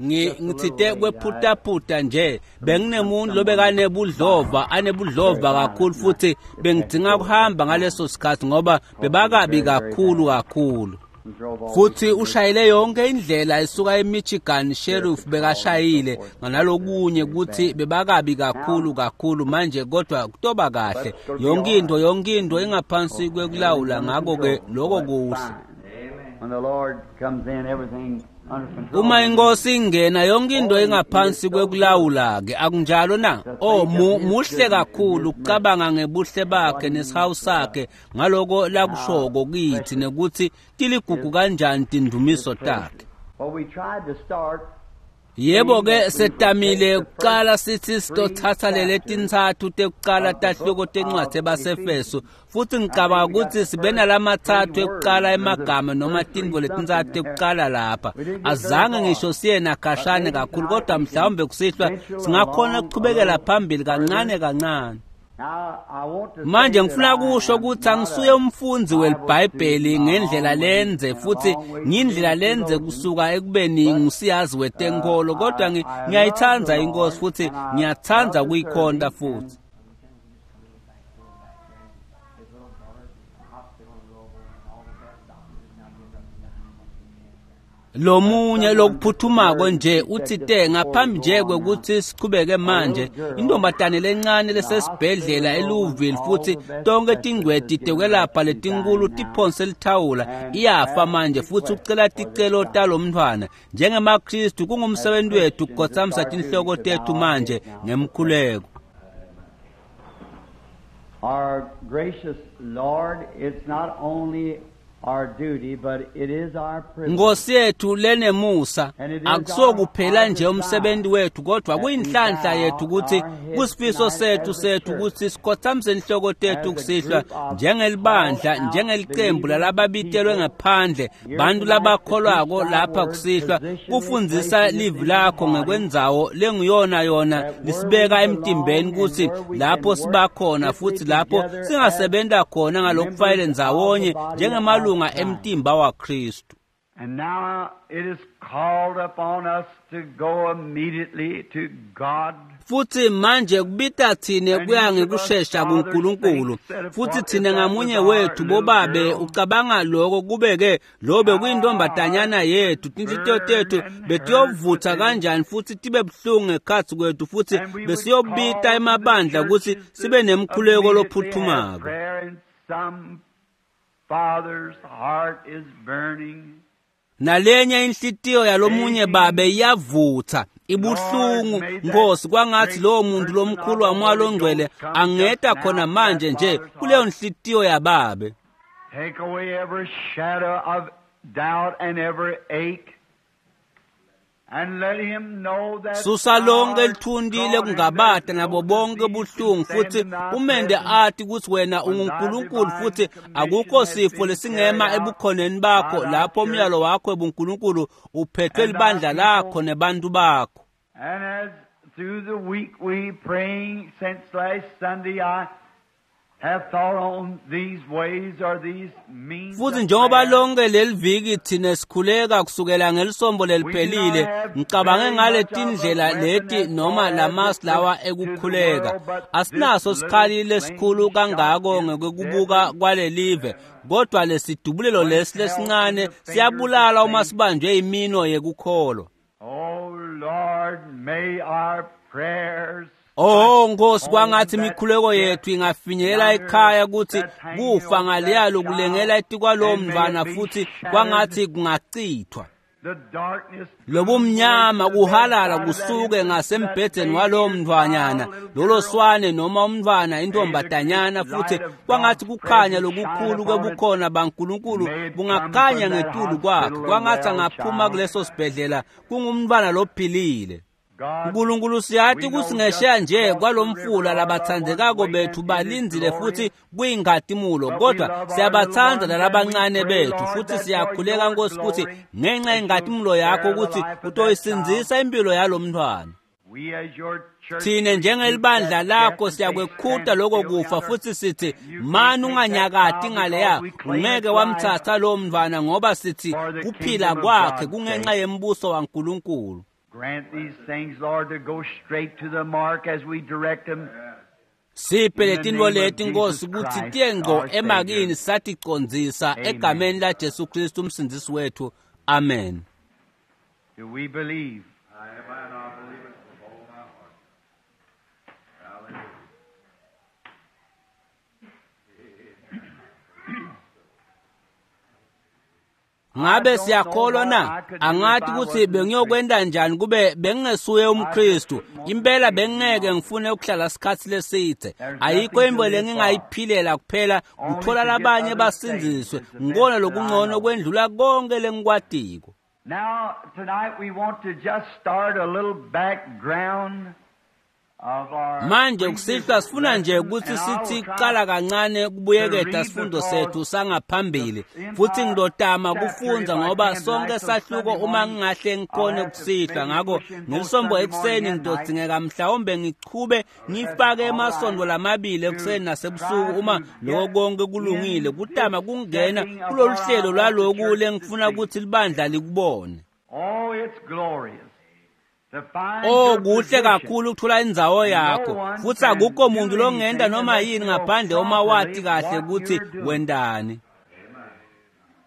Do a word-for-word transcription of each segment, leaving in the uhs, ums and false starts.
Ngitsite kwephutaphutha nje benginemuntu lobekanebudlova anebudlova kakhulu futhi bengidzinga kuhamba ngaleso sikhathi ngoba bebakabi kakhulu kakhulu. Futhi ushayele yonke indlela esuka eMichigan Sheriff bekashayile nganalokunye ukuthi bebakabi kakhulu kakhulu manje kodwa kutoba kahle yonke into yonke into ingaphansi kwekulawula ngakho ke lokho kuhle. Uma inkosi ingena yonke into ingaphansi kwekulawula ke akunjalo na? Oh muhle kakhulu ukucabanga ngebuhle bakhe nesihawu sakhe ngaloko lakushoko kithi nekuthi tiligugu kanjani tindumiso takhe. Yebo ke setamile kuqala sithi sitothatha lele tintsatfu tekuqala tahluko tencwadzi yabaseEfeso futhi ngicabanga ukuthi sibe nalamathathu ekuqala emagama noma tintfo letintsatfu tekuqala lapha. Azange ngisho siye nakhashane kakhulu kodwa mhlawumbe kusihlwa singakhona ukuchubekela phambili kancane kancane. Manje ngifuna kusho ukuthi angisuye umfundzi weliBhayibheli ngendlela lenze futhi ngindlela lenze kusuka ekubeni ngusiyazi wetenkolo kodwa ngiyayithanda inkosi futhi ngiyathanda ukuyikhonta futhi. Lomunye lokuphuthumako nje uthite ngaphambi nje kwekuthi sichubeke manje intombatane lencane lesesibhedlela eLouisville futhi tonke tingcweti tekwelapha letinkulu tiphonse lithawula iyafa manje futhi ucela ticelo talomntfwana. NjengemaKristu kungumsebenzi wethu ukukhothamisa tinhloko tethu manje ngemkhuleko. Our gracious Lord, it's not only our duty, but it is our privilege. Nkosi yethu lenemusa akusokuphela nje umsebenzi wethu kodwa kuyinhlanhla yethu ukuthi kusifiso sethu sethu ukuthi sikhothamise inhloko tethu kusihlwa njengelibandla njengelicembu lalababitelwe ngaphandle bantu labakholwako lapha kusihlwa kufundzisa livi lakho ngekwendzawo lenguyona yona lisibeka emtimbeni ukuthi lapho sibakhona futhi lapho singasebenta khona ngalokufayele ndzawonye njengemalunga emtimba waKristu. And now it is called upon us to go immediately to God. Futhi manje kubita thine kuya ngekushesha kuNkulunkulu futhi thine ngamunye wethu bobabe ucabanga lokho kubeke lobe kuyintombatanyana yethu tinhlitiyo tethu betiyovutha kanjani futhi tibe buhlungu ngekhatsi kwethu futhi besiyobita emabandla ukuthi sibe nemkhuleko lophuthumako. Father's heart is burning. Nalenye inhlitiyo yalomunye babe iyavutha ibuhlungu Nkosi kwangathi lowo muntu lomkhulu wamoya longcwele angeta khona manje nje kuleyo nhlitiyo yababe. Take away every shadow of doubt and every ache. And let him know that susa lonke lithunti lekungabata nabo bonke buhlungu futhi umende athi ukuthi wena unguNkulunkulu futhi akukho sifo lesingema ebukhoneni bakho lapho umyalo wakho ebuNkulunkulu uphethwe libandla lakho nebantu bakho. And as through the week we praying since last Sunday I have thought on these ways or these means. Futhi njengoba lonke leliviki thina sikhuleka kusukela ngelisombo leliphelile ngicabange ngale tindlela leti noma lamasi lawa ekukhuleka. Asinaso sikhali lesikhulu kangako ngekubuka kwalelive kodwa lesidubulelo lesi lesincane siyabulala uma sibanjwe imino yekukholwa. Oh Lord, may our prayers Oh Nkosi kwangathi imikhuleko yethu ingafinyelela ekhaya ukuthi kufa ngaleyalo kulengela etikwalowo mntwana futhi kwangathi kungachithwa. Lobumnyama kuhalala kusuke ngasembhedeni walowo mntwanyana lolo swane noma umntwana intombatanyana futhi kwangathi kukhanya lokukhulu kwebukhona baNkulunkulu bungakhanya ngetulu kwakhe kwangathi angaphuma kuleso sibhedlela kungumntwana lophilile. uNkulunkulu siyathi ukuthi ngesheya nje kwalomfula labathandekako bethu balindzile futhi kuyinkhatimulo kodwa siyabathanda lalabancane bethu futhi siyakhuleka Nkosi ukuthi ngenxa yenkhatimulo yakho ukuthi utoyisindzisa impilo yalomntwana. Thine njengelibandla lakho siyakwekhuta lokho kufa futhi sithi mani unganyakati ngaleya, ungeke wamthatha lowo mntwana ngoba sithi kuphila kwakhe kungenxa yembuso waNkulunkulu. Grant these things, Lord, to go straight to the mark as we direct them. Siphe letintfo leti Nkosi kutsi tiye ngco emakini saticondzisa egameni la Jesu Kristu umsindzisi wethu. Amen. Do we believe? Amen. I believe it with all my heart. Hallelujah. Ngabe siyakholwa na? Angathi ukuthi bengiyokwenda njani kube bengingesuye umKristu. Impela bengeke ngifune ukuhlala isikhathi leside. Ayikho into lengingayiphilela kuphela kuthola labanye basindziswe. Ngibona lokungcono kwendlula konke lengikwatiko. Now, tonight we want to just start a little background of our Manje kusihlwa sifuna nje ukuthi sithi kuqala kancane kubuyeketa sifundo sethu sangaphambili futhi ngidotama kufundza ngoba sonke sahluko uma ngingahle ngikhone kusihlwa. Ngakho ngelisombo ekuseni ngidodingeka mhlawumbe ngichube ngifake emasondo lamabili ekuseni nasebusuku uma lokho konke kulungile kutama kungena kulolu hlelo lwaloku lengifuna ukuthi libandla likubone. Oh, it's glorious. To find Oh your kuhle position. kakhulu ukuthola indzawo yakho futhi akukho muntu longenda noma yini ngaphandle uma wati kahle ukuthi wendani.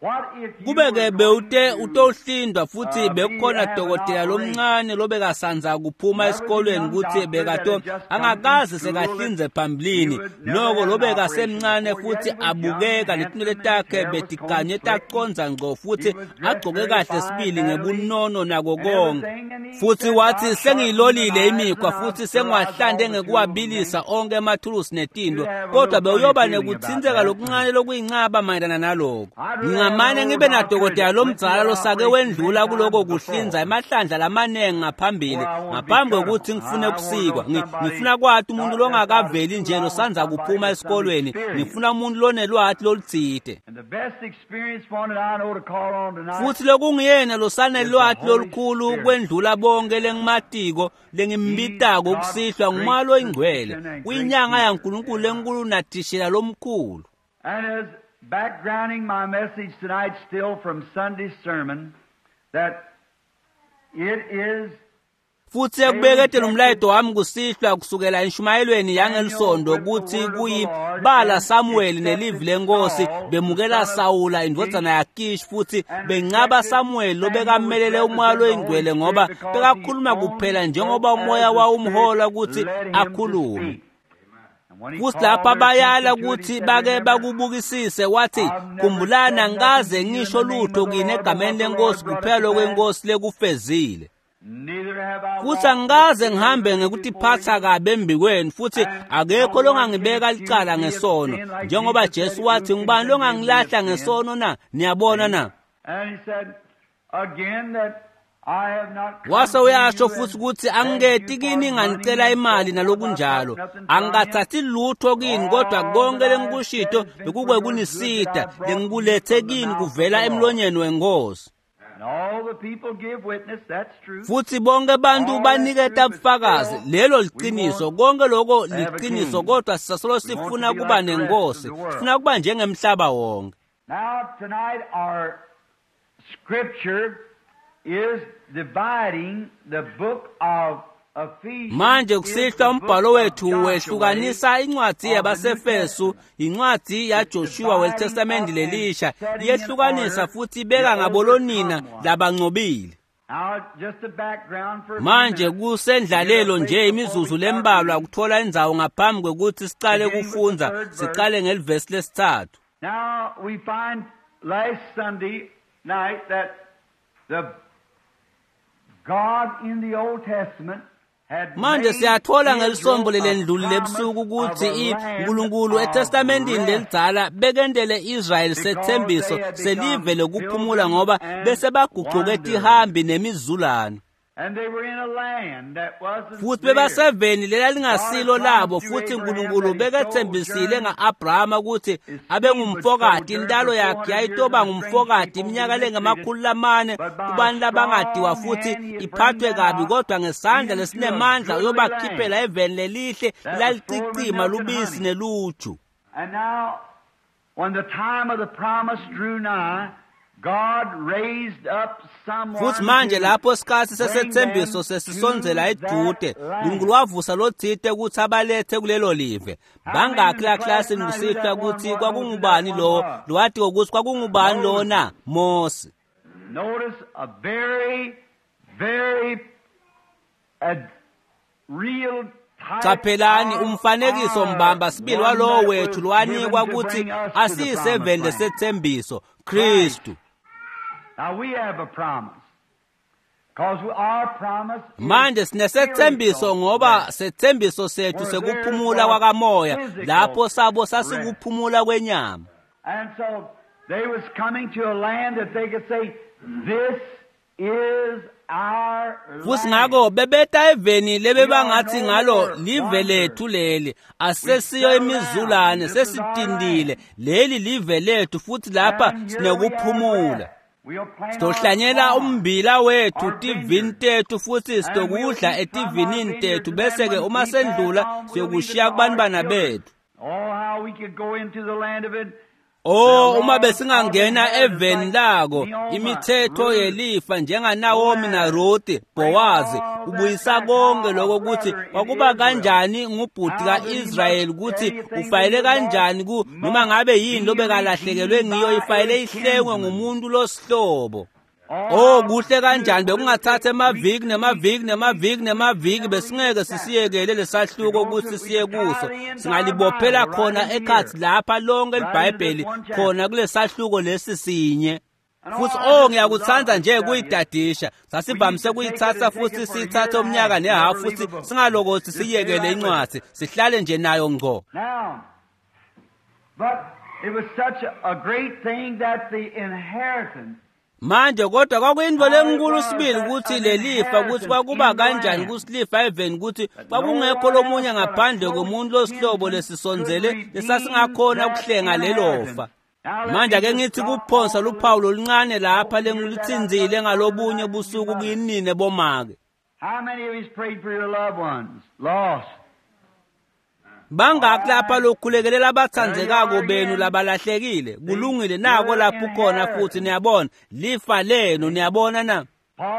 What if you Kube were ke going bewute to, utohlindwa futhi uh, bekukhona be- have an dokotela lomncane lobekasanza kuphuma There was a esikolweni young ukuthi doctor bekato that had just come angakaze from school sekahlinze that phambilini he would never noko have an lobekasemncane operation before. futhi Yet he was young, abukeka handsome, letinwele and his takhe hair was betiganye combed slick. tacondza ngco futhi He was dressed agcoke very kahle fine, sibili mannerly, ngebunono nako and konke. everything. And he Futhi said, wathi I've sharpened the sengiyilolile knives and imikhwa I've futhi sterilized all sengiwahlande the tools and ngekuwabilisa things. onke emathulusi netinto You'd have a kodwa little funny bewuyoba feeling about nekutsintseka that. lokuncane lokuyincaba mayelana naloko. I'd rather have an Ngingamane old ngibe doctor nadokotela that went through lomdzala that losake operation many wendlula kuloko times before. kuhlinza emahlandla lamaningi ngaphambili Or I want to be ngaphambi cut kokuthi on. ngifune I want to kusikwa. know Ngi- somebody Ngifuna kwati umuntu not just out of longakaveli school. nje I want losanza somebody kuphuma with some esikolweni. experience. Ngifuna umuntu lonelwati lolutsite. And the best experienced one that I know to call on tonight Futhi lokungiyena is the losanelwati Holy lolukhulu Spirit. kwendlula bonke lengimatiko He's lengimbitako God's kusihlwa great ngumoya loyingcwele physician and great uyinyanga teacher. yaNkulunkulu lenkulu nathishela lomkhulu. And as backgrounding my message tonight still from Sunday's sermon, that it is Futhi they ekubeketela rejected umlayeto wami kusihlwa kusukela enshumayelweni Samuel yangelisonto with the kuthi word of the kuyi Lord bala and Samuel nelivi accepted lenkosi Saul, the bemukela son of Sawula Kish, indvodzana yaKish futhi and bencaba rejected Samuel Samuel, which lobekamelele umoya represented the Holy loyingcwele Spirit, ngoba because he bekakhuluma only kuphela spoke njengoba umoya as the Spirit wawumhola ukuthi led him to akhulume. speak. And when he Futhi called lapha their bayala attention to it, he ukuthi said, bake Remember, bakubukisise wathi I've never khumbulani said nothing angikaze to you in ngisho the name lutho of the kini Lord but egameni what the Lord lenkosi brought it kuphela to pass. lokwenkosi lekufezile. Neither have I Futhi walked angikaze ngihambe disobediently before ngekutiphatha you. kabi embikweni futhi And akekho no one can longangibeka accuse licala me of ngesono sin like njengoba Jesus said, Jesu Who wathi can ngubani condemn me of longangilahla sin? ngesono na? Niyabona See? na? And he said again that I have not come Wase to uyasho you futhi and ukuthi begged you angiketi for kini money nganicela and so imali forth. I've got nalokunjalo. nothing from you. Angingathathi lutho kini kodwa All konke that I have said lengikushito has been for bekukwe your good that kunisita I brought you lengikulethe from the kini mouth of kuvela the Lord. emlonyeni wenkosi. And all the people give witness, that's true. Futhi bonke abantu All that's true, baniketa but bufakazi still lelo we liqiniso want konke lokho to have a liqiniso king. kodwa sisasolo We want to sifuna be kuba like the rest of nenkosi the world. sifuna kuba njengemhlaba wonke. Now, tonight, our scripture is dividing the book of Ephesians Manje is kusihlwa the book umbhalo of wethu Joshua wehlukanisa incwadi of the New yabaseFesu Testament. incwadi It's yaJoshua dividing welitestamenti up and lelisha setting in iyehlukanisa order futhi the ibeka ngabolonina overcome one. labancobile. Now, just a background for a few Manje minutes to get a kusendlalelo place nje before we imizuzu start lembalwa reading, kuthola indzawo ngaphambi kwekuthi siqale beginning with the kufundza third verse. siqale ngelivesi lesithathu. Now, we find last Sunday night that the God in the Old Testament had Manje made siyathola Israel ngelisombo a lelendluli promise lebusuku of ukuthi a land uNkulunkulu of eTestamentini rest lelidzala bekendele Israel because they sethembiso had selive become lokuphumula pilgrims ngoba and bese bagucuke wanderers. tihambi nemizulane. Futhi bebaseveni lelalingasilo labo, futhi uNkulunkulu bekethembisile nga-Abrahama ukuthi abengumfokati, intalo yakhe yayitoba ngumfokati iminyaka lengamakhulu lamane kubantu labangadiwa futhi iphathwe kabi, kodwa ngesandla lesinemandla uyobakhiphela eveni lelihle lelalicicima lubisi neluju. And now, when the time of the promise drew nigh, God raised up someone Futhi manje to lapho isikhathi bring sesethembiso them sesisondzela to edude, that land. uNkulunkulu wavusa lotsite ukuthi abalethe kulelo live. Bangakhi la klasini kusihlwa ukuthi kwakungubani lo lowatiko ukuthi kwakungubani lona? Mose. Notice a very, very a real type Qaphelani of umfanekiso our mbamba sibili one walowo that wethu was lowanikwa given to ukuthi bring us to the asiyiseveni promised land. lesethembiso Kristu. Now we have a promise. Because our promise is Manje sinesethembiso spiritual ngoba rest. sethembiso sethu sekuphumula kwakamoya, lapho sabo sasikuphumula kwenyama. And so they was coming to a land that they could say, this is our Futhi land. ngako bebeta eveni lebebangathi ngalo live lethu leli, asesiyo imizulane, sesitindile, leli live lethu futhi lapha And here we have sinekuphumula. rest. We'll plant our Sizohlanyela farm. ummbila wethu tivini tethu futhi sitokudla etivinini tethu, bese-ke uma sendlula siyokushiya kubantwana bethu. Oh, how we could go into the land of it. Oh, uma besingangena eveni lako, imithetho yelifa njengaNaomi naRuthi, Bowazi, ubuyisa konke lokho ukuthi kwakuba kanjani ngubhuti kaIsrayeli ukuthi ufayele kanjani ku noma ngabe yini lobekalahlekelwe ngiyo ifayele ihlengwe ngumuntu losihlobo. Oh, kuhle kanjani bekungathatha emaviki nemaviki nemaviki nemaviki, besingeke sisiyekele lesahluko ukuthi siye kuso. Singalibophela khona ekhathi lapha lonke iBhayibheli khona kulesahluko lesi sinye. Futhi oh ngiyakuthanda nje kuyidadisha. Sasivamise kuyithatha futhi siyithathe umnyaka nehafu futhi singalokothi siyekele incwadi, sihlale nje nayo ngqo. Now, but it was such a, a great thing that the inheritance Manje kodwa kwakuyinto lenkulu sibili ukuthi lelifa ukuthi kwakuba kanjani kusilifa eveni ukuthi kwakungekho lomunye ngaphandle komuntu losihlobo lesisondzele lesasingakhona ukuhlenga lelofa. Manje ake ngithi kuphonsa luphawu loluncane lapha lengiluthinzile ngalobunye busuku kinine bomake. How many of you prayed for your loved ones lost? Bangaki lapha lokhulekelela abathandzekako benu labalahlekile? Kulungile, nako lapho ukhona futhi niyabona lifa lenu, niyabona na?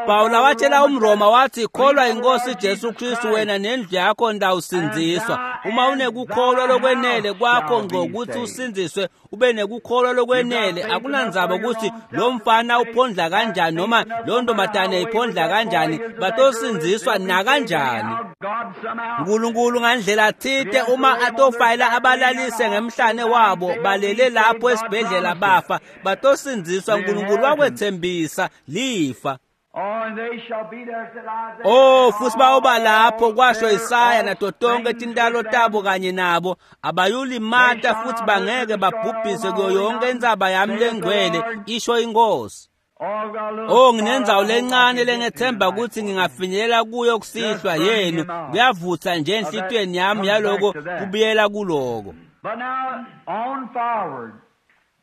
Pawula watshela umRoma wathi kholwa inkosi Jesu Kristu wena nendlu yakho ndawusindziswa. Uma unekukholwa lokwenele kwakho ngqo ukuthi usindziswe, ube nekukholwa lokwenele, akunandzaba ukuthi lo mfana uphondla kanjani noma lo ntombazane iphondla kanjani, batosindziswa nakanjani. God somehow uNkulunkulu ngandlela thite uma atofayela abalalise ngemhlane wabo balele lapho esibhedlela bafa, batosindziswa. uNkulunkulu wakwethembisa lifa. Oh, and they shall be there, said Isaiah. Oh, futhi bayoba lapho kwasho Isaya nato tonke tintalo tabo kanye nabo, abayulimata futhi bangeke babhubhise kuyo yonke intsaba yami lengcwele, isho inkosi. Oh, I've got a little Oh, nginendzawo spot I hope I lencane can get to lengethemba tonight. ukuthi ngingafinyelela kuyo kusihlwa yenu. Kuyavutha nje enhlitiyweni yami yaloko kubuyela kuloko. But now, on forward.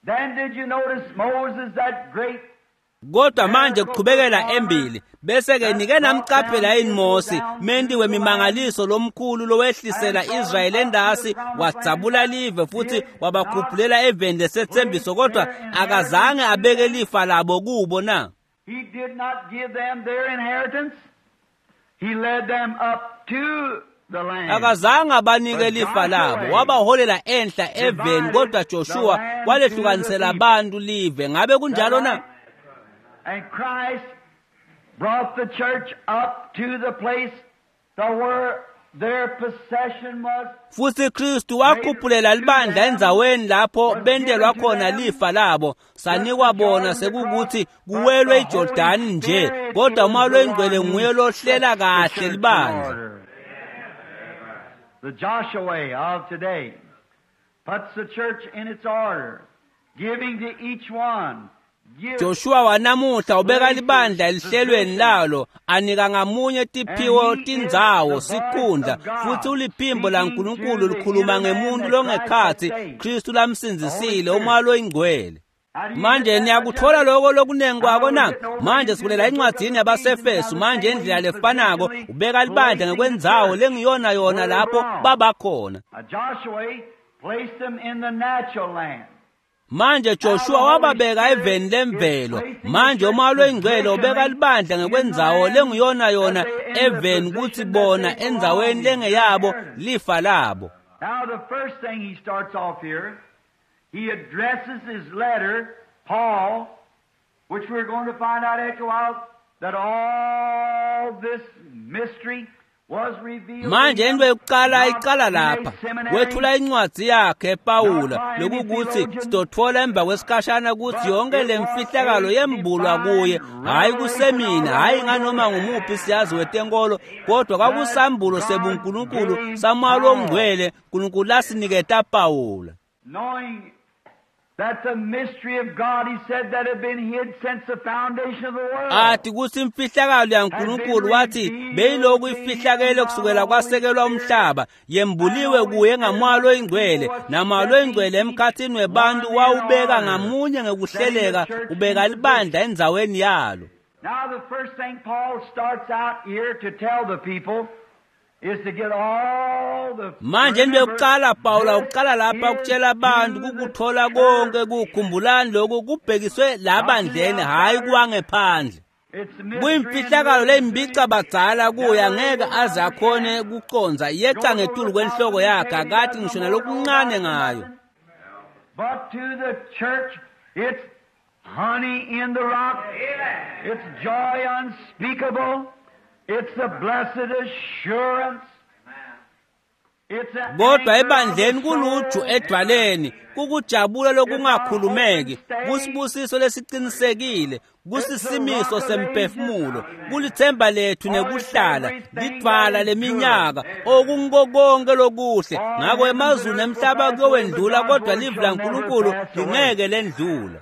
Then did you notice Moses, that great Kodwa manje kuchubekela embili, bese ke nike namcaphela yini Mose, menti wemimangaliso lomkhulu lowehlisela Israyeli endasi, wadzabula live futhi wabakhuphulela eveni lesethembiso, kodwa akazange abeke lifa labo kubo na? He did not give them their inheritance. He led them up to the land. Akazange abanike lifa labo, wabaholela enhla eveni, kodwa Joshua walehlukanisela abantu live. Ngabe kunjalo na? And Christ brought the church up to the place to where their possession was. Futhi Kristu wakhuphulela libandla endzaweni lapho bentelwa khona lifa labo, sanikwa bona sekukuthi kuwelwe iJordani nje, kodwa uMoya loyiNgcwele nguye lohlela kahle libandla. The Joshua of today puts the church in its order, giving to each one Joshua wanamuhla ubeka libandla elihlelweni lalo, anika ngamunye tiphiwo tindzawo sikhundla, futhi uliphimbo laNkulunkulu likhuluma ngemuntu longekhatsi Kristu lamsindzisile, uMoya loyiNgcwele. Manje niyakuthola lokho lokunengi kwako na? Manje sikulela encwadzini yabaseFesu. Manje indlela lefanako ubeka libandla ngekwendzawo lengiyona yona lapho babakhona. Manje Joshua wababeka eveni lemvelo. Manje uMoya loyiNgcwele ubeka libandla ngekwendzawo lengiyona yona eveni kutsi bona endzaweni lengeyabo lifa labo. Now the first thing he starts off here, he addresses his letter, Paul, which we're going to find out after a while, that all this mystery was revealed. Manje into yokuqala iqala lapha wethula incwadzi yakhe Pawula, lokukuthi sitothola emva kwesikhashana ukuthi yonke lemfihlakalo yembulwa kuye, hayi kusemina, hayi nganoma ngumuphi siyazi wetenkolo, kodwa kwakusambulo sebuNkulunkulu saMoya loNgcwele uNkulunkulu lasiniketa Pawula. Knowing that the mystery of God, he said, that had been hid since the foundation of the world. Athi kuthi imfihlakalo yaNkulunkulu wathi beyiloku ifihlakele kusukela kwasekelwa umhlaba, yembuliwe kuye ngaMoya loyiNgcwele, naMoya loyiNgcwele emkhathini webantu wawubeka ngamunye ngekuhleleka, ubeka libandla endzaweni yalo. Now the first thing Paul starts out here to tell the people is to get all the Manje into yokuqala Pawula uqala lapha ukutshela abantu kukuthola konke kukhumbulani lokhu kubhekiswe labandleni, hayi kuwangephandle. Kuyimfihlakalo leyimbica badzala kuye, angeke aze akhone kucondza, yeca ngetulu kwenhloko yakhe, akathi ngisho nalokuncane ngayo. But to the church it's honey in the rock. It's joy unspeakable. It's the blessed assurance. Kodwa ebandleni kuluju edwaleni, kukujabula lokungakhulumeki, kusibusiso lesicinisekile, kusisimiso semphefumulo, kulithemba lethu nekuhlala, lidvwala leminyaka, okungiko konke lokuhle. Ngako emazulu nemhlaba kuyowendlula, kodwa livi laNkulunkulu lingeke lendlula.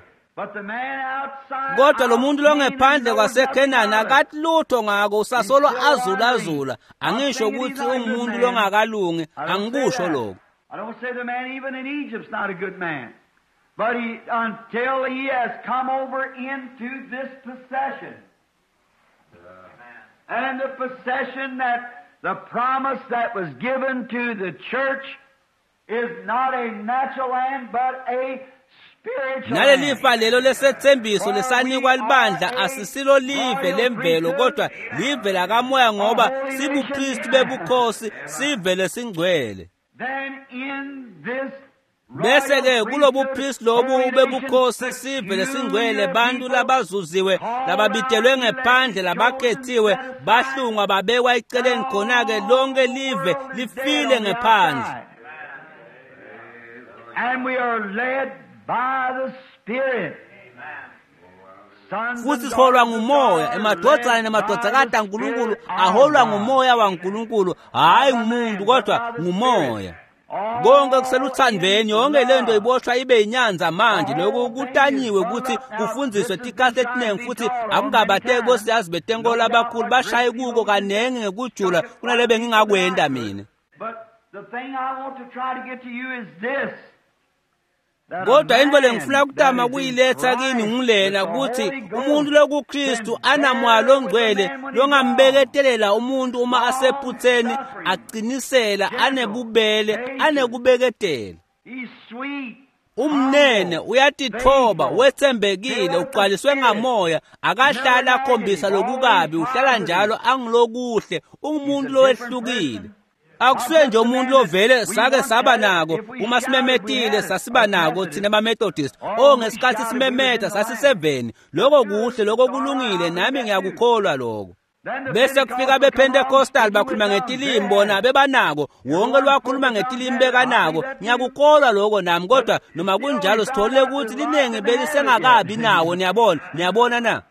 Kodwa lo muntu longephandle kwaseKhenani akathi lutho ngako, usasolo azulazula. Angisho ukuthi ungumuntu longakalungi, angikusho lokho. I don't say the man even in Egypt's not a good man. But he, until he has come over into this possession. And the possession that the promise that was given to the church is not a natural land, but a Nalelifa lelo lesethembiso lesanikwa libandla asisilo live lemvelo, kodwa live lakamoya, ngoba sibuKristu bebukhosi, sive lesingcwele. Bese ke kulobu priest lobu bebukhosi sive lesingcwele, bantu labazuziwe, lababitelwe ngephandle, labakhethiwe, bahlungwa babekwa eceleni, khona ke lonke live lifile ngephandle. And we are led by the Spirit. Futhi siholwa ngumoya, emadvodzana nemadvodzakati aNkulunkulu aholwa ngumoya waNkulunkulu, hayi ngumuntu kodwa ngumoya. Konke kuseluthandweni, yonke lento iboshwa ibe inyanza manje. Lokhu kutanyiwe ukuthi kufundziswe tikhathi etiningi, futhi akungabateki bosiyazi betenkolo abakhulu bashaye kuko kanengi ngekujula kunale bengingakwenda mina. But the thing I want to try to get to you is this. Kodwa into lengifuna kutama kuyiletha kini ngilena ukuthi umuntu lokuKristu anamoya longcwele longambeketelela umuntu uma asephutheni, aqinisela, anebubele, anekubeketela. Umnene, uyatithoba, wethembekile, ugcwaliswe ngamoya, akahlali akhombisa lokukabi, uhlala njalo angilokuhle, umuntu lowehlukile. Akusuye nje umuntu lovele sake saba nako uma simemetile sasiba nako thina baMethodist, o ngesikhathi simemetha sasiseveni, lokho kuhle, lokho kulungile, nami ngiyakukholwa lokho. Bese kufika bePentecostal bakhuluma ngetilimi, bona bebanako, wonke lwakhuluma ngetilimi bekanako, ngiyakukholwa lokho nami, kodwa noma kunjalo sitholile ukuthi liningi belisengakabi nawo. Niyabona, niyabona na?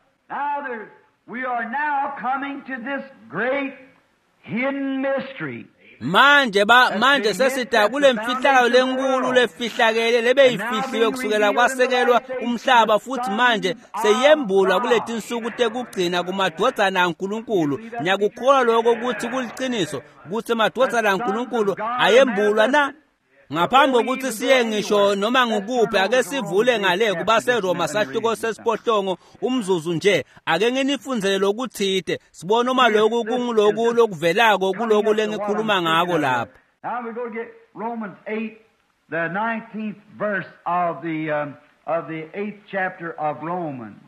We are now coming to this great hidden mystery. Manje ba manje sesida kule mfihlakalo lenkulu lefihlakele lebeyifihliwe kusukela kwasekelwa umhlaba, futhi manje seyembulwa kuletinsuku tekugcina kumadvodzana aNkulunkulu. Ngiyakukholwa lokho ukuthi kuliciniso ukuthi amadvodzana aNkulunkulu ayembulwa na. Ngaphambi kokuthi siye ngisho noma ngukuphi, ake sivule ngale kubaseRoma sahluko sesiphohlongo umzuzu nje. Ake nginifundzele lokuthite sibone uma lokhu kunguloku lokuvelako kuloku lengikhuluma ngako lapha. Now we go get Romans eight, the nineteenth verse of the um, of the eighth chapter of Romans.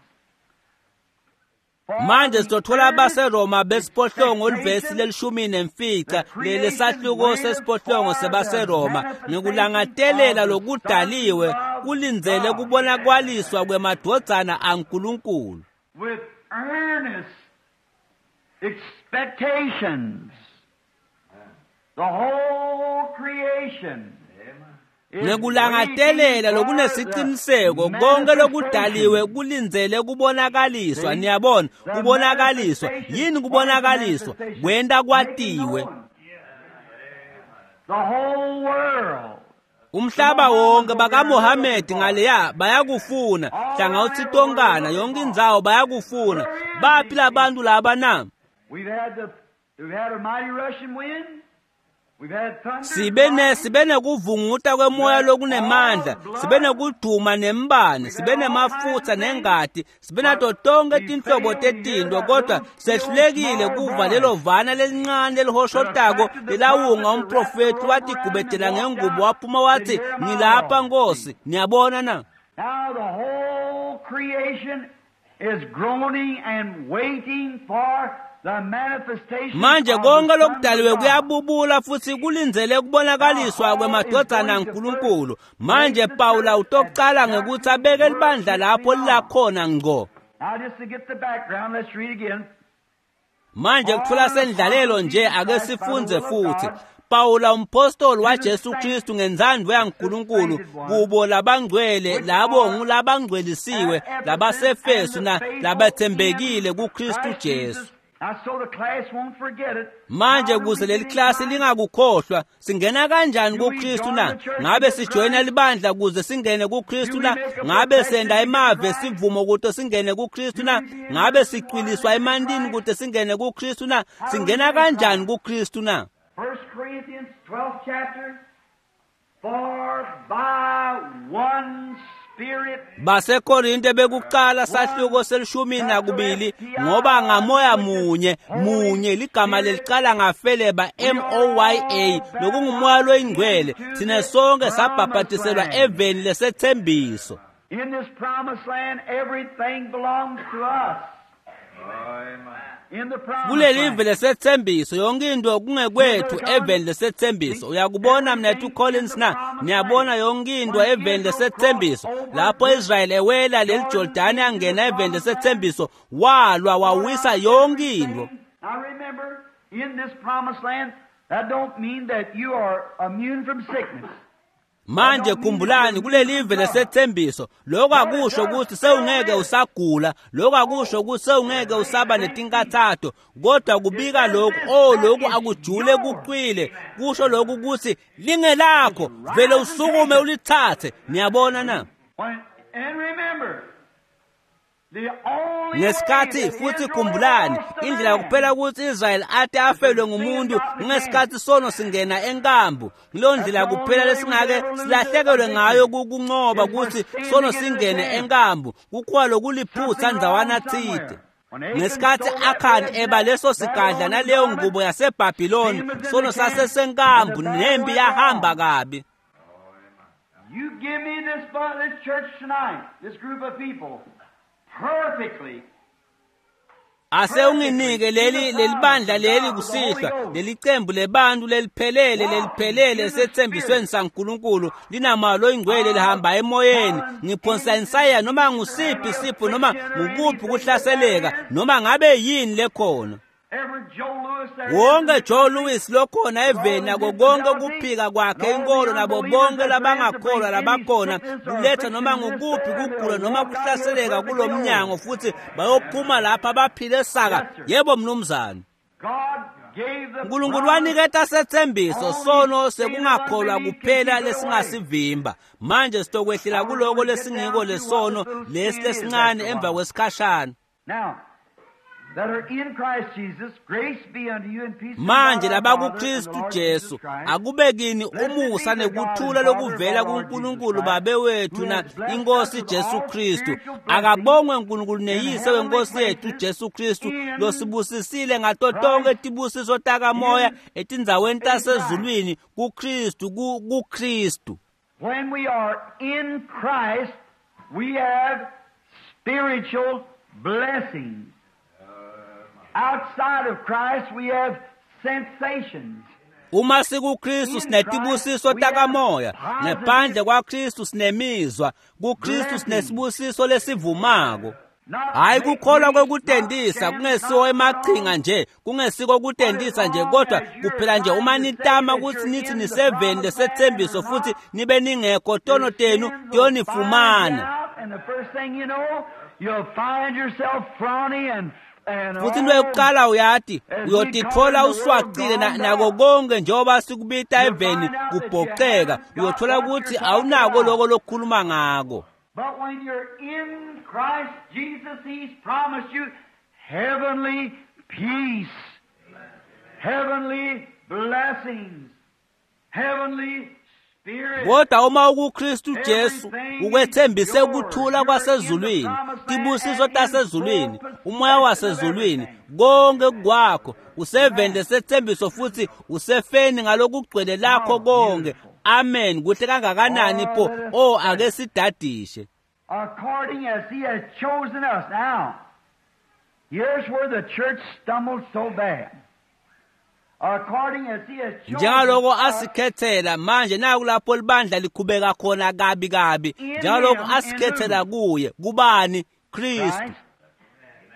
Manje sizothola abaseRoma besiphohlongo livesi lelishumi nemfica lesahluko sesiphohlongo sebaseRoma. Ngikulangadelela lokudaliwe kulindzele kubona kwaliswa kwemadvodzana aNkulunkulu. With earnest expectations, the whole creation. Ngekulangadelela lokunesiciniseko konke lokudaliwe kulindzele kubonakaliswa. Niyabona, kubonakaliswa yini? Kubonakaliswa kwenta kwatiwe. The whole world. Umhlaba wonke bakaMohamedi ngaleya bayakufuna, hlangawuthi tonkana yonke indzawo bayakufuna. Baphi labantu laba na? We've had the we've had a mighty rushing wind. Sibe ne sibe nekuvunguta kwemoya lokunemandla, sibe nekuduma nembane, sibe nemafutsa nengati, sibe nato tonke tinhlobo tetinto, kodwa sehlulekile kuva lelo vana lelincane lelihoshotako lelawunga umprofethi watigubedela ngengubo waphuma wathi, ngilapha Nkosi. Niyabona na? Now the whole creation is groaning and waiting for Manje konke lokudaliwe kuyabubula futhi kulindzele kubonakaliswa kwemadvodzana aNkulunkulu. Manje Pawula utokucala ngekuthi abeke libandla lapho lilakhona ngco. Manje kuthola sendlalelo nje, ake sifundze futhi. Pawula umpostoli waJesu Kristu ngenzandvo yaNkulunkulu kubo labangcwele, labo ngulabangcwelisiwe labaseFesu na labathembekile kuKristu Jesu. Manje kuze leli klasi lingakukhohlwa, singena kanjani kuKristu na? Ngabe sijoyina libandla kuze singene kuKristu na? Ngabe senda emave sivumo kuze singene kuKristu na? Ngabe sicwiliswa emantini kuze singene kuKristu na? Singena kanjani kuKristu na? First Corinthians twelfth chapter, for by one Spirit. BaseKorinte bekuqala sahluko selishumi nakubili, ngoba ngamoya munye munye ligama lelicala ngafeleba M O Y A lokungumoya loyingcwele, thina sonke sabhabhatiselwa eveni lesethembiso. In this promised land everything belongs to us. Kulelive lesethembiso yonke into kungekwethu eveni lesethembiso. Uyakubona mnethu Collins na? Niyabona yonke into eveni lesethembiso. Lapho Israel ewela leli Jordani angena eveni lesethembiso, walwa wawisa yonke into. Now remember, in this promised land, that don't mean that you are immune from sickness. Manje khumbulani kulelive lesethembiso, lokho akusho ukuthi sewungeke usagula, lokho akusho ukuthi sewungeke usaba netinkathato, kodwa kubika lokhu, oh lokhu akujule kuqwile, kusho lokhu ukuthi lingelakho, vele usukume ulithathe. Niyabona na? And remember, Ngesikhathi futhi khumbulani, indlela kuphela ukuthi Israel ate afelwe ngumuntu ngesikhathi sono singena enkambu. Ngilo ndlela kuphela lesingake silahlekelwe ngayo kukunqoba ukuthi sono singene enkambu, kukhuwa lokuliphutha ndzawana thide. Ngesikhathi Akhani eba leso sigadla naleyo ngubo yaseBhabhiloni, sono sasesenkambu nempi yahamba kabi. You give me this, this church tonight, this group of people. Perfectly. Ase unginike leli lelibandla leli kusihlwa, lelicembu lebantu leliphelele leliphelele sethembisweni saNkulunkulu, linamalo ingcwele lihamba emoyeni. Ngiphonsa insaya noma ngusiphi sipho noma ngukuphi kuhlaseleka noma ngabe yini lekhona. Wonke Joe Louis lokhona eveni nako konke kuphika kwakhe inkolo nabo bonke labangakholwa labakhona kuletha noma ngukuphi kugula noma kuhlaseleka kulomnyango, futhi bayophuma lapha baphile saka. Yebo mnumzane. God uNkulunkulu waniketa setsembiso sono sekungakholwa kuphela lesingasivimba. Manje sitokwehlela kuloko lesingiko lesono lesi lesincane emva kwesikhashana. Manje labakuKristu Jesu akube kini umusa nekuthula lokuvela kuNkulunkulu Babe wethu na inkosi Jesu Kristu. Akabongwe uNkulunkulu neyise wenkosi yethu Jesu Kristu losibusisile ngato tonke tibusiso takamoya etindzaweni tasezulwini kuKristu kuKristu. When we are in Christ, we have spiritual blessings. Outside of Christ we have sensations. Uma sikuKristu sinetibusiso takamoya, ngaphandle kwaKristu sinemizwa, kuKristu sinesibusiso lesivumako. Hayi kukholwa kwekutendisa kungesiwo emachinga nje, kungesiko kutendisa nje, kodwa kuphela nje uma nitama ukuthi nithi niseveni lesethembiso futhi nibe ningekho, tono tenu tiyonifumana. Futhi into yokuqala uyati uyotithola uswacile nako konke njengoba sikubita eveni kubhoceka, uyothola ukuthi awunako lokho lokukhuluma ngako. But when you're in Christ Jesus, He's promised you heavenly peace, heavenly blessings, heavenly spirit. Kodwa uma ukuKristu Jesu ukwethembise ukuthula kwasezulwini, tibusiso tasezulwini, umoya wasezulwini, konke kwakho usevende sethembiso futhi usefeni ngalokugcwele lakho konke. Amen. Kuhle kangakanani pho? Oh, ake sidadishe. According as He has chosen us. Now, here's where the church stumbled so bad. According as He has chosen njengaloko asikhethela manje, naku lapho libandla likhubeka khona kabi kabi. Njengaloko asikhethela kuye, kubani? Kristu.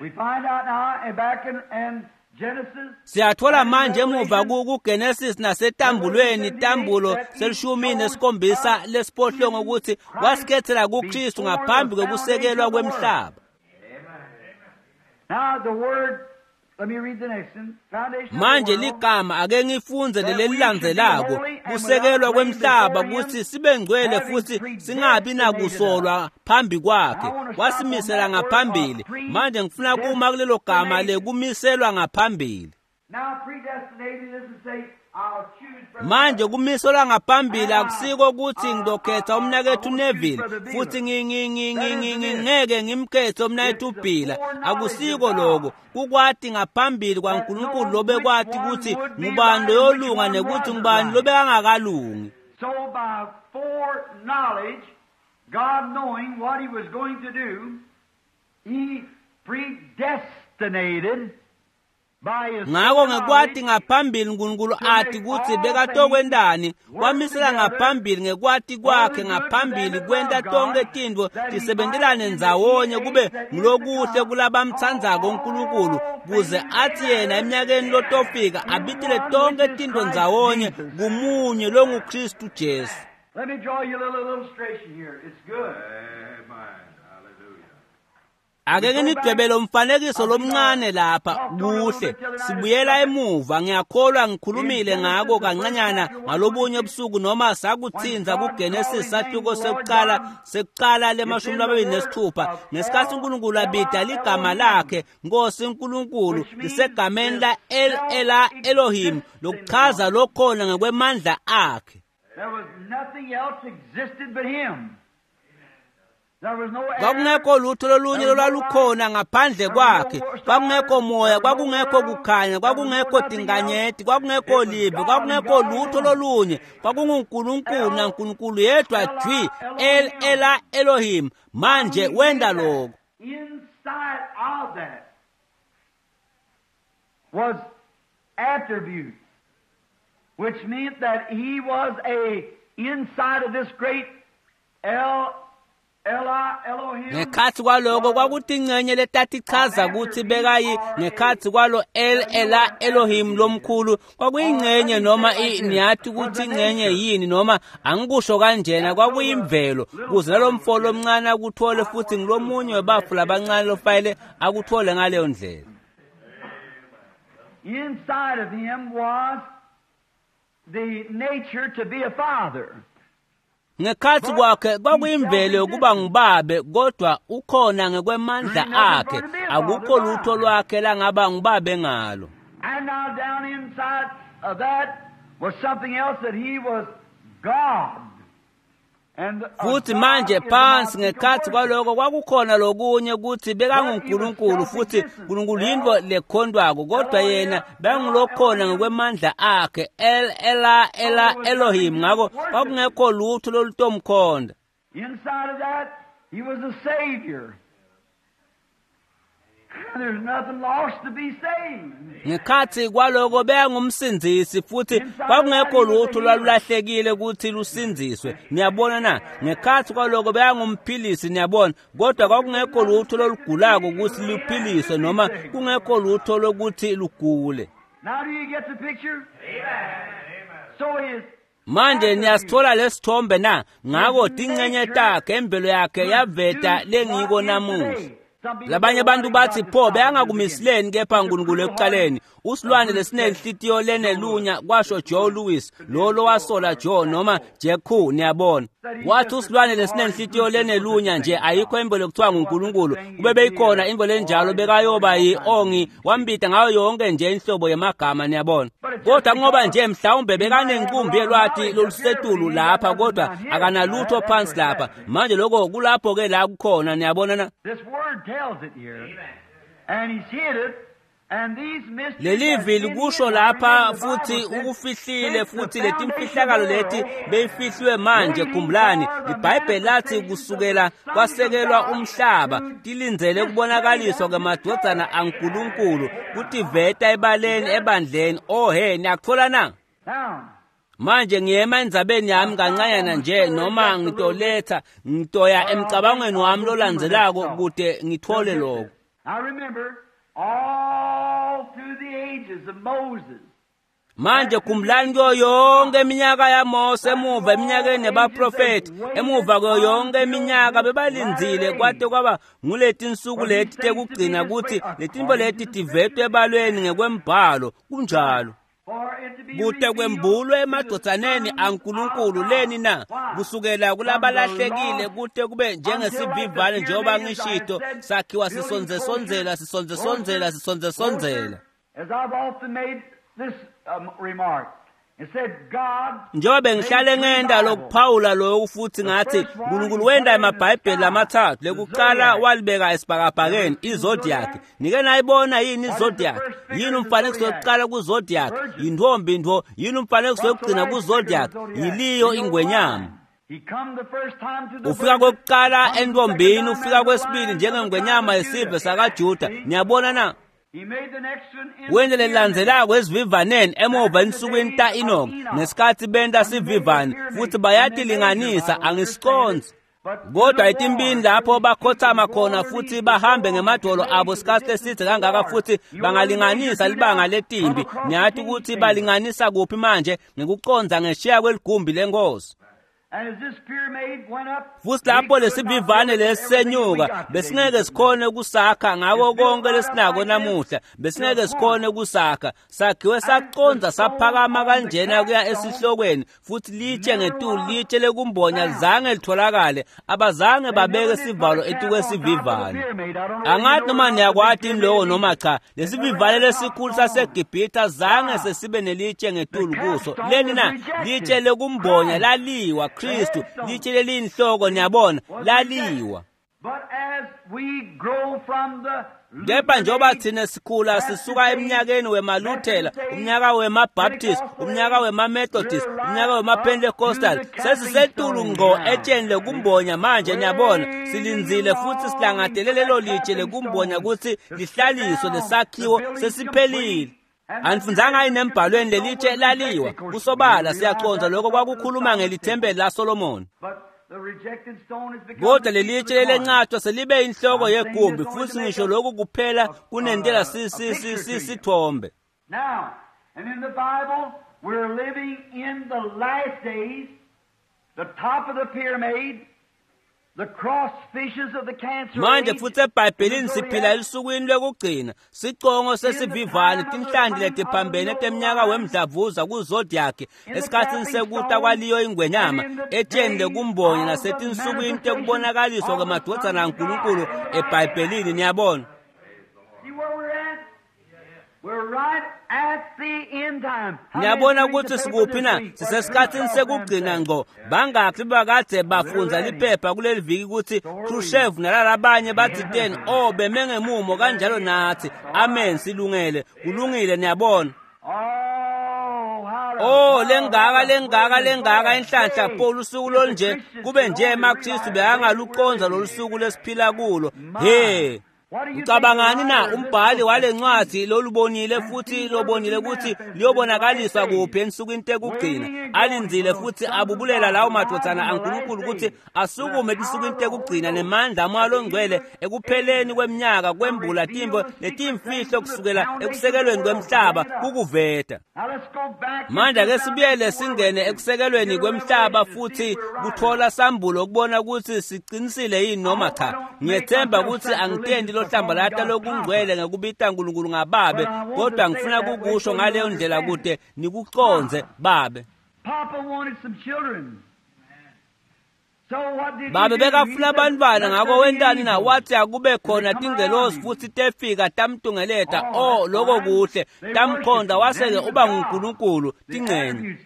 We find out now and back in, in Genesis. Siyathola manje emuva kuGenesis nasetambulweni, tambulo selishumi nesikhombisa lesiphohlongo, ukuthi wasikhethela kuKristu ngaphambi kokusekelwa kwemhlaba. Now the word, let me read the next one. Foundation. Manje ligama ake ngifunze lelilandzelako, kusekelwa kwemhlaba, ukuthi sibe ngcwele futhi singabi nakusolwa phambi kwakhe. Wasimisela ngaphambili. Manje ngifuna kuma kulelo gama lekumiselwa ngaphambili. Now predestinated is to say, I'll choose brother. Manje kumiselwa ngaphambili akusiko ukuthi ngizokhetha umnakethu Neville futhi ngeke ngimkhethe umnakethu Bhila. Akusiko lokho. Kukwati ngaphambili kwaNkulunkulu lobekwati ukuthi ngubani loyolunga nekuthi ngubani lobekangakalungi. So by foreknowledge, God knowing what He was going to do, He predestinated by His Ngako ngekwati foreknowledge ngaphambili uNkulunkulu ati ukuthi bekatokwendani, wamisela ngaphambili ngekwati kwakhe ngaphambili kwenta tonke tintfo tisebentelane ndzawonye kube ngulokuhle kulabamtsandzako uNkulunkulu, kuze athi yena eminyakeni lotofika abitile tonke tintfo ndzawonye kumunye longuKristu Jesu. Let me draw you a little illustration here. It's good. Amen. Hallelujah. Ake nginidwebele umfanekiso lomncane lapha kuhle. Sibuyela emuva, ngiyakholwa ngikhulumile ngako kancanyana ngalobunye ubusuku noma sakuthinza kuGenesis sahluko sekuqala sekuqala lemashumi lamabili nesithupha, ngesikhathi uNkulunkulu abida ligama lakhe Nkosi uNkulunkulu lisegameni la El Ela Elohim, lokuchaza lokhona ngokwemandla akhe. There was nothing else existed but Him. There was no air. Kwakungekho lutho lolunye lolwalukhona ngaphandle kwakhe. Kwakungekho moya, kwakungekho kukhanya, kwakungekho tinkanyeti, kwakungekho live, kwakungekho lutho lolunye. KwakunguNkulunkulu naNkulunkulu yedwa jwi, El Ela Elohim. Manje wenda lokho. Inside of that was attribute, which meant that He was a inside of this great El Ela Elohim. Ngekhathi kwaloko kwakutingcenye letatichaza ukuthi bekayi ngekhathi kwalo El Ela Elohim lomkhulu kwakuyingcenye noma niyathi ukuthi ingcenye yini noma angikusho kanjena, kwakuyimvelo kuze nalomfo lomncane akuthole futhi ngilomunye webafu labancane lofayele akuthole ngaleyo ndlela. Inside of him was the nature to be a father. Ngekhatsi kwakhe kwakuyimvelo yokuba ngubabe, kodwa ukhona ngekwemandla akhe, akukho lutho lwakhe langaba ngubabe ngalo. And now down inside of that was something else, that he was God. Futhi manje phansi ngekhatsi kwaloko kwakukhona lokunye kutsi bekanguNkulunkulu, futhi Nkulunkulu yintfo lekhondwako, kodwa yena bekangulokhona ngekwemandla akhe, El Ela Ela Elohim. Ngako kwakungekho lutho lolutomkhonda. Inside of that he was a savior. There's nothing lost to be saved. Ngekhatsi kwaloko bekangumsindzisi, futhi kwakungekho lutho lwalulahlekile kutsi lusindziswe. Niyabona na? Ngekhatsi kwaloko bekangumphilisi, niyabona, kodwa kwakungekho lutho lolugulako kutsi luphiliswe, noma kungekho lutho lokuthi lugule. Now do you get the picture? So his Manje niyasithola lesithombe na? Ngako tincenye takhe, imvelo yakhe yaveta lengiko namuhla. Labanye abantu bathi pho beyangakumisileni kepha uNkulunkulu ekuqaleni. Usilwane lesinenhlitiyo lenelunya, kwasho Joe Lewis, lo lowasola Joe noma Jack Who, niyabona. Wathi usilwane lesinenhlitiyo lenelunya nje, ayikho imvelo kuthiwa nguNkulunkulu. Kube beyikhona imvelo enjalo bekayoba yi-ongi, wambita ngayo yonke nje inhlobo yemagama, niyabona. Kodwa ngoba nje mhlawumbe bekanenkumbi yelwati lolusetulu lapha, kodwa akanalutho phansi lapha. Manje lokho kulapho ke la kukhona, niyabona na? This word tells it here. And he's hid it. And these mysteries Lelivi likusho lapha, futhi ukufihlile, futhi letimfihlakalo leti beyifihliwe. Manje khumbulani, iBhayibheli lathi kusukela kwasekelwa umhlaba tilindzele kubonakaliswa kwemadvodzana aNkulunkulu, kutiveta ebaleni ebandleni. Oh he, niyakuthola na? Now, Manje ngiyema endzabeni yami kancanyana nje, noma ngitoletha ngitoya emcabangweni wami lolandzelako kute ngithole lokho. I remember all through the ages of Moses. Manje khumbulani, kuyo yonke iminyaka yaMose, emuva eminyakeni yabaprofethi, emuva kuyo yonke iminyaka bebalindzile kwate kwaba nguletinsuku leti tekugcina kutsi letintfo leti tivetwe ebalweni ngekwembhalo. Kunjalo. For it to be Kute kwembulwe emadvodzaneni aNkulunkulu leni na, kusukela kulabalahlekile kute kube njengesivivane, njengoba ngishito, sakhiwa sisondzesondzela sisondzesondzela sisondzesondzela. As I've often made this um, remark, and said God Njengoba bengihlale ngenda lokuphawula lokhu, futhi ngathi uNkulunkulu wenda emabhayibheli lamathathu. Lekuqala walibeka esibhakabhakeni, izodiac. Nike nayibona yini izodiac? Yini umfanekiso wokuqala kuzodiac? Yintombi ntfo. Yini umfanekiso wokugcina kuzodiac? Yiliyo ingwenyama. He come the first time to the Ufika virgin, kokuqala come the entombini, second time ufika as the kwesibili lion njengengwenyama of the tribe of yesive Judah. sakaJuda. See? Niyabona na? He made the next one in Wente the pyramid. lelilandzelako esivivaneni emuva ensukwini ta-Enoch, ngesikhatsi benta sivivane, futhi bayatilinganisa, angisiconsi. Kodwa etimpini lapho bakhothama khona futhi bahambe ngemadolo abo sikhatsi lesidze kangaka, futhi bangalinganisa libanga letimbi. Niyati ukuthi balinganisa kuphi manje? Ngekucondza ngeshiya kweligumbi lenkosi. And as this pyramid went up, Futhi lapho lesivivane lesisenyuka, besingeke sikhone kusakha ngako konke lesinako namuhla, besingeke sikhone kusakha. Sakhiwe sacondza saphakama kanjena kuya esihlokweni, futhi litshe ngetulu, litshe lekumbonya zange litholakale. Abazange babeke sivalo etikwesivivane. Angathi noma niyakwati yini lokho noma cha. Lesivivane lesikhulu saseGibhithe zange sesibe nelitshe ngetulu kuso. Leni na? Litshe lekumbonya laliwa, Kristu, litshe leliyinhloko, niyabona, laliwa. But as we grow from the Kepha njengoba thina sikhula sisuka eminyakeni wemaLuthela, umnyaka wemaBaptist, umnyaka wemaMethodist, umnyaka wemaPentecostal, sesisetulu ngqo etsheni lekumbonya manje, niyabona, silindzile futhi silangatele lelo litshe lekumbonya kutsi lihlaliswe, lesakhiwo sesiphelile. Anifundzanga yini embhalweni lelitshe laliwa? Kusobala siyacondza lokho kwakukhuluma ngelithempeli laSolomon. But the rejected stone has become Kodwa the chief lelitshe of the corner. lelenqatshwa selibe inhloko yegumbi, futhi ngisho lokhu kuphela kunentela si- si- si- si- sithombe. Now, and in the Bible, we're living in the last days, the top of the pyramid, Manje futhi eBhayibhelini siphila elusukwini lwekugcina, sicongo sesivivane, tinhlanti letiphambene temnyaka wemdlavuza kuzodiac, esikhatsini sekuta kwaliyo ingwenyama, etsheni lekumbonya nasetinsukwini tekubonakaliswa kwemadvodzana aNkulunkulu eBhayibhelini. Niyabona? Niyabona ukuthi sikuphi na? Sisesikhatsini sekugcina ngco. Bangakhi bakade bafundza liphepha kuleli viki ukuthi Khrushchev nalalabanye bathi teni? Oh, beme ngemumo kanjalo nathi. Amen, silungele. Kulungile, niyabona. Oh, lengaka lengaka lengaka inhlanhla Paul usuku lolunje kube nje emaKristu bekangaluqonza lolu suku lesiphila kulo. He. Ucabangani na umbhali wale ncwadi lolubonile futhi lobonile ukuthi liyobonakaliswa kuphi ensukwini tekugcina, alindzile futhi abubulela lawo madvodzana aNkulunkulu ukuthi asukume etinsukwini tekugcina nemandla amoya longcwele ekupheleni kweminyaka kwembula timbo letimfihlo kusukela ekusekelweni kwemhlaba kukuveta. Manje ake sibuyele singene ekusekelweni kwemhlaba futhi kuthola sambulo ukubona ukuthi siqinisile yini noma cha. Ngiyethemba ukuthi angitendi lohlambalata lokungcwele ngekubita uNkulunkulu ngababe, kodwa ngifuna kukusho ngaleyo ndlela kude nikuconze babe. Babe bekafuna abantwana, ngakho wentani na? Wathi akube khona tingelosi futhi tefika tamtungeleta. Oh, lokho kuhle, tamkhonda wase-ke uba nguNkulunkulu tincenye.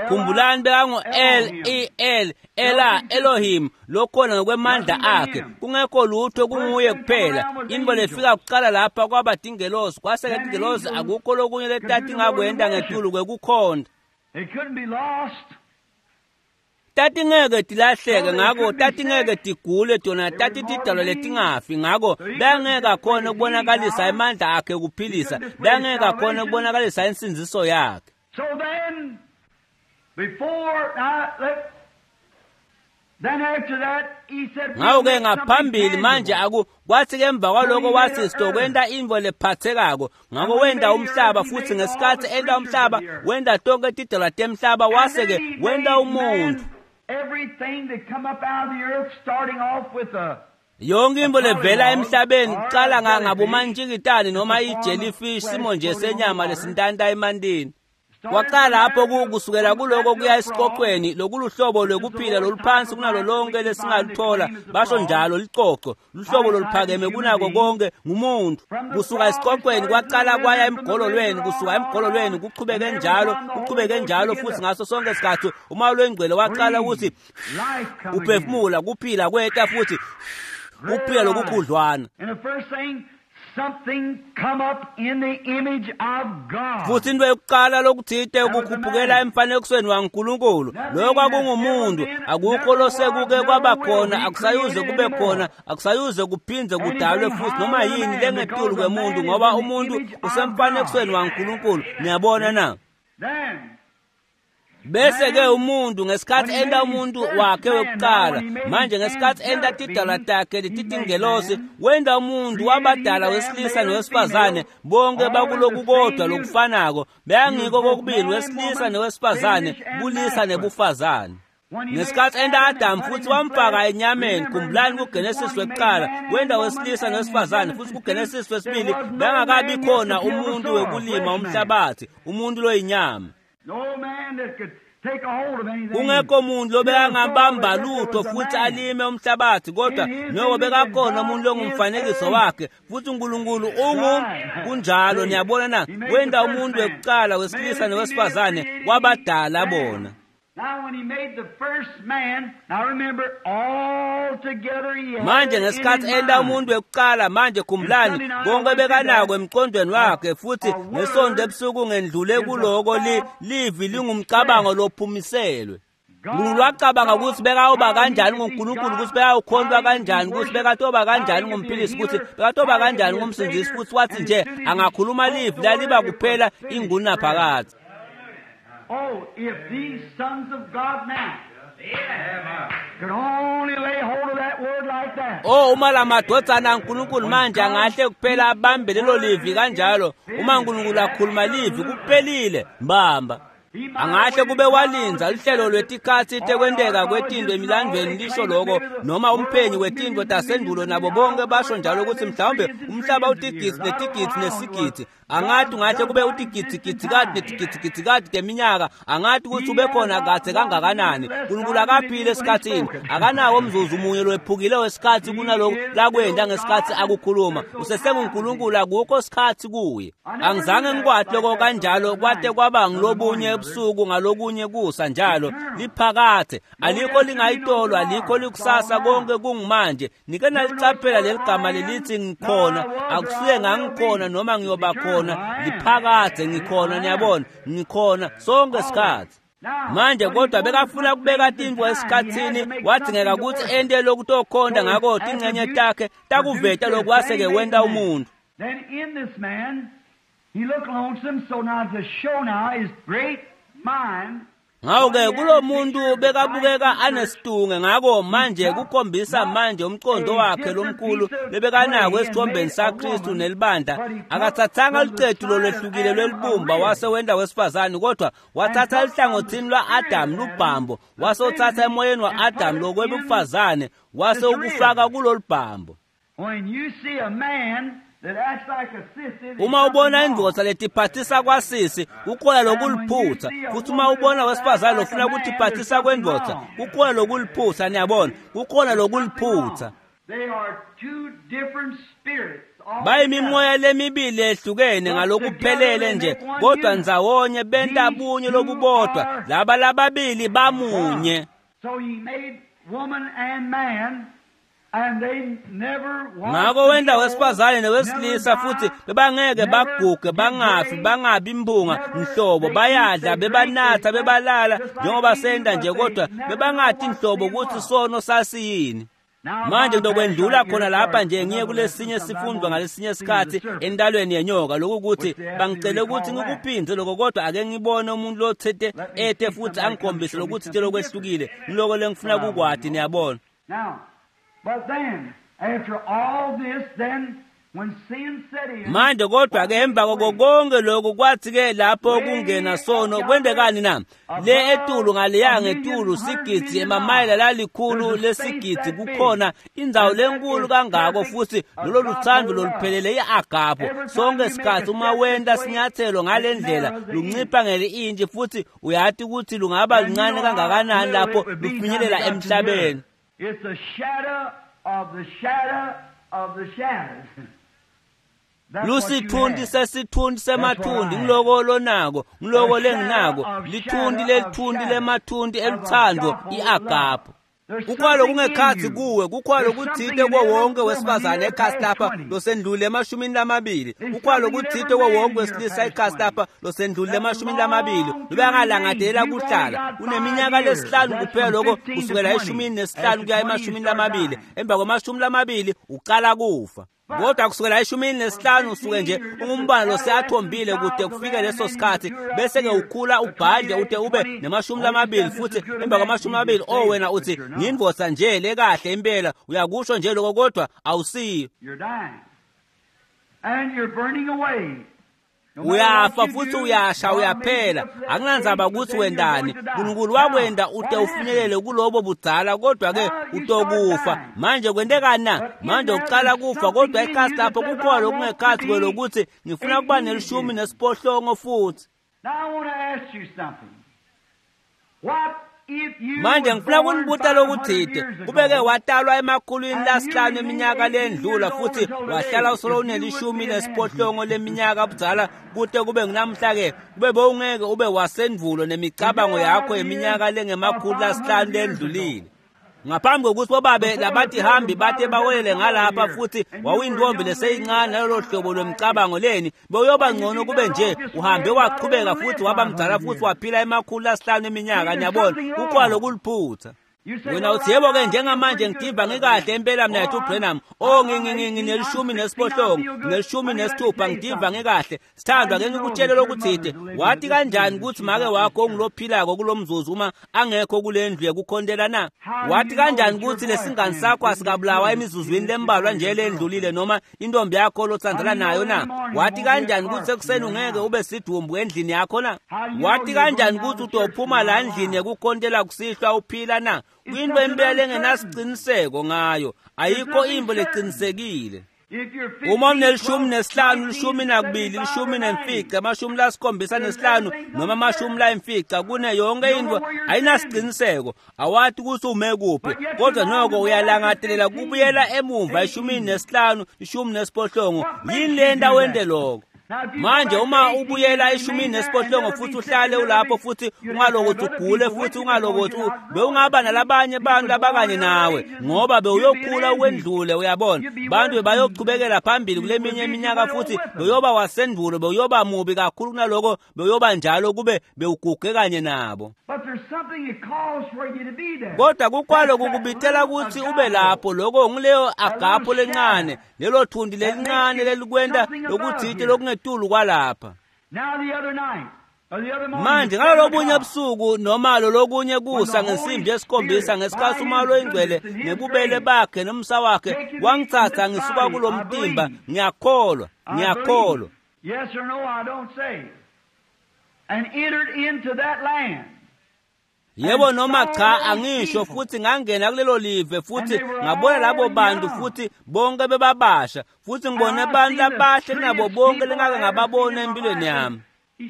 Khumbulani bekangu L E L Ela Elohim lokhona ngokwemandla akhe, kungekho lutho kunguye kuphela. Into lefika kuqala lapha kwaba tingelosi, kwase-ke tingelosi akukho lokunye letatingakwenta ngetulu kwekukhonda. Tatingeke tilahleke, ngako tatingeke tigule tona, tatitidalwa letingafi, ngako bengeke akhona ukubonakalisa emandla akhe kuphilisa, bengeke akhona ukubonakalisa insindziso yakhe. So then, before now, let, then after that, he said, ngako-ke ngaphambili manje aku kwathi-ke emva kwaloko wathi sitokwenta intfo lephathekako. Ngako wenta umhlaba, futhi ngesikhathi enta umhlaba wenta tonke tidalwa temhlaba, wase-ke wenta umuntfu. Yonke into levela emhlabeni kuqala ngabomantshikitane noma i-jellyfish, simo nje senyama lesintanta emantini. Kwaqala lapho kusukela kuloko kuya esiqoqweni lokuluhlobo lwekuphila loluphansi kunalo lonke lesingaluthola, basho njalo licoco, luhlobo loluphakeme kunako konke ngumuntu. Kusuka esiqoqweni kwaqala kwaya emgololweni, kusuka emgololweni kuchubeke njalo, kuchubeke njalo futhi ngaso sonke isikhathi umoya longcwele waqala ukuthi uphefumula, kuphila kweta futhi kuphila lokukhudlwana. Something come up in the image of God. Futhi into yokuqala lokuthite ukukhuphukela emfanekisweni waNkulunkulu, lokho kwakungumuntu. Akukho losekuke kwaba khona, akusayuze kube khona, akusayuze kuphindze kudalwe futhi noma yini lengetulu kwemuntu, ngoba umuntu usemfanekisweni waNkulunkulu. Niyabona na? Bese ke umuntu ngesikhathi enta umuntu wakhe wekuqala, manje ngesikhathi enta tidalwa takhe letitingelosi, wenta umuntu wabadala wesilisa nowesifazane, bonke bakuloku kodwa lokufanako, beyangiko kokubili wesilisa nowesifazane, bulisa nebufazane. Ngesikhathi enta Adam futhi wamfaka enyameni, khumbulani kuGenesis wekuqala, wenta wesilisa nowesifazane, futhi kuGenesis wesibili bengakabi khona umuntu wekulima umhlabathi, umuntu loyinyama. No man that could take a hold of anything. Kungekho muntu lobekangabamba lutho futhi alime umhlabathi, kodwa noko bekakhona umuntu longumfanekiso wakhe, futhi uNkulunkulu ungu kunjalo. Niyabona na? Wenta umuntu wekuqala wesilisa nowesifazane, wabadala bona. Now when he made the first man, now remember, all together he had Manje ngesikhathi enta umuntu wekuqala, manje khumbulani, konke bekanako emqondweni wakhe, futhi ngesonto ebusuku ngendlule kuloko li livi lingumcabango lophumiselwe. Unkulunkulu wacabanga ukuthi bekawuba kanjani nguNkulunkulu, ukuthi bekawukhontwa kanjani, ukuthi bekatoba kanjani ngumphilisi, ukuthi bekatoba kanjani ngumsindisi, futhi wathi nje angakhuluma livi laliba kuphela ingunaphakadze. Oh, if these sons of God now could only lay hold of that word like that. Oh, uma la madvodzana aNkulunkulu manje angahle kuphela abambe lelo livi kanjalo, uma uNkulunkulu akhuluma livi kuphelile, mbamba. Angahle kube walindza luhlelo lwetikhatsi tekwenteka kwetinto emilandvweni lisho loko, noma umphenyi wetinto tasendulo nabo bonke basho njalo ukuthi mhlawumbe umhlaba utigidzi netigidzi nesigidzi. Angathi ungahle kube utigidzigidzikati netigidzigidzikati teminyaka, angathi ukuthi ube khona kadze kangakanani. Nkulunkulu akaphile esikhatsini, akanawo umzuzu munye lowephukile wesikhatsi kunaloku lakwenta ngesikhatsi akukhuluma. UsesenguNkulunkulu, akukho sikhatsi kuye. Angizange ngikwati loko kanjalo kwate kwaba ngilobunye ebusuku ngalokunye kusa njalo. Liphakathe alikho lingayitolo, alikho likusasa, konke kungumanje. Nike nalicaphela leligama lelithi ngikhona, akusuye ngangikhona noma ngiyoba khona, liphakathe ngikhona. Niyabona, ngikhona sonke isikhatsi. Manje kodwa bekafuna kubeka tintfo esikhatsini, wadzingeka kutsi ente lokutokhonda, ngako tincenye takhe takuveta lokhu wase-ke wenta umuntu. Then in this man, he looked lonesome, so now to show now his great mind. Ngako-ke kulo muntu bekabukeka anesitunge, ngako manje kukhombisa manje umqondo wakhe lomkhulu lebekanako esithombeni saKristu nelibandla. Akathathanga lucetu lolwehlukile lwelibumba wase wenta wesifazane, kodwa wathatha luhlangothini lwa-Adamu lubhambo, wase uthatha emoyeni wa-Adamu lokwebufazane wase ukufaka kulolubhambo. When you see a man that acts like a sissy, Uma ubona indvodza letiphathisa kwasisi, kukhona lokuliphutha. Futhi uma ubona wesifazane lofuna kutiphathisa kwendvodza, kukhona lokuliphutha. Niyabona, kukhona lokuliphutha. They are two different spirits. Bayimimoya lemibili ehlukene ngalokuphelele nje, kodwa ndzawonye benta bunye lobubodwa. Laba lababili bamunye. So he made woman and man, and they never Ngako wenta wesifazane newesilisa, futhi bebangeke baguge, bangafi, bangabi imphunga nhlobo. Bayadla, bebanatha, bebalala njengoba senta nje, kodwa bebangati nhlobo ukuthi sono sasiyini. Manje ngizokwendlula khona lapha nje ngiye kulesinye sifundo ngalesinye isikhathi endalweni yenyoka, lokhu ukuthi bangicele ukuthi ngikuphindze lokho, kodwa ake ngibone umuntu lothete ete futhi angikhombise lokuthi nje lokwehlukile ngiloko lengifuna kukwati. Niyabona. Now, but then, after all this, then when sin set in, Manje kodwa ke emva kwako konke lokhu, kwathi ke lapho kungena sono, kwentekani na? Le etulu ngaleya ngetulu sigidzi emamayela lalikhulu lesigidzi, kukhona indzawo lenkulu kangako, futhi lolo luthando loluphelele i-agapho. Sonke isikhathi uma wenta sinyathelo ngale ndlela, luncipha ngeli-intshi, futhi uyati ukuthi lungaba luncane kangakanani lapho lufinyelela emhlabeni. It's a shadow of the shadow of the shadows. That's what you Lusithunti have. sesithunti semathunti, ngiloko lonako, ngiloko lenginako, lithunti lelithunti lemathunti eluthando i-agapho. There's Kukhona something in lokungekhatsi you. kuwe, kukhona There's lokutsite something in kuwo every wonke woman wesifazane here ekhasi past lapha twenty. losendlule emashumini lamabili. There's Kukhona something in lokutsite every kuwo man wonke here wesilisa past ekhasi twenty. lapha losendlule That emashumini lamabili. long to Lobengalangadelela remain. You've only kuhlala. got Uneminyaka five years. lesihlanu That's kuphela from lokho fifteen to kusukela twenty. eshumini nesihlanu After kuya twenty, you emashumini start lamabili. dying. Emva kwamashumi lamabili uqala kufa. Kodwa kusukela eshumini nesihlanu usuke nje ungumbala loseyathombile kude kufike leso sikhathi, bese-ke ukhula ubhadle ude ube nemashumi lamabili, futhi emva kwamashumi amabili oh wena uthi ngiyindvodza nje lekahle impela, uyakusho nje lokho, kodwa awusiyo. You're dying. And you're burning away. No matter Uyafa what you futhi do, uyasha God uyaphela. made you up to that Akunandzaba age, but ukuthi then you're wendani, going to die. uNkulunkulu Now, wakwenda what ude ufinyelele happened? kulobo budzala, kodwa ke Now you start utokufa. dying. Manje kwentekani na? But in Manje there uqala there's kufa, something kodwa in ekhasi you that lapho says, kukhona I want lokungekhatsi to be kwelokuthi ngifuna kuba eighteen nelishumi again. nesiphohlongo futhi. Now I want to ask you something. What if you Manje was ngifuna born kunibuta five hundred lokutsite. years ago Kubeke watalwa emakhulwini and you lasihlanu remained eminyaka eighteen lendlula years old futhi until wahlala today, usolo if you would unelishumi be an nesiphohlongo leminyaka budzala kute kube ngunamhla ke, kube bowungeke ube wasendvulo The nemicabango day yakho I yeminyaka is lengemakhulu or five lasihlanu hundred years ago, lendlulile. Ngaphambi kokuthi bobabe before the labathi pilgrim hambi bate fathers ever bawelele come over ngalapha here, futhi and you were a wawuyintombi young lady leseyincane that nalolo time hlobo five years. lwemicabango leni, bewuyoba Why, you'd ngcono be kube better nje off just uhambe where God waqhubeka ever futhi lived waba five mdzala hundred futhi years. waphila emakhulu lasihlanu See, eminyaka. there's Niyabona, something kukhona wrong. lokuliphutha. Wena uthi yebo-ke njengamanje ngitiva ngikahle impela mnethu uBrenham. Oh nginelishumi nesiphohlongo, nginelishumi nesithupha, ngitiva ngikahle. Sithandwa, ke ngikutshele lokuthide. Wathi kanjani ukuthi make wakho ongulophilako kulo mzuzu uma angekho kule ndlu yekukhontela na? Wathi kanjani ukuthi lesingani sakho asikabulawa emizuzwini lembalwa nje lendlulile noma intombi yakho lotsandzana nayo na? Wathi kanjani ukuthi ekuseni ungeke ube sidumbu endlini yakho na? Wathi kanjani ukuthi utophuma la ndlini yekukhontela kusihlwa uphila na? Kwinto impela engenasiqiniseko ngayo, ayikho imbo leqinisekile. Uma unelishumi nesihlanu, lishumi nakubili, lishumi nemfica, amashumi lasikhombisa nesihlanu noma amashumi layimfica, kune yonke into ayinasiqiniseko, awathi ukuthi ume kuphi, kodwa noko uyalangatelela kubuyela emuva eshumini nesihlanu, ishumi nesiphohlongo. Yini le nto wente lokho? Manje uma ubuyela eshumini nesiphohlongo futhi uhlale ulapho futhi ungalokothi ugule futhi ungalokothi bewungaba nalabanye abantu abakanye nawe ngoba bewuyokhula ukwendlule, uyabona. Bantu bayochubekela phambili kule minye iminyaka futhi beyoba wasendulo, bewuyoba mubi kakhulu kunaloko bewuyoba njalo kube bewuguge kanye nabo. Kodwa kukwalo kukubitela ukuthi ube lapho, lokho ngileyo agapho lencane, lelo thundi lelincane lelikwenta lokuthite lokungetulu kwalapha. Manje ngalolobunye busuku noma lolokunye kusa ngensimbi yesikhombisa ngesikhathi uMoya oyiNgcwele nebubele bakhe nomsa wakhe wangithatha ngisuka kulo mtimba, ngiyakholwa, ngiyakholwa. Yes or no, I don't say. And entered into that land. Yebo noma cha angisho, futhi ngangena kulelo live futhi ngabona labo bantu futhi bonke bebabasha futhi ngibone abantu abahle kunabo bonke lengake ngababona empilweni yami.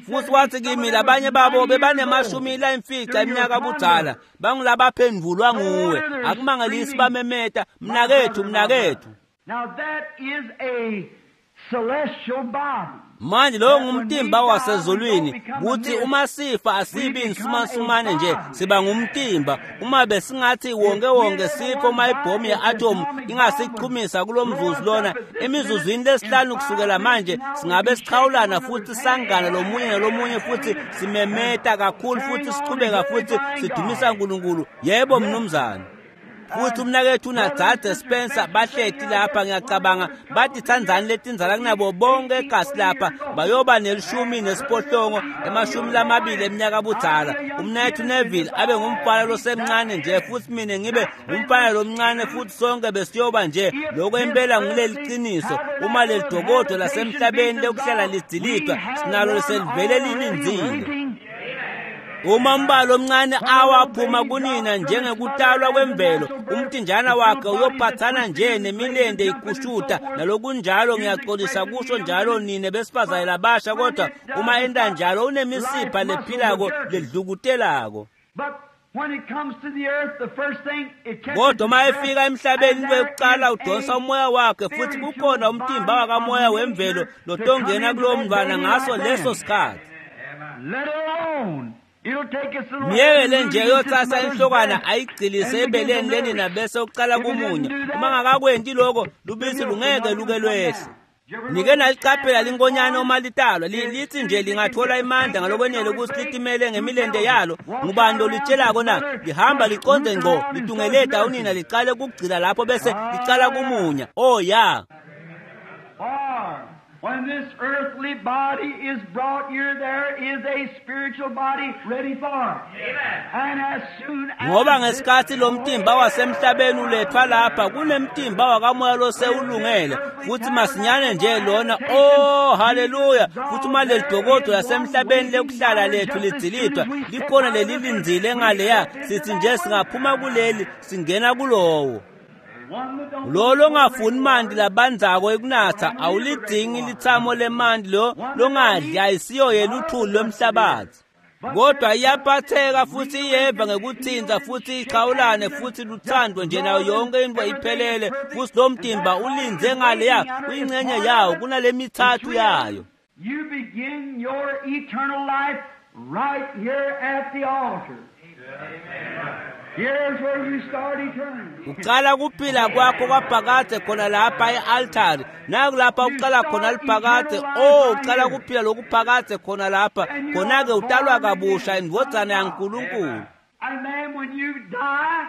Futhi wathi kimi labanye babo bebanemashumi layimfica iminyaka budzala, bangulabaphendvulwa nguwe, akumangalisi bamemeta mnakethu, mnakethu. Now that is a celestial body. Manje lowo ngumtimba wasezulwini, kuthi uma sifa asibi insumansumane nje, siba ngumtimba. Uma besingathi wonke wonke sifo uma ibhomu ye-atom ingasichumisa kulo mzuzu lona, emizuzwini lesihlanu kusukela manje singabe sichawulana futhi sangana lomunye nalomunye futhi simemeta kakhulu futhi sichubeka futhi sidumisa uNkulunkulu. Yebo mnumzane. Futhi umnakethu unadzadze Spencer bahleti lapha, ngiyacabanga bathi tsandzani letindzala kunabo bonke egasi lapha, bayoba nelishumi nesiphohlongo emashumi lamabili eminyaka budzala. Umnakethu Neville abe ngumfana losemncane nje futhi mina ngibe ngumfana lomncane futhi sonke besiyoba nje. Lokho impela ngileli qiniso, uma leli dokodo lasemhlabeni lokuhlala lidzilidwa, sinalo selivele lilindzile. Uma umbalo omncane awaphuma kunina njengekutalwa kwemvelo, umtinjana wakhe uyophathana nje nemilende ikushuta nalokunjalo. Ngiyaxolisa kusho njalo nine besifazane labasha, kodwa uma enta njalo unemisipha lephilako ledlukutelako. Kodwa uma efika emhlabeni into yokuqala udonsa umoya wakhe futhi kukhona umtimba wakamoya wemvelo lotongena kulowo mntwana ngaso leso sikhathi. Miyekele nje yotsasa inhlokwana ayigcilise ebeleni lenina bese uqala kumunya. Uma ngakakwenti lokho lubisi lungeke luke lwehle. Nike naliqaphela linkonyane uma litalwa, lithi nje lingathola imandla ngalokwenele ukuthi litimele ngemilente yalo. Ngubani lolitshelako na? Lihamba liqonde ngqo litungeleta unina liqale kugcila lapho bese liqala kumunya. Oh ya. When this earthly body is brought here, there is a spiritual body ready for it. And as soon as ngoba ngesikhathi lo mtimba wasemhlabeni ulethwa lapha, kunemtimba wakamoya losewulungele futhi masinyane nje lona. Oh haleluya! Futhi uma leli dokodo lasemhlabeni lekuhlala lethu lidzilidwa, likhona lelilindzile ngaleya, sithi nje singaphuma kuleli singena kulowo. Lo longafuni manti labandzako ekunatha awulidzingi litsamo lemanti, lo longadli ayisiyo yena uthuli lwemhlabathi. Kodwa iyaphatheka futhi iyeva ngekuthinza futhi ichawulane futhi luthandwe nje nayo yonke into iphelele, futhi lo mtimba ulindze ngaleya kuyingxenye yawo kunale mithathu yayo. You begin your eternal life right here at the altar. Here's where you start eternity. Uqala kuphila kwakho kwaphakade khona lapha e-altari, nakulapha uqala khona liphakade. Oh, uqala kuphila lokuphakade khona lapha, khona-ke utalwa kabusha indvodzana yaNkulunkulu. And then when you die,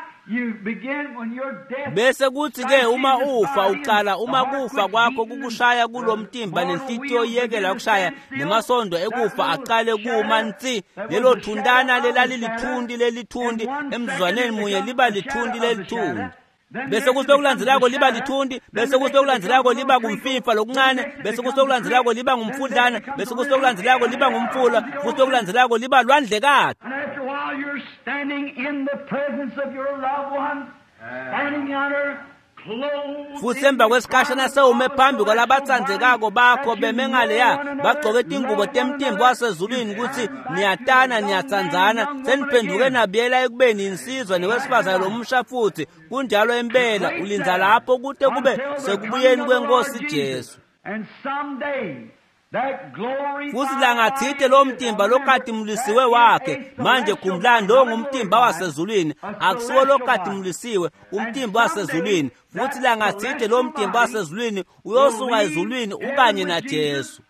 Bese kuthi-ke uma ufa uqala uma kufa kwakho kukushaya kulomtimba nenhlitiyo iyekela kushaya nemasondo ekufa aqale kuma nsi lelo thuntana lelalilithundi lelithundi emzuzwaneni munye liba lithundi lelithundi bese kuthi lokulandzelako liba lithundi bese kuthi lokulandzelako liba kumfifa lokuncane bese kuthi lokulandzelako liba ngumfudlana bese kuthi lokulandzelako liba ngumfula futhi lokulandzelako liba lwandlekati And after a while, you're standing in the presence of your loved ones, standing under clothed futhi emva kwesikhashana sewume phambi kwalabatsandzekako bakho beme ngaleya bagcoke tingubo temtimba wasezulwini ukuthi niyatana niyatsandzana seniphenduke nabuyela ekubeni insizwa newesifazane lomusha futhi kunjalo impela ulindza lapho kute kube sekubuyeni kwenkosi Jesu And someday, that glory futhi langathide lo mtimba lokhatimulisiwe wakhe manje khumbulani lo ngumtimba wasezulwini akusiwo lokhatimulisiwe umtimba wasezulwini futhi langathide lo mtimba wasezulwini uyosuka ezulwini ukanye naJesu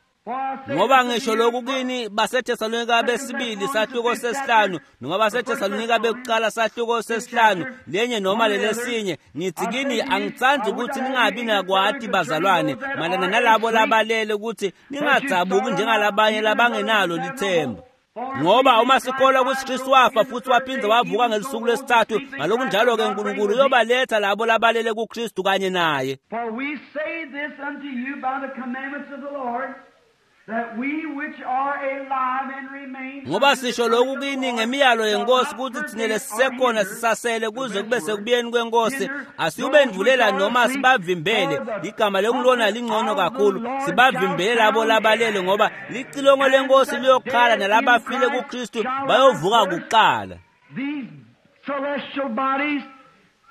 ngoba ngisho lokhu kini baseThesalonika besibili sahluko sesihlanu noma baseThesalonika bekuqala sahluko sesihlanu lenye noma lelesinye ngithi kini angithandi ukuthi ningabi nakwati bazalwane malana nalabo labalele ukuthi ningadzabuki njengalabanye labangenalo lithemba ngoba uma sikholwa ukuthi Kristu wafa futhi waphinde wavuka ngelisuku lesithathu ngalokunjalo-ke uNkulunkulu uyobaletha labo labalele kuKristu kanye naye For we say this unto you by the commandments of the Lord, that we which are alive and remain ngoba sisho lokhu kini ngemiyalo yenkosi ukuthi thina lesisekhona sisasele kuze kube sekubuyeni kwenkosi asiyubendvulela noma sibavimbele igama lekulona lingcono kakhulu sibavimbele labo labalele ngoba licilongo lenkosi liyokhala nalabafile kuKristu bayovuka kuqala These celestial bodies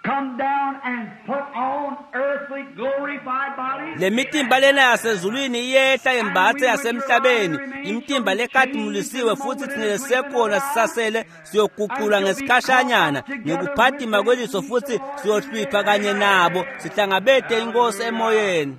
come down and put on earthly glorified bodies. Le mitimba lena yasezulwini iyehla yembathe yasemhlabeni imitimba lekhatimulisiwe futhi thina lesisekhona sisasele siyoguqulwa ngesikhashanyana ngekuphatima kweliso futhi siyohlwipha kanye nabo sihlangabete inkosi emoyeni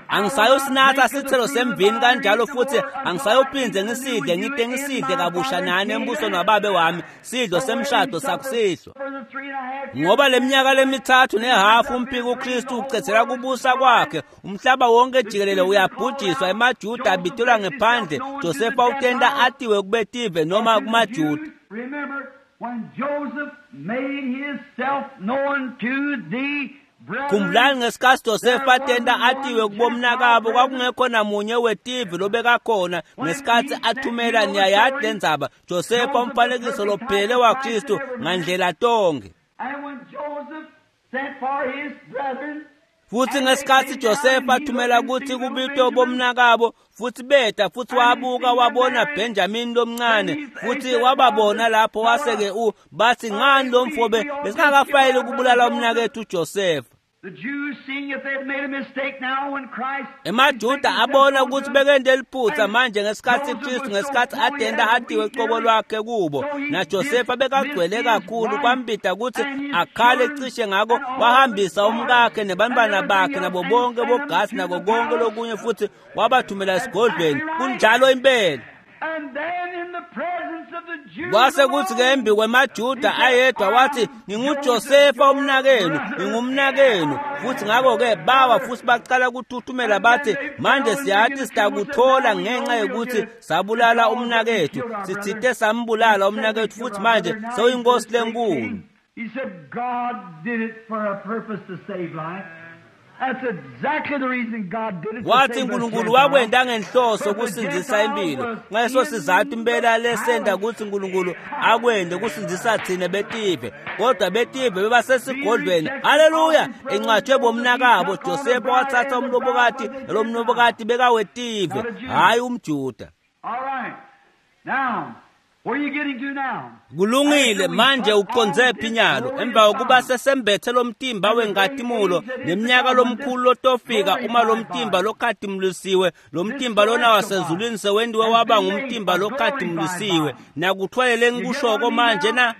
angisayosinatha sithelo semvini kanjalo futhi angisayophindze ngisidle ngite ngisidle kabusha nani embusweni wababe wami sidlo semshado sakusihlwa For the three and a half ngoba leminyaka lemithathu nehafu umphiko uKristu ucedzela kubusa kwakhe umhlaba wonke jikelele uyabhujiswa emaJuda abitelwa ngephandle Josefa utenta atiwe kubetive noma kumaJuda Remember when Joseph made himself known to the brethren. khumbulani ngesikhathi Josefa atenta atiwe kubomnakabo kwakungekho namunye wetive lobekakhona ngesikhathi athumela niyayadi lendzaba Josefa umfanekiso lophelele waKristu ngandlela tonke And when Joseph sent for his brethren, futhi ngesikhathi Josefa athumela ukuthi kubitwe bomnakabo futhi beta futhi wabuka wabona Benjamin lomncane futhi wababona lapho wase-ke u bathi ngani lo mfo besingakafayeli ukubulala umnakethu uJosefa the Jews seeing if they had made a mistake now when Christ emajuda abona ukuthi bekende liphutha manje ngesikhathi Kristu ngesikhathi adenda atiwe qobo lwakhe kubo naJosefa bekagcwele kakhulu kwambida ukuthi akhale cishe ngako wahambisa umkakhe nebantwana bakhe nabo bonke bogasi nako konke lokunye futhi wabathumela esigodlweni kunjalo impela and then in the presence of the Jews kwase kuthi ke embi kwemajuda ayedwa wathi nginguJosefa umnakenu ngingumnakenu futhi ngakho-ke bawa futhi baqala ukuthuthumela bathi manje siyathi sitakuthola ngenxa yokuthi sabulala umnakethu sithite sambulala umnakethu futhi manje sewuyinkosi lenkulu He said God did it for a purpose to save life. That's exactly the reason God did it. to wathi save us uNkulunkulu Gentiles. wakwenda ngenhloso ukusindzisa impilo ngaleso sizathu impela lesenda ukuthi uNkulunkulu akwende ukusindzisa thina betive kodwa betive bebasesigodlweni haleluya encwatshwe bomnakabo Josefa wathatha umlobokati nalo mlobokati bekawetive hhayi umjuda All right. Now, where are you getting to now? kulungile manje uqondze phi nyalo emva kokuba sesembethe lo mtimba wengatimulo neminyaka lomkhulu lotofika uma lo mtimba lokhatimulisiwe lo mtimba lona wasezulwini sewendiwe waba ngumtimba lokhatimulisiwe nakuthwalele ngikushoko manje na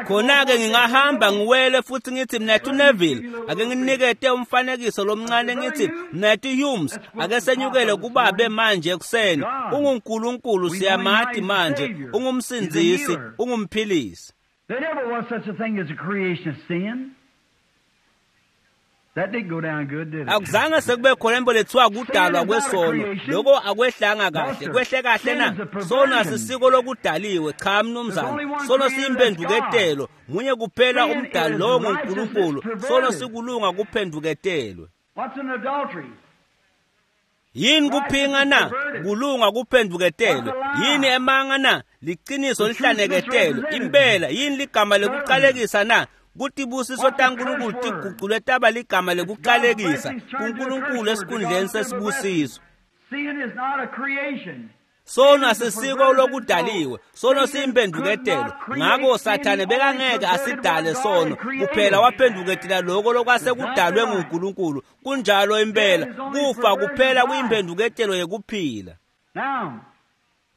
khona-ke ngingahamba ngiwele futhi ngithi mnethu Neville ake nginikete umfanekiso lomncane ngithi mnethu Humes ake senyukele kubabe manje ekuseni unguNkulunkulu siyamati manje ungumsindzisi ungumphilisi There never was such a thing as a creation of sin. That didn't go down good, did it? Akuzange sekube khona into lethiwa kudalwa kwesono. Lokho akwehlanga kahle. Kwehle kahle na? Sono asisiko lokudaliwe. Cha mnumzane. Sono siyimphenduketelo. Munye kuphela umdali lowo nguNkulunkulu. Sono sikulunga kuphenduketelwe. What's an adultery? Yini kuphinga na? Kulunga kuphenduketelwe. Yini emanga na? Liqiniso lihlaneketelwe. Impela yini ligama lekuqalekisa na? Kutibusiso taNkulunkulu tiguculwe taba ligama lekuqalekisa kuNkulunkulu esikhundleni sesibusiso. Sin is not a creation. Sono asisiko lokudaliwe, sono siyimphenduketelo. Ngakho Sathane bekangeke asidale sono, kuphela waphenduketela lokho lokwase kudalwe nguNkulunkulu. Kunjalo impela, kufa kuphela kuyimphenduketelo yekuphila. Now,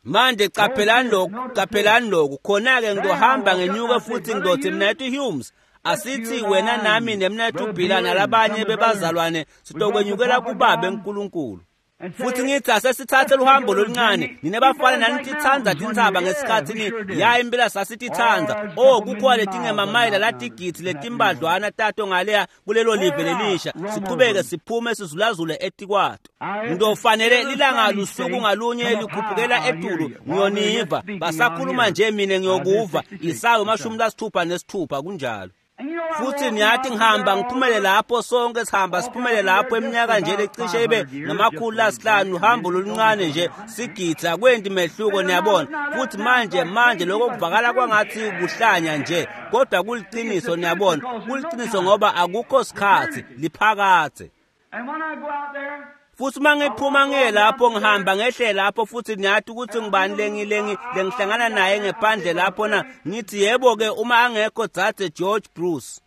Manje qaphelani lokhu, qaphelani lokhu. Khona-ke ngizohamba ngenyuke futhi ngizothi Mnethu Humes, asithi wena nami nemnethu Bhila nalabanye bebazalwane sitokwenyukela kuBaba eNkulunkulu. and say, Futhi ngithi asesithathe luhambo loluncane, nina bafana nanitithanda tintsaba ngesikhathi ni ya impela sasitithanda. Oh, kukhona letingemamayela latigidi letimbadlwana tato ngaleya kulelo live lelisha. Siqhubeke siphume sizulazule etikwato. Ngizofanele lilanga lusuku ngalunye likhuphukela etulu ngiyoniva. Basakhuluma nje mina ngiyokuva. Isaya amashumi lasithupha nesithupha kunjalo. And you know, I Futhi walk niyathi out ngihamba there ngiphumele lapho sonke sihamba siphumele lapho eminyaka nje lecishe ibe namakhulu lasihlanu uhambo loluncane nje sigidza kwenti mehluko niyabona. Futhi manje manje lokho kuvakala kwangathi kuhlanya nje kodwa kuliqiniso niyabona, kuliqiniso ngoba akukho sikhathi liphakathe. And when I go out there, Futhi uma ngiphuma ngiye lapho ngihamba ngehle lapho futhi niyathi ukuthi ngibani lengilengi lengihlangana naye ngephandle lapho na ngithi yebo ke uma angekho dzadze George Bruce.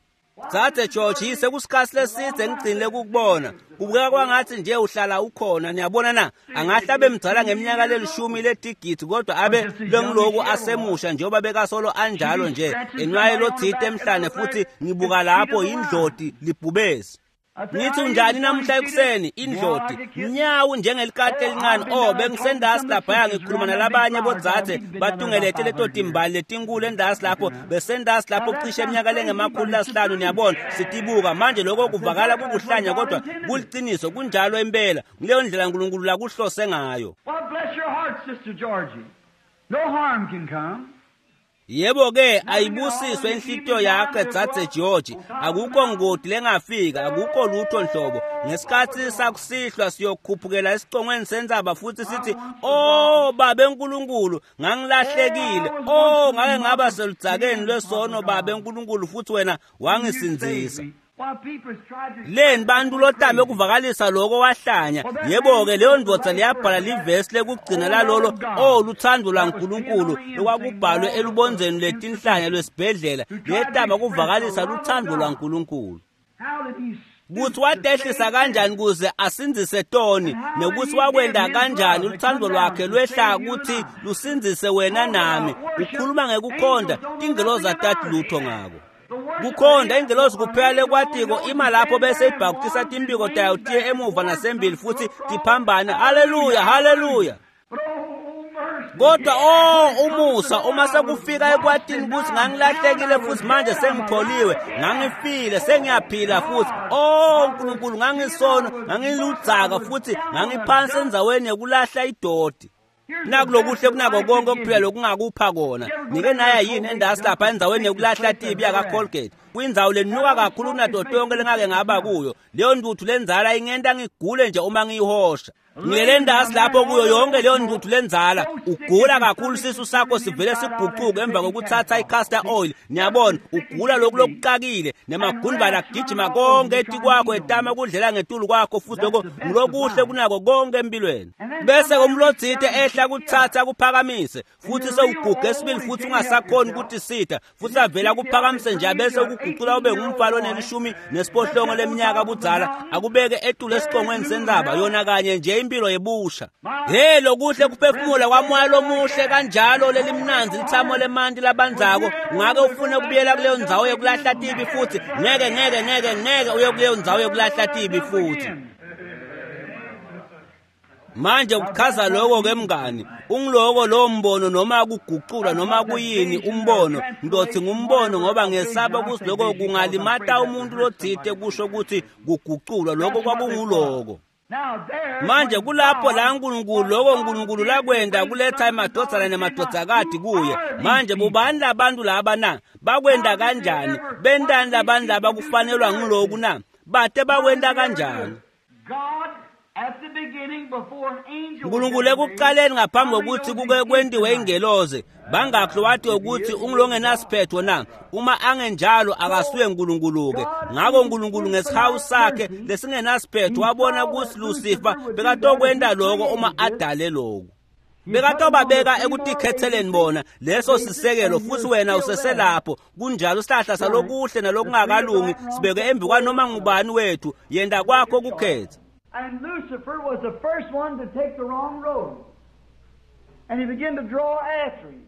Dzadze George yise kusikhathi leside ngigcinile ukukubona. Kubukeka kwangathi nje uhlala ukhona niyabona na angahle abe mdzala ngeminyaka lelishumi ledigidi kodwa abe lengiloku asemusha njengoba bekasolo anjalo nje enwaye lothite emhlane futhi ngibuka lapho indloti libhubesi. I say, Ngithi "How you unjani doing, namuhla ekuseni indloti nyawu njengelikati elincane. Oh bengisendasi laphaya ngikhuluma nalabanye bodzadze batungelete leto timbali letinkulu endasi lapho besendasi lapho cishe eminyaka lengemakhulu lasihlanu niyabona sitibuka manje lokho kuvakala kukuhlanya kodwa kuliqiniso kunjalo impela ngileyo ndlela uNkulunkulu lakuhlose ngayo. Well, bless your heart, Sister Georgie. No harm can come. Yebo ke ayibusiswe inhlitiyo yakhe dzadze George. Akukho ngodi lengafika, akukho lutho nhlobo. Ngesikhathi sakusihlwa siyokhuphukela esicongweni sentsaba futhi sithi, "Oh Baba eNkulunkulu, ngangilahlekile. Oh ngake ngaba seludzakeni lwesono Baba eNkulunkulu futhi wena wangisindzisa." While people tried to Leni bantu lotame kuvakalisa lokho wahlanya. Yebo ke leyo ndvodza liyabhala livesi lekugcina lalolo oh luthando lwaNkulunkulu lokwakubhalwe elubondzeni lwetinhlanya lwesibhedlela liyetama kuvakalisa luthando lwaNkulunkulu. How did he Kuthi watehlisa kanjani kuze asindzise toni nekuthi wakwenda kanjani luthando lwakhe lwehla kuthi lusindzise wena nami. Ukhuluma ngekukhonda tingelozi atati lutho ngako. Kukhonda ingelozi kuphela lekwatiko ima lapho bese ibhakutisa timpiko tayo tiye emuva nasembili futhi tiphambane. Haleluya, haleluya. But oh, mercy. Kodwa oh umusa uma sekufika ekwatini ukuthi ngangilahlekile futhi manje sengitholiwe, ngangifile sengiyaphila futhi. Oh uNkulunkulu ngangisono, ngangiludzaka futhi ngangiphansi endzaweni yokulahla idoti. Nakulokuhle kunako konke okuphila lokungakupha kona. Nike naya yini endasi lapha endzaweni yokulahla tibi yaka Colgate. Kwindzawo lenuka kakhulu kunato tonke lengake ngaba kuyo. Leyo ntuthu lenzala ingenta ngigule nje uma ngiyihosha. Ngilele endasi lapho kuyo yonke leyo ntuthu lenzala. Ugula kakhulu sisu sakho sivele siguquke emva kokuthatha i-castor oil. Niyabona ugula lokhu lokuqakile nemagundvana agijima konke etikwakho etama kudlela ngetulu kwakho futhi lokho ngulokuhle kunako konke empilweni. Bese komlotsite ehla kuthatha kuphakamise futhi sewuguge esibili futhi ungasakhoni ukuthi sitha futhi avela kuphakamise nje bese ukuguqula ube ngumfalo onelishumi nesiphohlongo leminyaka budzala akubeke etulu esicongweni sentsaba yona kanye nje impilo yebusha. He lokuhle kuphefumula kwamoya lomuhle kanjalo lelimnandzi lithamo lemanti labandzako ungake ufune kubuyela kuleyo ndzawo yokulahla tibi futhi ngeke ngeke ngeke ngeke uye kuleyo ndzawo yokulahla tibi futhi. Manje kuchaza lokho ke mngani, ungiloko lo mbono noma kuguqula noma kuyini umbono, ngizothi ngumbono ngoba ngesaba ukuthi lokho kungalimata umuntu lothite kusho ukuthi kuguqulwa lokho kwakunguloko. Manje kulapho la uNkulunkulu lokho uNkulunkulu lakwenda kuletha emadvodzana nemadvodzakati kuye. Manje bobani labantu laba na? Bakwenda kanjani? Bentani labantu laba kufanelwa ngiloku na? Bate bakwenda kanjani? uNkulunkulu ekuqaleni ngaphambi kokuthi kuke kwendiwe ingelozi bangakho wathi ukuthi ungilongenasiphetho na? Uma angenjalo akasuye uNkulunkulu-ke. Ngakho uNkulunkulu ngesihawu sakhe lesingenasiphetho wabona ukuthi Lucifer bekatokwenda lokho uma adale lokhu. Bekatobabeka ekutikhetheleni bona leso sisekelo futhi wena useselapho. Kunjalo isihlahla salokuhle nalokungakalungi sibeke embi kwanoma ngubani wethu, yenda kwakho kukhetha. And Lucifer was the first one to take the wrong road. And he began to draw after him.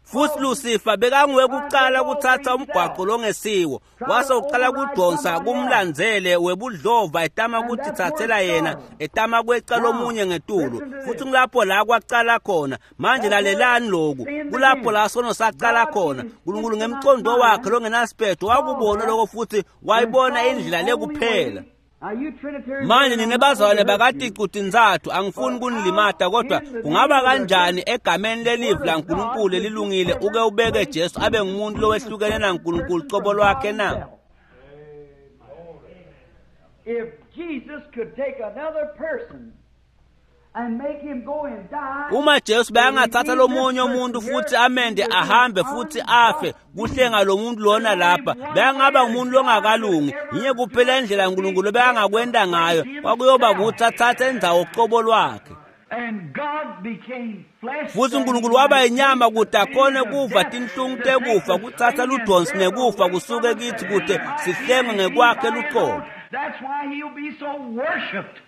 Futhi Lucifer bekanguye kuqala kuthatha umgwaqo longesiwo, wase uqala kudonsa kumlandzele webudlova etama ukutithathela yena, etama kweca lomunye ngetulu. Futhi kulapho la kwaqala khona. Manje lalelani lokhu, kulapho la sono saqala khona. uNkulunkulu ngemcondo wakhe longenasiphetho wakubona lokho futhi wayibona indlela lekuphela. Manje nina bazalwane bakaticu-tintsatfu angifuni kunilimata, kodwa kungaba kanjani egameni lelivi laNkulunkulu lelilungile uke ubeke Jesu abe ngumuntu lowehlukene naNkulunkulu cobo lwakhe na? If Jesus could take another person and make him go and die, Uma Jesu bekangathatha lomunye umuntu futhi amende ahambe futhi afe kuhlenga lo muntu lona lapha, bekangaba ngumuntu longakalungi. Yinye kuphela indlela uNkulunkulu bekangakwenda ngayo, kwakuyoba ukuthi athathe indzawo cobo lwakhe. And God became flesh. Futhi uNkulunkulu waba inyama kude akhone kuva tinhlungu tekufa, kuthatha ludonsi nekufa kusuke kithi kude sihlengwe ngekwakhe luqobo. That's why he'll be so worshipped.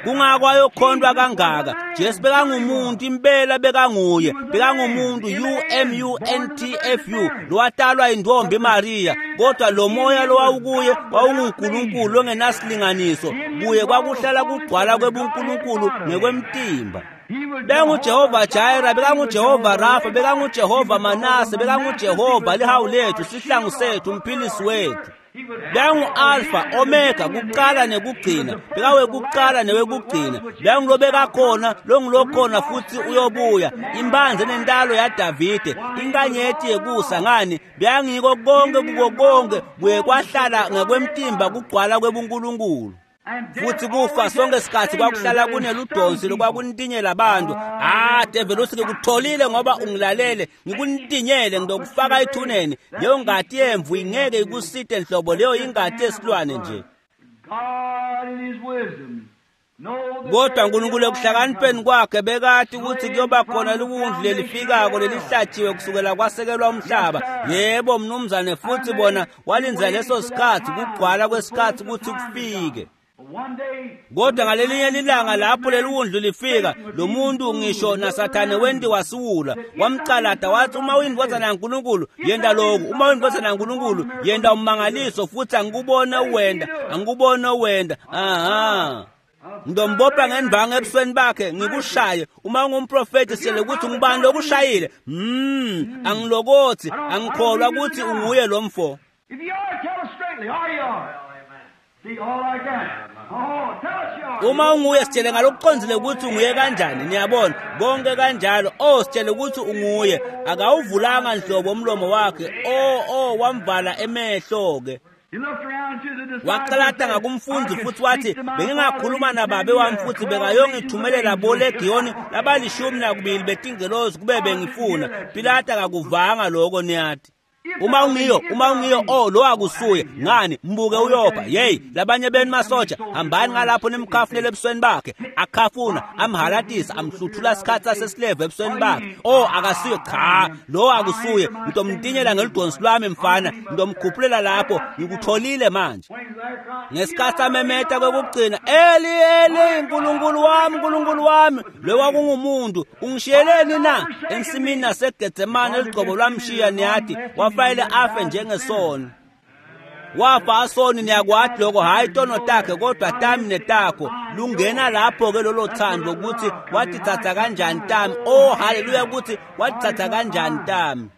Kungako ayokhondwa kangaka. Jesu bekangumuntu impela, bekanguye, bekangumuntu U M U N T F U lowatalwa intombi Maria, kodwa lo moya lowawukuye wawunguNkulunkulu longenasilinganiso. Kuye kwakuhlala kugcwala kwebuNkulunkulu ngekwemtimba. BekanguJehova Jireh, bekanguJehova Rafa, bekanguJehova Manase, bekanguJehova lihawu lethu, sihlangu sethu, umphilisi wethu. Bekangu-Alpha, Omega, kuqala nekugcina, bekawekuqala newekugcina, bekangulobekakhona, longulokhona futhi uyobuya, imbanze nentalo yaDavide, inkanyeti yekusa. Ngani? Bekangiko konke kuko konke, kuye kwahlala ngekwemtimba kugcwala kwebuNkulunkulu. Futhi kufa sonke isikhathi kwakuhlala kuneludonsi lokwakuntinyela abantu. Ah, devil uthi ngikutholile ngoba ungilalele, ngikuntinyele ngizokufaka ethuneni. Leyo ngati yemvu ingeke ikusite nhlobo, leyo ingati yesilwane nje. God in his wisdom Kodwa uNkulunkulu ekuhlakanipheni kwakhe bekati ukuthi kuyoba khona liwundlu lelifikako lelihlatshiwe kusukela kwasekelwa umhlaba. Yebo mnumzane, futhi bona walinza leso sikhathi, kugcwala kwesikhathi ukuthi kufike. Kodwa ngalelinye lilanga lapho leli wundlu lifika, lo muntu ngisho naSathane wentiwa siwula, wamcalada wathi, uma uyindvodzana yaNkulunkulu yenda lokhu, uma uyindvodzana yaNkulunkulu yenda ummangaliso, futhi angikubone uwenda, angikubone uwenda. Aha. Ngizombopha ngendvangu ebusweni bakhe ngikushaye. Uma ungumprofeti sele ukuthi ngubani lokushayile. Mm, angilokothi, angikholwa ukuthi unguye lo mfo. If you are, tell us straightly, are you are? See, all like that. Oh, tell us you are. Uma unguye sitshele ngalokuqondile ukuthi unguye kanjani, niyabona konke kanjalo. Oh, sitshele ukuthi unguye. Akawuvulanga nhlobo umlomo wakhe. Oh, oh, wamvala emehlo ke. He looked around to the disciples Waqalata and said, ngakumfundi I could futhi wathi speak to my bengingakhuluma Father, nababe he wami sent futhi me bekayongithumelela bolegiyoni labalishumi nakubili betingelozi kube bengifuna. Pilata akakuvanga lokho, niyathi. Uma ungiyo, uma ungiyo, oh lo akusuye. Ngani mbuke uyopha. Hey, labanye benu masoja, hambani ngalapho nimkhafunele ebusweni bakhe. Akhafuna, amhalatisa, amhluthula isikhathi sasesileve ebusweni bakhe. Oh, akasuye, cha, lo akusuye. Ngitomtinyela ngelidonsi lwami mfana, ngitomkhuphulela lapho, ngikutholile manje. Ngesikhathi amemeta kwekugcina, Eli Eli, Nkulunkulu wami, Nkulunkulu wami, lo kwakungumuntu, ungishiyeleni na? Ensimini naseGetsemane eligcobo lwamshiya, niyathi, wafanele afe njengesoni. Wafa asoni niyakwati lokho, hhayi tono takhe kodwa tami netakho. Lungena lapho-ke lolo thando ukuthi watithatha kanjani tami. Oh haleluya, ukuthi watithatha kanjani tami.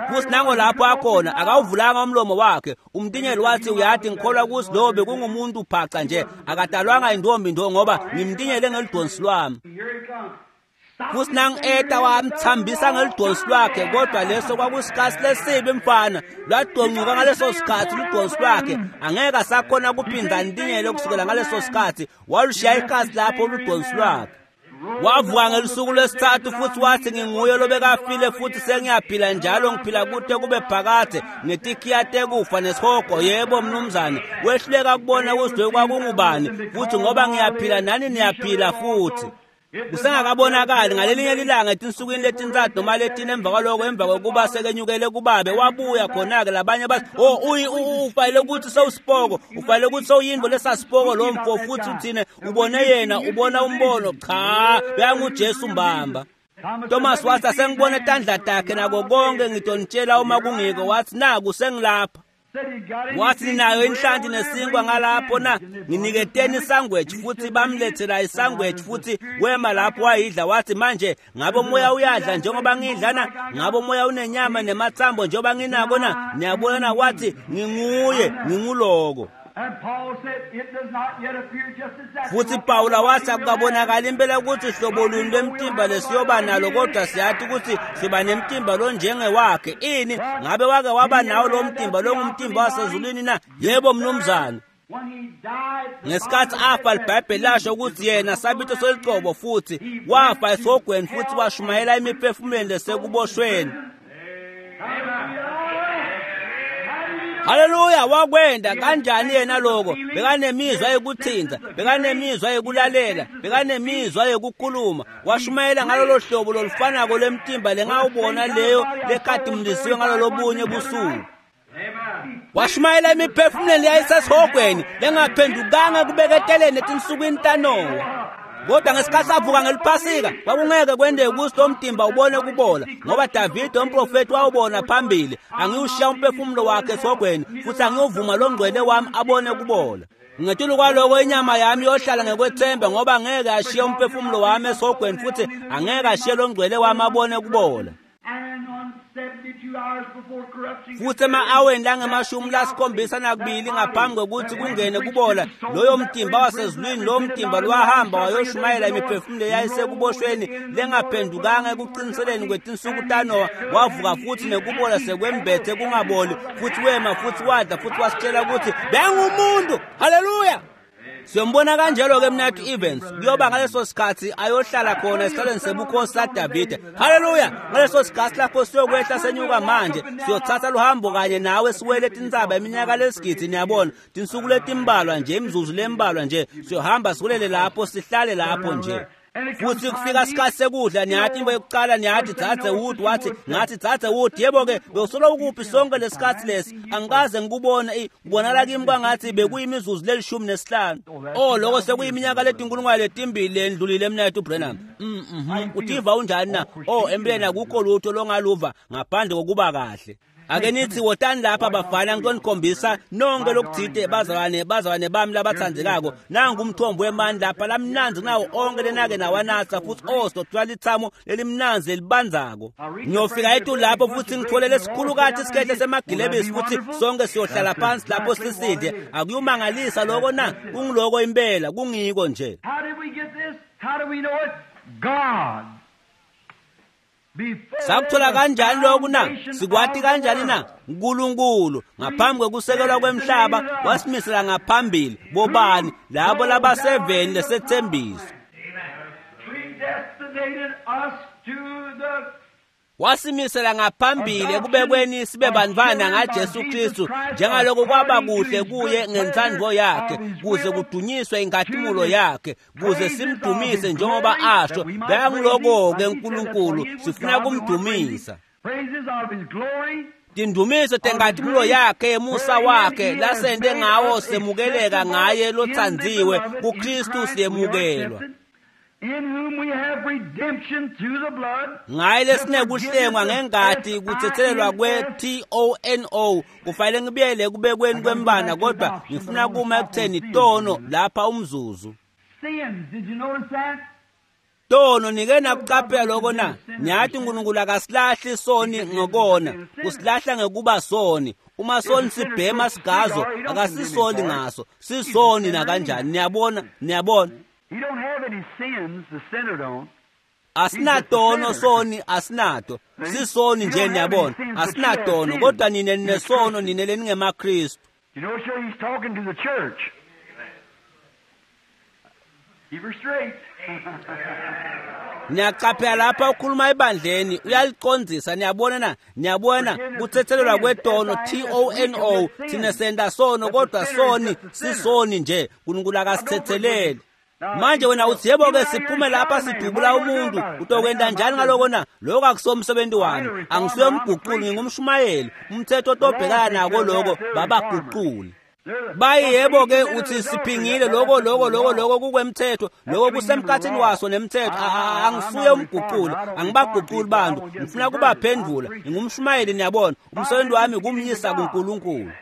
Futhi nango lapho akhona akawuvulanga umlomo wakhe. Umtinyeli wathi uyathi ngikholwa ukuthi lo bekungumuntu phaca nje, akadalwanga intombi ndo ngoba ngimtinyele ngelidonsi lwami. Futhi nang-eta wamthambisa ngelidonsi lwakhe, kodwa leso kwakusikhathi lesibi mfana. Lwadoncuka ngaleso sikhathi ludonsi lwakhe, angeke asakhona kuphinda ntinyele kusukela ngaleso sikhathi. Walushiya ikhasi lapho ludonsi lwakhe. Wavuka ngelusuku lwesithathu futhi wathi nginguye lobekafile futhi sengiyaphila njalo, ngiphila kude kube phakade ngetikhiya tekufa nesihogo. Yebo mnumzane, wehluleka kubona ukuthi lokhu kwakungubani, futhi ngoba ngiyaphila nani niyaphila futhi. Kusengakabonakali ngalelinye lilanga etinsukwini letintsatfu noma letine emva kwaloko, emva kokuba sekenyukele kubabe wabuya khona-ke. Labanye bathi oh ufanele ukuthi sewusipoko, ufanele ukuthi sewuyinto lesasipoko lo mfo, futhi uthine ubone yena, ubona umbono. Cha, beyanguJesu mbamba. Thomas wathi asengibone tandla takhe nako konke, ngitonitshela uma kungiko. Wathi naku sengilapha. Wathi ninayo inhlanti nesinkwa ngalapho na? Nginiketeni isangweji. Futhi bamlethela isangweji futhi wema lapho wayidla. Wathi manje ngabe umoya uyadla njengoba ngidla na? Ngabe umoya unenyama nemathambo njengoba nginako na? Niyabona na? Wathi nginguye, nginguloko. Futhi Pawula wathi akukabonakali impela ukuthi hlobo luni lwemtimba lesiyoba nalo, kodwa siyathi ukuthi siba nemtimba lonjengewakhe. Ini ngabe wake waba nawo lo mtimba longumtimba wasezulwini na? Yebo mnumzane. Ngesikhathi afa iBhayibheli lasho ukuthi yena sabito selicobo, futhi wafa esihogweni futhi washumayela imiphefumulweni lesekuboshweni. Haleluya, wakwenda kanjani yena lokho? Bekanemizwa yokuthinta, bekanemizwa yokulalela, bekanemizwa yokukhuluma. Washumayela ngalolo hlobo lolufanako lemtimba lengawubona leyo lekhatimulisiwe ngalolo bunye busuku. Washumayela imiphefumulweni yayisesihogweni lengaphendukanga kubeketeleni etinsukwini taNowa. Kodwa ngesikhathi avuka ngeliphasika kwakungeke kwendeke ukuthi lo mtimba ubone kubola, ngoba Davide umprofeti wawubona phambili, angiyushiya umphefumulo wakhe esihogweni futhi angiyuvuma lo ngcwele wami abone kubola. Ngetulu kwaloko inyama yami iyohlala ngekwethemba, ngoba angeke ashiye umphefumulo wami esihogweni futhi angeke ashiye lo ngcwele wami abone kubola. Futhi ema-aweni langemashumi lasikhombisa nakubili ngaphambi kokuthi kungene kubola, loyo mtimba wasezulwini, lowo mtimba lwahamba wayoshumayela imiphefumulo eyayisekuboshweni lengaphendukanga ekuqiniseleni kwetinsuku taNowa. Wavuka futhi nekubola sekwembethe kungaboli, futhi wema futhi wadla futhi wasitshela ukuthi bengumuntu. Haleluya! Siyombona kanjalo-ke mnathu Evans, kuyoba ngaleso sikhathi ayohlala khona esihlalweni sebukhosi saDavide. Haleluya! Ngaleso sikhathi lapho siyokwehla senyuka manje, siyothatha luhambo kanye nawe siwele tintsaba iminyaka lesigidi, niyabona, tinsuku letimbalwa nje, imizuzu lembalwa nje, siyohamba siwelele lapho, sihlale lapho nje. Futhi kufika isikhathi sekudla, niyathi into yokuqala niyathi dzadze Wood, wathi ngathi dzadze Wood, yebo-ke bewusolo ukuphi sonke lesikhathi lesi? Angikaze ngikubona, kubonakala kimi kwangathi bekuyimizuzu lelishumi nesihlanu. Oh, lokho sekuyiminyaka letinkulungwane letimbili lendlulile mnethu Branham. Mm mhm utiva unjani na? Oh, empeleni akukho lutho longaluva ngaphandle kokuba kahle. Ake nithi wotani lapha bafana, ngitonikhombisa nonke lokuthite bazalwane, bazalwane bami labathandelako. Nangu umthombo wemani lapha lamnanzi kunawo onke lenake nawanatha, futhi oh sithola lithamo lelimnanzi lelibanzako. Ngiyofika etulu lapho futhi ngithole lesikhulukathi isikhehle semagilebisi, futhi sonke siyohlala phansi lapho sisidle. Akuyomangalisa lokho na? Kungiloko impela, kungiko nje. How did we get this? How do we know it? God. Sakuthola kanjani lokhu na? Sikwati kanjani na? uNkulunkulu ngaphambi kokusekelwa kwemhlaba wasimisela ngaphambili bobani labo labaseveni lesethembiso. Predestinated us to the Wasimisela ngaphambili ekubekweni sibe bantwana ngaJesu Kristu, njengaloko kwaba kuhle kuye ngentsandvo yakhe, kuze kudunyiswe inkhatimulo yakhe, kuze simdumise njengoba asho. Bekanguloko-ke uNkulunkulu, sifuna kumdumisa. praises of his glory. Tindumiso tenkhatimulo yakhe yemusa wakhe lasente ngawo semukeleka ngaye lotsandziwe, kuKristu siyemukelwa. In whom we have redemption through the blood. Ngaye lesinekuhlengwa ngengati kuthethelelwa kwe-T O N O. Kufanele ngibuyele kubekweni kwembana, kodwa ngifuna kuma ekutheni tono lapha umzuzu. Sins, did you notice that? Tono nike nakucaphela lokho na? Ngiyathi uNkulunkulu akasilahli soni ngokona, usilahla ngekuba soni. Uma soni sibhema sigazo, akasisoli ngaso, sisoni nakanjani. Niyabona, niyabona. He don't have any sins, the sinner don't. Asinatono soni, asinato. Sisoni nje, niyabona. Asinatono, kodwa nine ninesono, nine leningemaKristu. You know, sure, he's talking to the church. Keep her straight. Niyaqaphela lapha ukhuluma ebandleni, uyaliqondzisa. Niyabona na? Niyabona kuthethelelwa kwetono, T O N O. Thina senta sono, kodwa soni sisoni nje. uNkulunkulu akasithetheleli. Manje wena uthi yebo ke siphume lapha sidubula umuntu, utokwenda njani ngaloko na? Lokho akusomsebenzi wami, angisuye umguquli, ngingumshumayeli. Umthetho otobhekana nako lokho babaguquli. Bayi yebo ke uthi siphingile lokho lokho lokho lokho kukwemthetho, lokho kusemkhathini waso nemthetho. Angisuye umguquli, angibaguquli bantu, ngifuna kubaphendula, ngingumshumayeli. Niyabona, umsebenzi wami kumyisa kuNkulunkulu.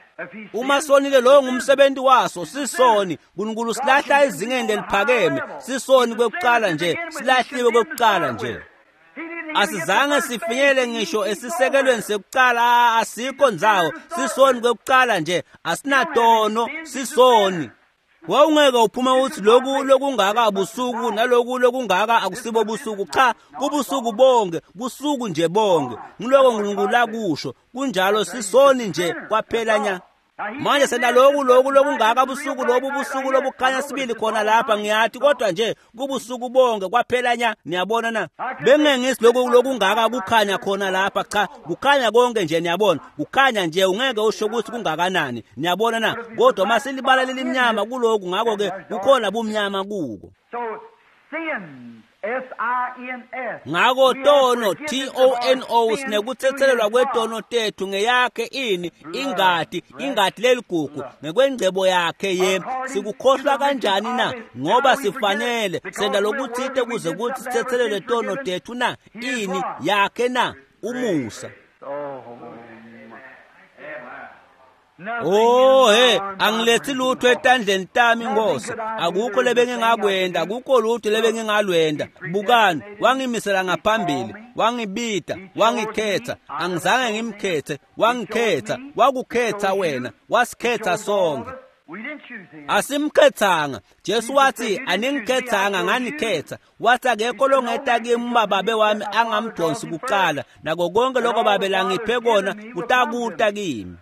Uma sonile, lowo ngumsebenzi waso, sisoni. uNkulunkulu silahla ezingeni leliphakeme, sisoni kwekuqala nje, silahliwe kwekuqala nje. Asizange sifinyele ngisho esisekelweni sekuqala, asikho ndzawo, sisoni kwekuqala nje, asinatono, sisoni. Wawungeke uphuma uthi lokhu lokungaka busuku naloku lokungaka akusibo busuku. Cha, kubusuku bonke, busuku nje bonke. Ngiloko uNkulunkulu lakusho, kunjalo, sisoni nje kwaphela nya. Manje senta lokhu lokhu lokungaka busuku lobu busuku lobukhanya sibili khona lapha, ngiyathi, kodwa nje kubusuku bonke kwaphela nya. Niyabona na? Bengengisi lokhu lokungaka kukhanya khona lapha, cha, kukhanya konke nje. Niyabona, kukhanya nje, ungeke usho ukuthi kungakanani. Niyabona na? Kodwa masilibala lelimnyama kuloku, ngakho ke kukhona bumnyama kuko. So sins, S I N S. Ngako tono, T O N O, sinekuthethelelwa kwetono tethu ngeyakhe ini ingati, ingati leligugu ngekwengcebo yakhe ye. Sikukhohlwa kanjani na? Ngoba sifanele senda lokuthite kuze kuthi sithethelelwe tono tethu na? Ini yakhe na? Umusa. Oh he, angilethi lutho etandleni tami Nkosi, akukho lebengingakwenda, akukho lutho lebengingalwenda. Bukani, wangimisela ngaphambili, wangibita, wangikhetha, angizange ngimkhethe, wangikhetha, wakukhetha wena, wasikhetha sonke. Asimkhethanga. Jesu wathi aningikhethanga, nganikhetha. Wathi akekho longeta kimi uma babe wami angamdonsi kuqala, nako konke lokho babe langiphe kona kutakuta kimi.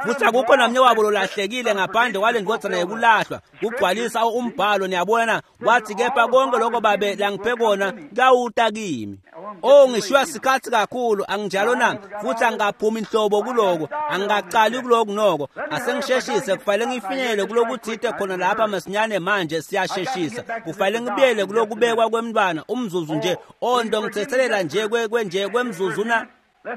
Futhi akukho namnye wabo lolahlekile ngaphandle kwale ndvodzana yekulahlwa, kugcwalisa umbhalo. Niyabona, wathi kepha konke lokho babe langiphe kona kuyawuta kimi. Oh, ngishiywa sikhathi kakhulu, anginjalo na? Futhi angikaphumi inhlobo kuloko, angikaqali kuloku noko. Asengisheshise, kufanele ngifinyelele kulokuthite khona lapha masinyane. Manje siyasheshisa, kufanele ngibuyele kulokubekwa kwemntwana umzuzu nje. Oh, ndongithethelela nje kwenje kwemzuzu na.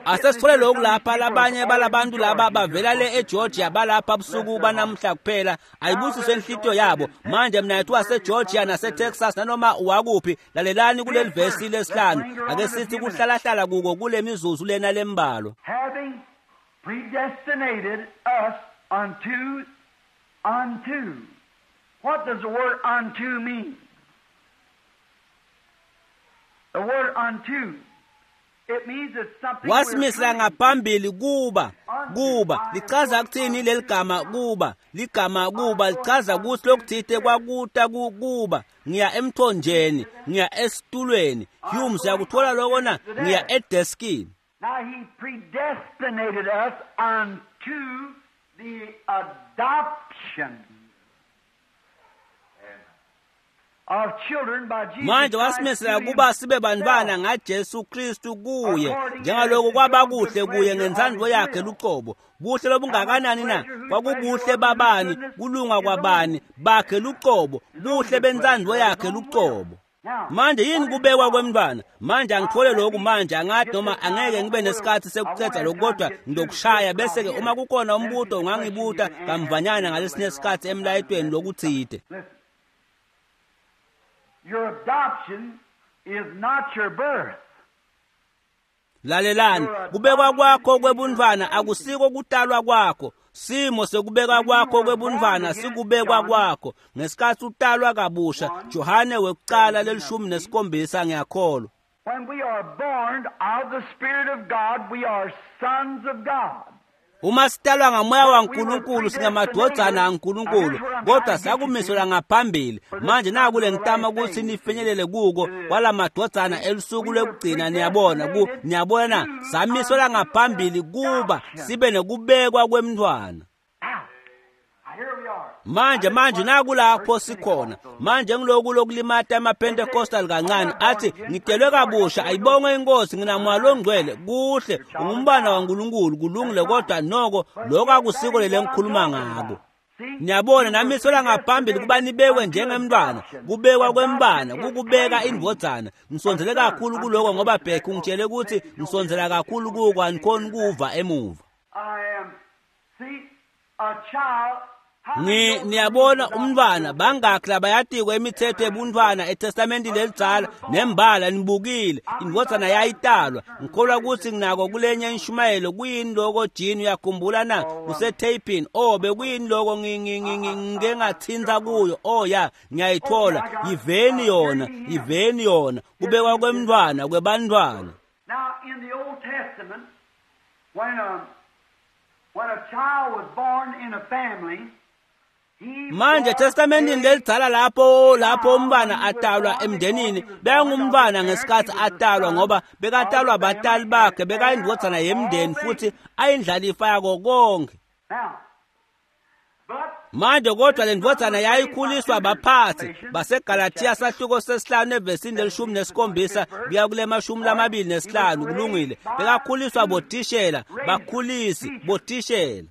Asesithole lokhu lapha, labanye balabantu laba bavela le eGeorgia, balapha busuku banamhla kuphela. Ayibusiswe inhlitiyo yabo. Manje mina yethu waseGeorgia naseTexas nanoma wakuphi, lalelani kuleli vesi lesihlanu. Ake sithi kuhlalahlala kuko kule mizuzu lena lembalwa. Having predestinated us unto unto. What does the word unto mean? The word unto, it means it's something Wasimisela ngaphambili kuba kuba lichaza kuthini leli gama kuba? Ligama kuba lichaza ukuthi lokuthite kwakuta kuba. Ngiya emthonjeni, ngiya esitulweni. Humes uyakuthola lokho na? Ngiya edeskini. Now he predestinated us unto the adoption of children by Jesus Manje wasimisela kuba sibe bantwana ngaJesu Kristu kuye, njengaloko kwaba kuhle kuye ngentsandvo yakhe luqobo. Buhle lobungakanani na? Kwakubuhle babani? Kulunga kwabani? Bakhe luqobo, buhle bentsandvo yakhe luqobo. Manje yini kubekwa kwemntwana? Manje angithole lokhu manje, angathi noma angeke ngibe nesikhathi sekucetha lokhu, kodwa ngizokushaya bese ke uma kukhona umbuto ungangibuta kamvanyana ngalesinye isikhathi emlayetweni lokuthite. Your adoption is not your birth. Lalelani, kubekwa kwakho kwebuntfwana akusiko kutalwa kwakho. Simo sekubekwa kwakho kwebuntfwana sikubekwa kwakho ngesikhathi utalwa kabusha. Johane wekucala lelishumi nesikhombisa ngiyakholwa. When we are born of the Spirit of God, we are sons of God. Uma sitalwa ngamoya waNkulunkulu singamadvodzana aNkulunkulu, kodwa sakumiselwa ngaphambili. Manje naku lengitama ukuthi nifinyelele kuko kwalamadvodzana elusuku lwekugcina. Niyabona ku niyabona samiselwa ngaphambili kuba sibe nekubekwa kwemntfwana. Now, here we are. Manje manje nakulapho sikhona manje ngiloku lokulimata amaPentecostal kancane athi ngitelwe kabusha, ayibongwe inkosi, nginamoya longcwele, kuhle, ungumbana waNkulunkulu, kulungile, kodwa noko lokho akusiko lele ngikhuluma ngako. Niyabona, namiselwa ngaphambili kuba nibekwe njengemntwana. Kubekwa kwembana kukubeka indvodzana. Ngisondzele kakhulu kuloko ngoba Bheki ungitshele ukuthi ngisondzela kakhulu kuko, anikhoni kuva emuva. I am, see, a child. How Ngi many know niyabona the umntwana bangakhi labayatiko imithetho yebuntwana eTestamentini lelidzala nembala nibukile indvodzana yayitalwa. Ngikholwa ukuthi nginako kulenye inshumayelo. Kuyini loko Jean, uyakhumbula na? Kusetapini. Oh, bekuyini loko ngike ngathinta kuyo? Oh ya, ngiyayithola. Yiveni yona, yiveni yona. Kubekwa kwemntwana kwebantwana. Now, in the Old Testament, when a, when a child was born in a family, he Manje was eTestamentini a lelidzala lapho lapho umntwana atalwa emndenini, bekangumntwana ngesikhathi atalwa ngoba bekatalwa batali bakhe, bekayindvodzana yemndeni futhi ayindlalifa yako konke. Now, but Manje kodwa le ndvodzana yayikhuliswa baphathi baseGalathiya sahluko sesihlanu evesini lelishumi nesikhombisa kuya kule mashumi lamabili nesihlanu. Kulungile, bekakhuliswa bothishela, bakhulisi bothishela.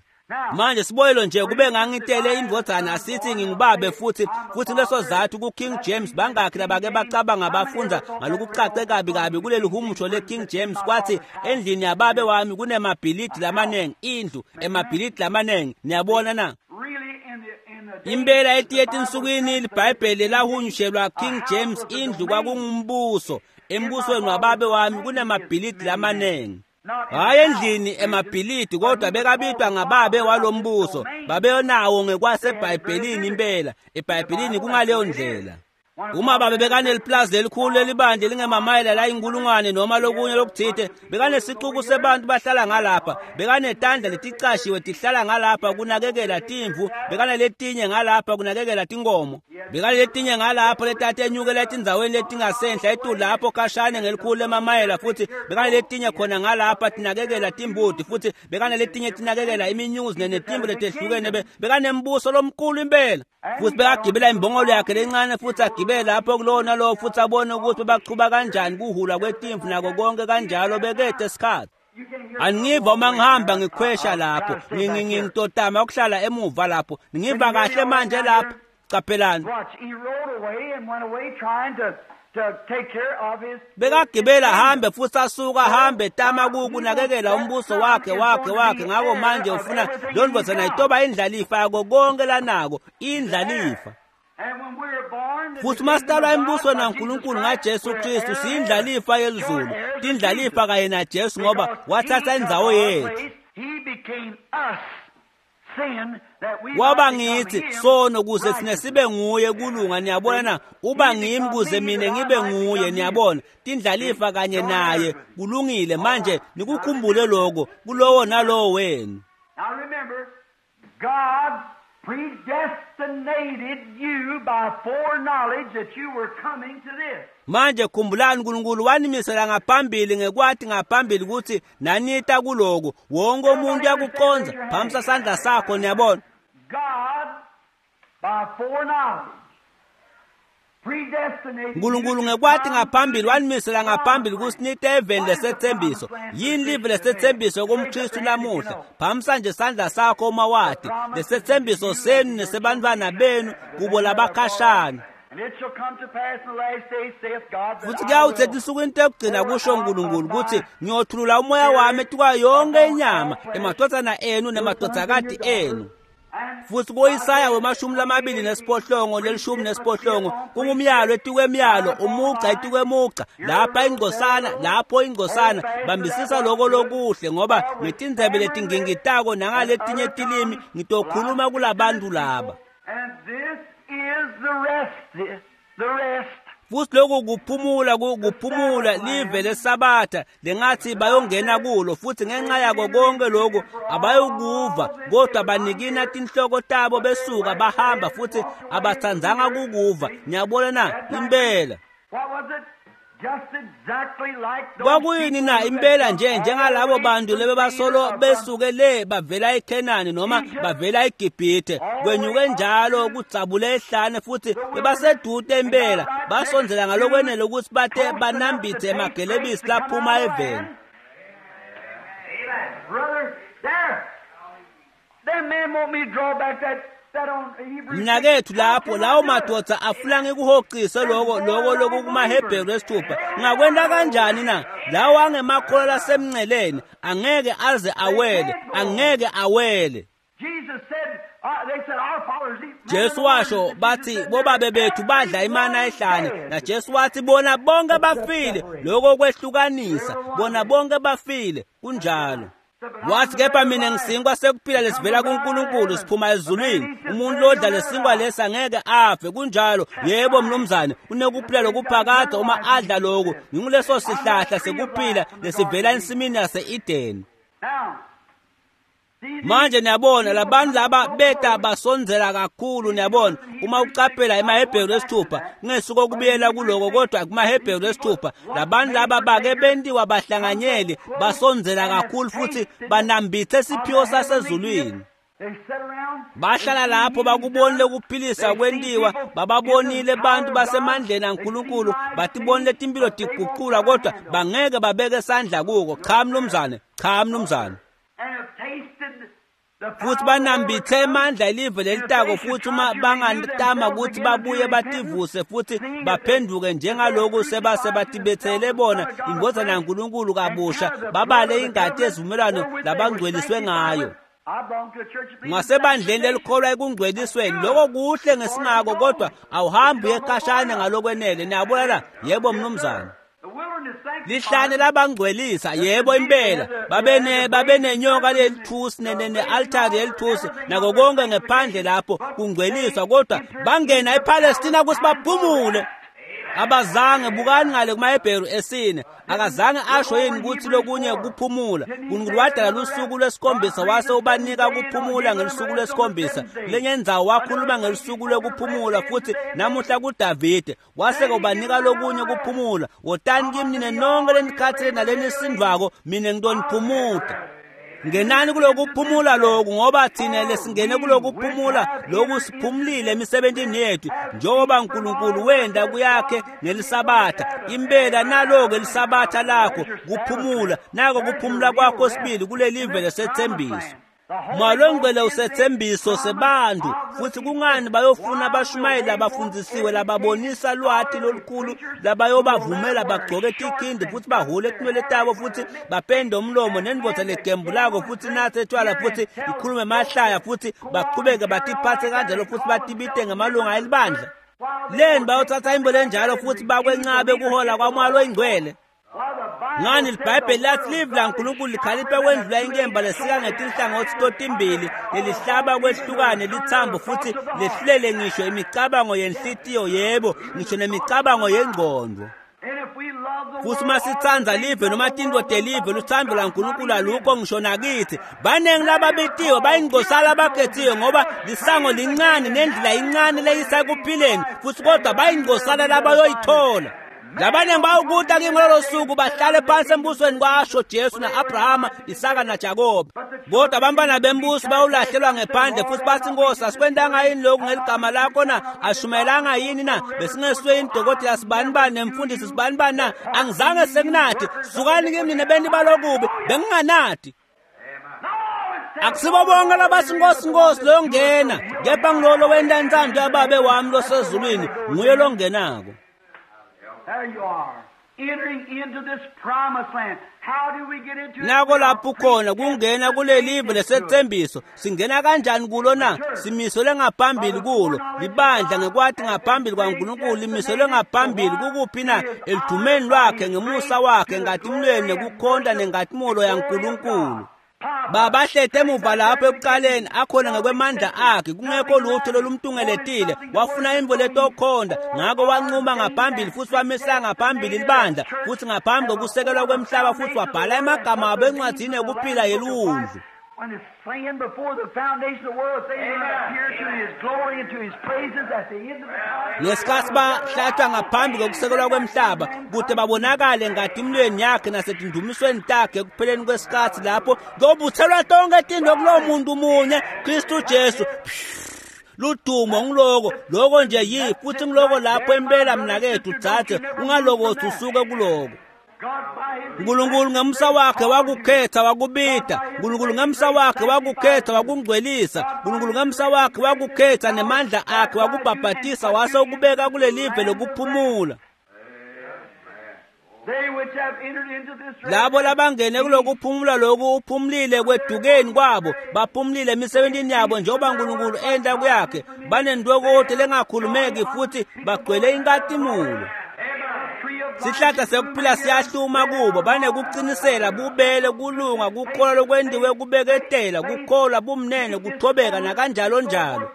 Manje sibonelo nje, kube ngangitele indvodzana asithi ngingubabe futhi futhi leso zathu ku King James bangakhi labake bacabanga bafundza ngalokucace kabi kabi kuleli humusho le King James, kwathi endlini yababe wami kunemabhilidi lamanengi, indlu emabhilidi lamanengi. Niyabona na? really in the in the Impela etiye etinsukwini iBhayibheli lahunyushelwa King James, indlu kwakungumbuso. Embusweni wababe wami kunemabhilidi lamanengi. Hhayi endlini emabhilidi, kodwa bekabitwa ngababe walombuso. Babenawo ngekwaseBhayibhelini impela. EBhayibhelini kungaleyo ndlela. Uma babe bekaneliplazi lelikhulu lelibandla elingemamayela layinkulungwane noma lokunye lokuthite, bekanesicuku sebantu bahlala ngalapha, bekanetandla leticashiwe tihlala ngalapha kunakekela timvu, bekanaletinye ngalapha kunakekela tinkomo, bekanaletinye ngalapho letatenyukela etindzaweni letingasenhla etulu lapho khashane ngelikhulu lemamayela, futhi bekanaletinye khona ngalapha tinakekela timbuti, futhi bekanaletinye tinakekela iminyuzi netimvu letehlukene. Be- Bekanembuso lomkhulu impela. Futhi bekagibela imbongolo yakhe lencane futhi agibele lapho kulowo nalowo futhi abone ukuthi bachuba kanjani kuhulwa kwetimvu nako konke kanjalo. Bekede isikhathi you can hear Angiva uma ngihamba ngikhwesha lapho, ngitotama ukuhlala emuva lapho. Ngiva kahle manje lapha. Caphelani, Watch, he rode away and went away trying to to take care of his bekagibela hambe futhi asuka hambe tama kukunakekela umbuso wakhe wakhe wakhe. Ngako manje ufuna leyo ndvodzana itoba indlalifa yako konke lanako, indlalifa. And when we were born, the Futhi uma sitalwa embusweni waNkulunkulu ngaJesu Kristu, siyindlalifa yelizulu, tindlalifa kanye naJesu ngoba wathatha indzawo yethu. He became us sin that we Waba might become ngithi him sono kuze sine righteousness. sibe nguye kulunga. Niyabona na? Uba ngimi kuze mina ngibe nguye. Niyabona, tindlalifa kanye naye. Kulungile, manje nikukhumbule lokho kulowo nalowo wenu. Now remember, God predestinated you by foreknowledge that you were coming to this. Manje khumbulani, uNkulunkulu wanimisela ngaphambili ngekwathi ngaphambili ukuthi nanita kuloko. Wonke umuntu uyakuconza, phamisa sandla sakho. Niyabona, God, by foreknowledge, predestinated uNkulunkulu you to ngekwathi come ngaphambili to wanimisela ngaphambili this ukuthi nite eveni lesethembiso. Yini live lesethembiso kumKristu namuhla? Phamisa nje sandla sakho uma wathi lesethembiso senu nesebantwana benu kubo labakhashana. And it shall come to pass in the last days, saith God, that Futhi I kuyawuthi will etinsukwini tekugcina kusho uNkulunkulu ukuthi ngiyothulula umoya wami etukwa yonke inyama, emadvodzana enu nemadvodzakati enu. Futhi kuIsaya wemashumi lamabili nesiphohlongo lelishumi nesiphohlongo kungumyalo etikwemyalo umugca etikwemugca lapha ingcosana lapho ingcosana bambisisa lokho lokuhle ngoba ngetindzebe letingingitako nangaletinye tilimi ngitokhuluma kulabantu laba. And this is the rest, the, the rest. Futhi lokhu kuphumula kuphumula live lesabatha lengathi bayongena kulo futhi ngenxa yako konke lokhu abayokuva kodwa banikina tinhloko tabo besuka bahamba futhi abathandzanga kukuva. Niyabona na impela What was it? Just exactly like those kwakuyini na impela nje njengalabo bantu lebebasolo besuke le bavela eKhenani noma bavela eGibhithe kwenyuke njalo kudzabule ehlane futhi bebasedude impela basondzela ngalokwenele ukuthi bate banambithe emagelebisi laphuma eveni. Brother, there. Them men want me to draw back that that on Hebrews. Mnakethu lapho lawo madoda afuna ngikuhoqise lokho lokho lokukumaHebheru esithupha ngakwenta kanjani na lawo angemakholwa lasemnceleni angeke aze awele angeke awele. Jesus said, uh, they said our fathers eat. Jesu washo bathi bobabe bethu badla imana ehlane na Jesu wathi bona bonke bafile lokho kwehlukanisa bona bonke bafile kunjalo. Wathi kepha mina ngisinkwa sekuphila lesivela kuNkulunkulu siphuma ezulwini umuntu lodla lesinkwa lesi angeke afe kunjalo. Yebo mnumzane unekuphila lokuphakade uma adla lokhu nginguleso sihlahla sekuphila lesivela ensimini yase-Edeni. Now, these Manje niyabona labantu laba beta basondzela kakhulu niyabona uma ucaphela emaHebheru esithupha kungesuko kubuyela kuloko kodwa kumaHebheru esithupha labantu laba bake bentiwa bahlanganyeli basondzela kakhulu futhi banambithe siphiwo sasezulwini. they sat around. Bahlala lapho bakubonile ukuphilisa kwentiwa bababonile bantu basemandleni aNkulunkulu batibonile timpilo tiguqulwa kodwa bangeke babeke sandla kuko. Cha mnumzane, cha mnumzane. And have tasted the Futhi banambithe emandla elive lelitako futhi uma bangatama ukuthi babuye bativuse futhi baphenduke njengaloku sebase batibethele bona indvodzana yaNkulunkulu kabusha babale ingati yezivumelwano labangcweliswe ngayo. I belong to a church that believes Ngasebandleni lelikholwa ekungcwelisweni lokho kuhle ngesingako kodwa awuhambi uye khashane ngalokwenele. Niyabona la? Yebo mnumzane. the wilderness Lihlane sanctified. labangcwelisa yebo impela babene babenenyoka lelithusi ne-altari yelithusi nako konke ngephandle lapho kungcweliswa kodwa bangena ePalestina ukuthi baphumule. Abazange bukani ngale kumaHebheru esine akazange asho yini ukuthi lokunye kuphumula. uNkulunkulu wadala lusuku lwesikhombisa wase ubanika kuphumula ngelusuku lwesikhombisa lenye indzawo wakhuluma ngelusuku lwekuphumula futhi namuhla kuDavide wase ubanika lokunye kuphumula. Wotani kimi nine nonke lenikhathele nalenisindvako mina ngitoniphumuta. Ngenani kulokuphumula lokhu ngoba thina lesingene kulokuphumula lokhu siphumulile emisebentini yethu njengoba uNkulunkulu wenda kuyakhe ngelisabatha. Impela nalo-ke lisabatha lakho kuphumula nako kuphumula kwakho sibili kulelive lesethembiso. Malongcwele usethembiso sebantu futhi kungani bayofuna abashumayeli labafundzisiwe lababonisa lwati lolukhulu labayobavumela bagcoke tikhindi futhi bahule tinwele tabo futhi bapende umlomo nendvodza legembulako futhi nathe tshwala futhi ikhulume emahlaya futhi bachubeke batiphathe kanjalo futhi batibite ngemalunga elibandla leni bayothatha imbo lenjalo futhi bakwencabe kuhola kwamoya loyingcwele. Ngani liBhayibheli lathi live laNkulunkulu likhalipha kwendlula inkemba lesika ngetinhlangothi totimbili lelihlaba kwehlukane lithambo futhi lehlulele ngisho imicabango yenhlitiyo yebo ngisho nemicabango yengqondo. And if we love the Futhi world, uma sitsandza live noma tintfo telive luthando laNkulunkulu alukho ngisho nakithi. Baningi lababitiwe bayingcosana abakhethiwe ngoba lisango lincane nendlela incane leyisa ekuphileni futhi kodwa bayingcosana labayoyithola. Labaningi bayawukuta kimi ngalolo suku bahlale phansi embusweni kwasho Jesu na-Abrahama, Isaka naJakobe. Kodwa abantwana bembuso bayawulahlelwa ngephandle futhi bathi Nkosi asikwentanga yini lokhu ngeligama lakho na? Ashumayelanga yini na? Besingesuye yini dokotela sibanibani nemfundisi sibanibani na? Angizange sekunathi sukani kimi nina beni balokubi benginganati. Akusibo bonke labathi Nkosi Nkosi loyongena kepha ngilolo wenta intsando yababe wami losezulwini nguye longenako. There you are. Nako lapho khona kungena kulelive lesetsembiso. Singena kanjani kulo na? Simiselwe ngaphambili kulo. Libandla ngekwati ngaphambili kwaNkulunkulu limiselwe ngaphambili kukuphi na? Elidumeni lwakhe ngemusa wakhe ngatimlweni nekukhonta nengatimulo yaNkulunkulu. Babahlete emuva lapho ekuqaleni akhona ngokwemandla akhe kungekho lutho lolumtungeletile. Wafuna imvo letokhonda, ngakho wanquma ngaphambili futhi wamisa ngaphambili libandla futhi ngaphambi kokusekelwa kwemhlaba futhi wabhala emagama abo encwadini yokuphila yeliwundlu. When it's saying before the foundation of the world, they might appear to his glory and to his praises at the end of the time. Ngesikhathi bahlatshwa ngaphambi kokusekelwa kwemhlaba kude babonakale ngatimlweni yakhe nasetindumisweni takhe ekupheleni kwesikhathi lapho kuyobuthelwa tonke tinto kulowo muntu munye Kristu Jesu. Ludumo ngiloko loko nje yi futhi ngiloko lapho impela mnakethu dzadze ungalokothi usuke kuloko. Nkulunkulu ngemusa wakhe wakukhetha wakubita. Nkulunkulu ngemusa wakhe wakukhetha wakungcwelisa. Nkulunkulu ngemusa wakhe wakukhetha nemandla akhe wakubhabhatisa wase ukubeka kulelive lokuphumula. Labo labangene kulokuphumula loku uphumlile kwedukeni kwabo, baphumlile emisebentini yabo njengoba Nkulunkulu enta kuyakhe. Banentokoti lengakhulumeki futhi bagcwele inkatimulo. Sihlahla sekuphila siyahluma kubo, banekuqinisela, bubele, kulunga, kukholwa lokwentiwe kubeketela, kukholwa, bumnene, kuthobeka nakanjalo njalo.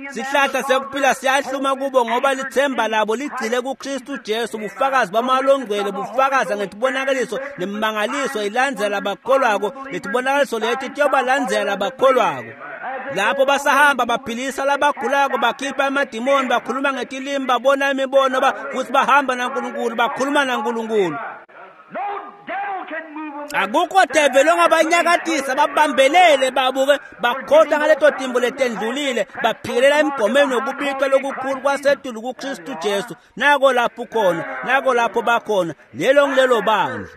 Sihlahla sekuphila siyahluma kubo ngoba lithemba labo ligcile kuKristu Jesu. Bufakazi bamalongcwele bufakaza ngetibonakaliso nemimangaliso ilandzela abakholwako. Letibonakaliso leti tiyobalandzela abakholwako. Lapho basahamba baphilisa labagulako, bakhipha amadimoni, bakhuluma ngetilimi, babona imibono, futhi bahamba naNkulunkulu, bakhuluma naNkulunkulu. Akukho develi ongabanyakatisa, babambelele babuke bakhotha ngaleto timbo letendlulile, baphikelela emgomeni wokubitwa lokukhulu kwasetulu kuKristu Jesu. Nako lapho khona, nako lapho bakhona, lelo ngilelo bandla.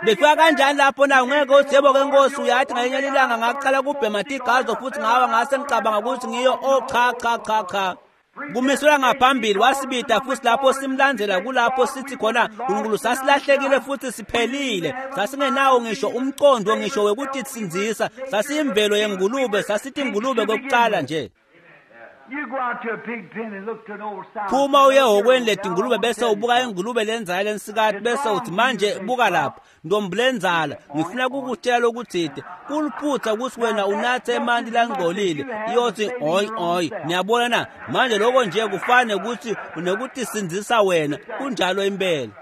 Befika kanjani lapho na? Ungeke uthi yebo ke Nkosi, uyathi ngelinye ilanga ngaqala kubhema tigazo futhi ngawa ngase ngicabanga ukuthi ngiyo. Oh cha cha cha cha. Kumiselwa ngaphambili wasibida futhi lapho simlandzela kulapho sithi khona Nkulunkulu sasilahlekile futhi siphelile, sasingenawo ngisho umcondo ngisho wekutisindzisa, sasiyimvelo yengulube, sasithi ingulube kokuqala nje. Phuma uye ehhokweni letingulube bese ubuka ingulube lenzala lensikati bese uthi manje buka lapha ntombi lenzala, ngifuna kukutshela lokutsite kuliphutha ukuthi wena unathe emanti langcolile. Iyothi oy oy. Niyabona na? Manje lokho nje kufane ukuthi unekutisindzisa wena. Kunjalo impela.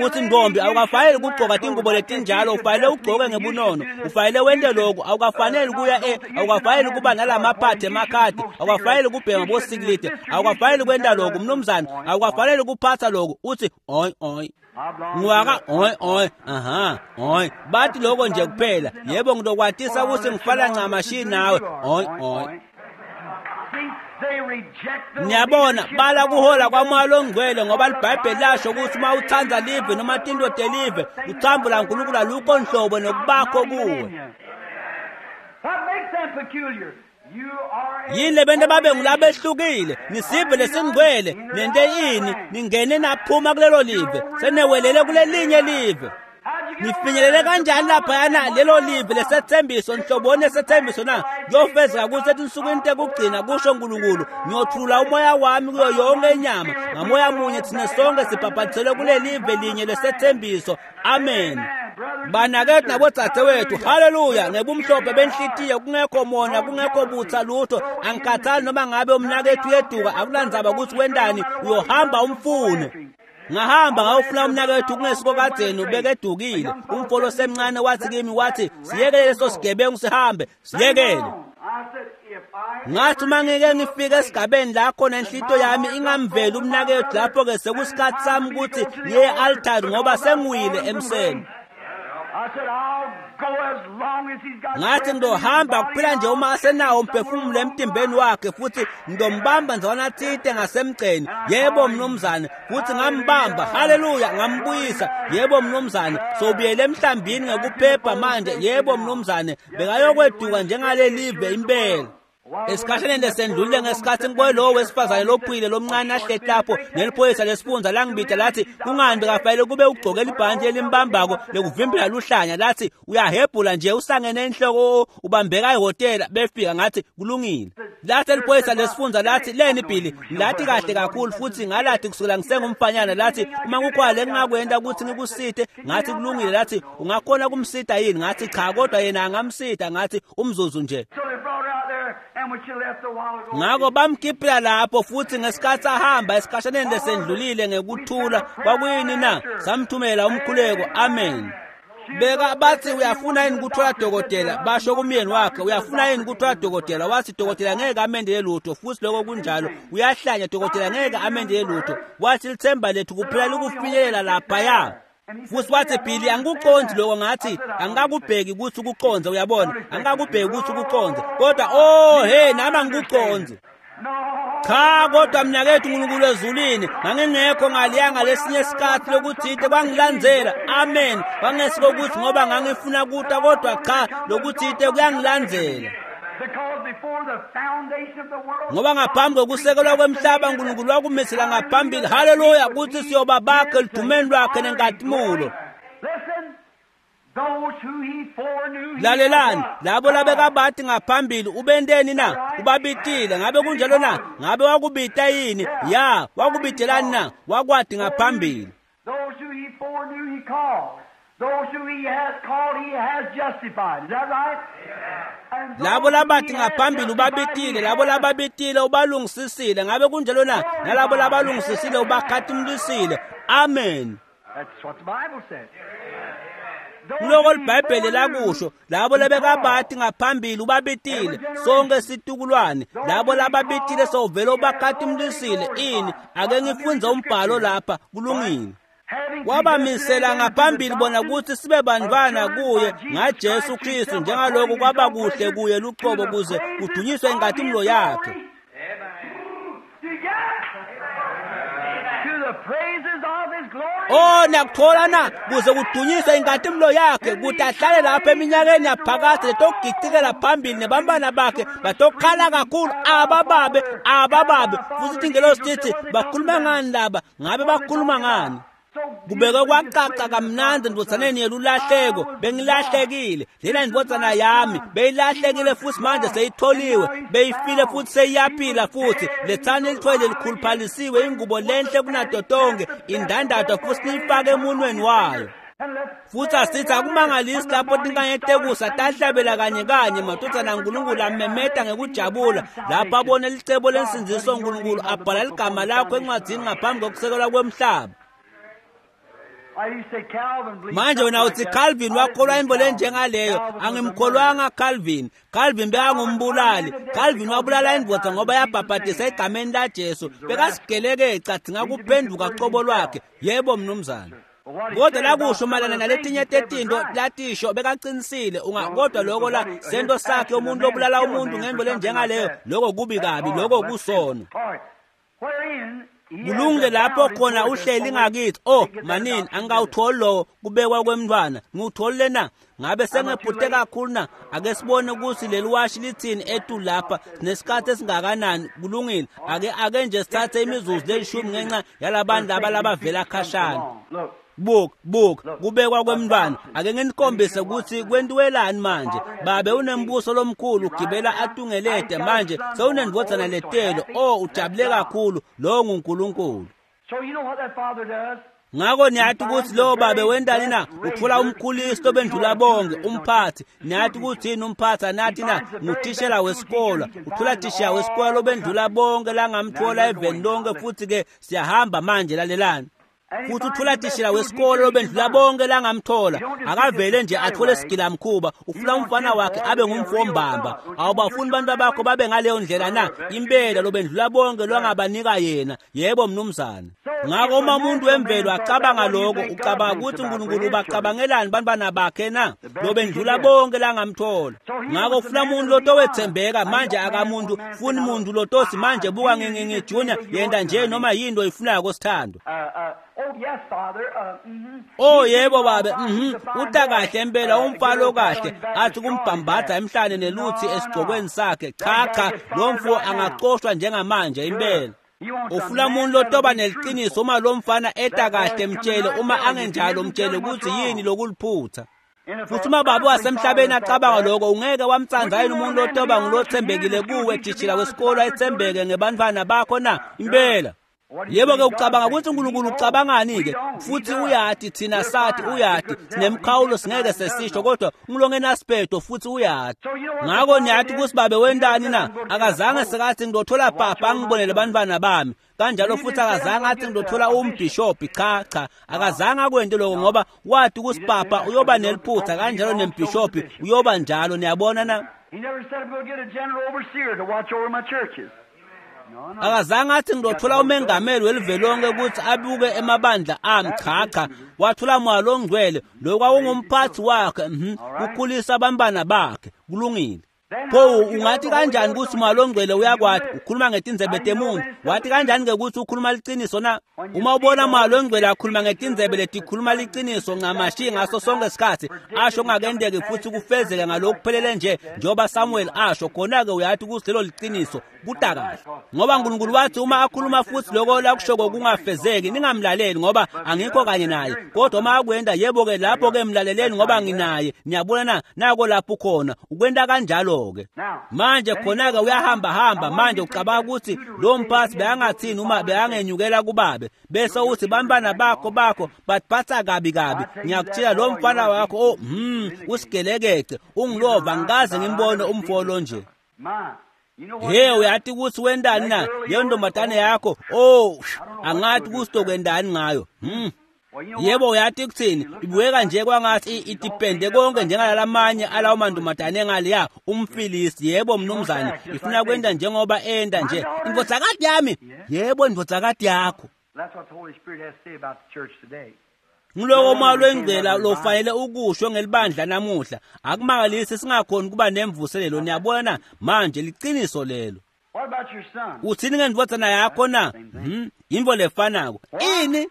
Uthi ntombi awukafanele ukugcoka tingubo letinjalo, ufanele ugcoke ngebunono, ufanele wente lokhu, awukafanele kuya e awukafanele kuba nalamaphathi emakhadi, awukafanele kubhema bosikilide, awukafanele kwenta lokhu mnumzane, awukafanele kuphatha lokhu. Uthi oy oy ngiwaka oy oy aha oy bathi lokho nje kuphela. Yebo ngizokwatisa ukuthi ngifana ncamashi nawe oy oy. Niyabona bala kuhola kwaMoya loNgcwele ngoba liBhayibheli lasho ukuthi uma uthanda live noma tinto telive uthambula uNkulunkulu alukho nhlobo nokubakho kuwe. Yini lebento babe ngulabehlukile nisive lesingcwele nente ini ningene naphuma kulelo live senewelele kulelinye live. Nifinyelele kanjani laphayana lelo live lesethembiso nhloboni lesethembiso na? Kuyofezeka ukuthi etinsukwini tekugcina kusho uNkulunkulu ngiyothulula umoya wami kuyo yonke inyama, ngamoya munye thina sonke sibhabhatiselwe kulelive linye lesethembiso. Amen. Banakethu nabodzadzewethu, haleluya, ngebumhlophe benhlitiyo kungekho mona, kungekho butha lutho. Angikhathali noma ngabe umnakethu uyeduka, akulandzaba ukuthi wendani, uyohamba umfune. Ngahamba ngayofuna umnakethu kungesiko kadzeni ubekedukile. Umfolo osemncane wathi kimi, wathi siyekele leso sigebengu sihambe, siyekele. Ngathi uma ngike ngifike esigabeni la khona inhlito yami ingamveli umnakethu, lapho-ke sekusikhathi sami ukuthi ngiye e-altari ngoba sengiwile emseni. Ngathi ngizohamba kuphela nje uma asenawo umphefumulo emtimbeni wakhe futhi ngizombamba ndzawana tsite ngasemgceni. Yebo mnumzane, futhi ngambamba, haleluya, ngambuyisa. Yebo mnumzane, sobuyele emhlambini ngekuphepha manje. Yebo mnumzane, bekayokweduka njengalelive impela. Esikhashaneni lesendlulile ngesikhathi ngibone lowo wesifazane lophuyile lomncane ahleti lapho neliphoyisa lesifundza langibita lathi kungani bekafanele kube ugcoke libhantshi elimbambako lekuvimbela luhlanya lathi uyahebhula nje usangene enhloko ubambeka ehhotela befika ngathi kulungile. Lathi eliphoyisa lesifundza lathi leni Billy lathi kahle kakhulu futhi ngalathi kusukela ngisengumfanyana lathi uma kukhona lengingakwenta ukuthi ngikusite ngathi kulungile lathi ungakhona kumsita yini ngathi cha kodwa yena angamsita ngathi umzuzu nje. Ngako bamkhiphela lapho futhi ngesikhathi ahamba esikhashaneni lesendlulile ngekuthula kwakuyini na samthumela umkhuleko amen. Beka bathi uyafuna yini kuthola dokotela basho kumyeni wakhe uyafuna yini kuthola dokotela wathi dokotela ngeke amendele lutho futhi lokho kunjalo uyahlanya dokotela ngeke amendele lutho wathi lithemba lethu kuphela likufinyelela laphaya. Futhi wathi Billy angikuqondi lokho ngathi angikakubheki ukuthi ukuqonze uyabona angikakubheki ukuthi ukuqonze kodwa oh hey nami angikuqonzi. Cha kodwa mnakethu uNkulunkulu ezulwini ngangingekho ngaliyanga lesinye isikhathi lokuthite kwangilandzela amen kwangesiko ukuthi ngoba ngangifuna kuta kodwa cha lokuthite kuyangilandzela. Ngoba ngaphambi kokusekelwa kwemhlaba uNkulunkulu wakumisela ngaphambili haleluya ukuthi siyoba bakhe elidumeni lwakhe nenkazimulo. Lalelani labo labekabathi ngaphambili ubenteni na ubabitile ngabe kunjalo na ngabe wakubita yini ya wakubitelani na wakwati ngaphambili. Labo labathi ngaphambili ubabitile labo lababitile ubalungisisile ngabe kunjalo na nalabo labalungisisile ubakhatimlisile amen. Kuloko liBhayibheli lakusho labo labekabathi ngaphambili ubabitile sonke situkulwane labo lababitile sovele ubakhatimlisile ini ake ngifunze umbhalo lapha kulungile. Wabamisela ngaphambili bona ukuthi sibe bantwana kuye ngaJesu Kristu njengaloko kwaba kuhle kuye luqobo kuze kudunyiswe inkazimulo yakhe. Oh nakuthola na kuze kudunyiswe inkazimulo yakhe kuthi ahlale lapha eminyakeni yaphakade letogicikela phambili nebantwana bakhe batokhala kakhulu abababe abababe futhi ingelosi tithi bakhuluma ngani laba ngabe bakhuluma ngani. Kubeke kwacaca kamnandi ndvodzaneni yelulahleko bengilahlekile lena ndvodzana yami beyilahlekile futhi manje seyitholiwe beyifile futhi seyiyaphila futhi lethani ilithwele likhuluphalisiwe ingubo lenhle kunato tonke indandatho futhi niyifake emunweni wayo. Futhi asithi akumangalisi lapho tinkanye tekusa tahlabela kanye kanye madvodzana aNkulunkulu amemeta ngekujabula lapho abone licebo lensindziso uNkulunkulu abhala ligama lakho encwadzini ngaphambi kokusekelwa kwemhlaba. Manje wena uthi Calvin wakholwa into lenjengaleyo angimkholwanga Calvin. Calvin bekangumbulali. Calvin wabulala indvodza ngoba yabhabhadisa egameni laJesu bekasigeleke cadzinga kuphenduka qobo lwakhe yebo mnumzane. Kodwa lakusho mayelana naletinye tetinto latisho bekaqinisile kodwa lokho la sento sakhe umuntu obulala umuntu ngento lenjengaleyo lokho kubi kabi lokho kusono. Kulungile lapho khona uhleli ngakithi oh manini angikawutholi lowo kubekwa kwemntwana ngiwutholile na ngabe sengephute kakhulu na ake sibone ukuthi leli washi lithini etu lapha sinesikhathi esingakanani kulungile ake ake nje sithathe imizuzu lelishumi ngenxa yalabantu laba labavela khashana. Buka buka kubekwa kwemntwana ake nginikhombise ukuthi kwentiwelani manje babe unembuso lomkhulu ugibela atungelede manje sewunendvodzana letelo oh ujabule kakhulu lo nguNkulunkulu. Ngako niyathi ukuthi lo babe wendani na uthola umkhulisi lobendlula bonke umphathi niyathi ukuthi yini umphathi anathi na ngutishela wesikolo uthola tishela wesikolo lobendlula bonke langamthola eveni lonke futhi ke siyahamba manje lalelani. Futhi uthola tishela wesikolo lobendlula bonke langamthola akavele nje athole sigilamkhuba ufuna umfana wakhe abe ngumfombamba awubafuni abantu bakho babe ngaleyo ndlela na impela lobendlula bonke lwangabanika yena yebo mnumzane. Ngako uma umuntu wemvelo acabanga lokho, ucabanga ukuthi uNkulunkulu ubacabangelani bantwana bakhe na? Lobendlula bonke langamthola. Ngako ufuna umuntu lotowetsembeka manje akamuntu funi muntu lotosi manje buka ngingingi junior yenda nje noma yinto oyifunako sithando. Oh yebo babe, mhm uta kahle impela umfalo okahle athi kumbhambatha emhlane neluthi esigcokweni sakhe. Cha cha lo mfo angacoshwa njengamanje impela. Ufuna umuntu lotoba neliqiniso uma lo mfana eta kahle mtshele, uma angenjalo mtshele ukuthi yini lokuliphutha. Futhi uma baba wasemhlabeni acabanga lokho, ungeke wamtsandza yini umuntu lotoba ngulothembekile kuwe thishela wesikolo ayethembeke ngebantwana bakho na? Impela. Yebo-ke ucabanga ukuthi uNkulunkulu ucabangani-ke? Futhi uyati thina sathi uyati sinemkhawulo singeke sesisho, kodwa ungilongenasiphetho futhi uyati. Ngako niyathi ukuthi babe wentani na? Akazange sekathi ngidothola papa angibonele bantwana bami. Kanjalo futhi akazange athi ngidothola umbhishobhi. Cha cha, akazange akwente lokho ngoba wathi ukuthi papa uyoba neliphutha, kanjalo nembhishobhi uyoba njalo. Niyabona na? He never said I'm going to get a general overseer to watch over my churches. Akazange athi ngidothola umengameli welive lonke ukuthi abuke emabandla ami. Cha cha, wathola Moya loNgcwele, lo kwakungumphathi wakhe, mhm kukhulisa abantwana bakhe. Kulungile. Pho ungathi kanjani ukuthi Moya loNgcwele uyakwati ukhuluma ngetindzebe temuntu? Wathi kanjani ke ukuthi ukhuluma liciniso na? Uma ubona Moya loNgcwele akhuluma ngetindzebe letikhuluma liciniso ncamashi ngaso sonke isikhathi, asho kungakendeki futhi kufezeke ngalokuphelele nje njengoba Samuel asho, khona-ke uyathi ukuthi lelo liciniso kuta kahle. Ngoba uNkulunkulu wathi uma akhuluma futhi lokho lakushoko kungafezeki, ningamlaleli ngoba angikho kanye naye. Kodwa uma akwenda, yebo-ke lapho-ke mlaleleni ngoba nginaye. Niyabona na? Nako lapho khona ukwenta kanjalo-ke. Manje khona-ke uyahamba hamba manje ucabanga ukuthi lo mphathi beyangathini uma beyangenyukela kubabe, bese uthi bantwana bakho bakho batiphatha kabi kabi. Ngiyakutshela lo mfana wakho, oh hmm usigelekece ungilova, ngikaze ngimbone umfo lo nje. He uyathi ukuthi wendani na leyo ntombazane yakho? Oh angathi ukuthi ngayo. Hmm yebo uyathi kuthini, ibukeka nje kwangathi itipende konke njengalalamanye alawo mantombazane engaliya umfilisi. Yebo mnumzane, ifuna kwenda njengoba enda nje. Indvodzakati yami, yebo indvodzakati yakho. That's what the Holy Spirit has to say about the church today. Ngiloko Moya loNgcwele lofanele ukusho ngelibandla namuhla. Akumangalisi singakhoni kuba nemvuselelo. Niyabona manje liciniso lelo. What about your son? Uthini ngendvodzana yakho na? Mhm yintfo lefanako. Ini?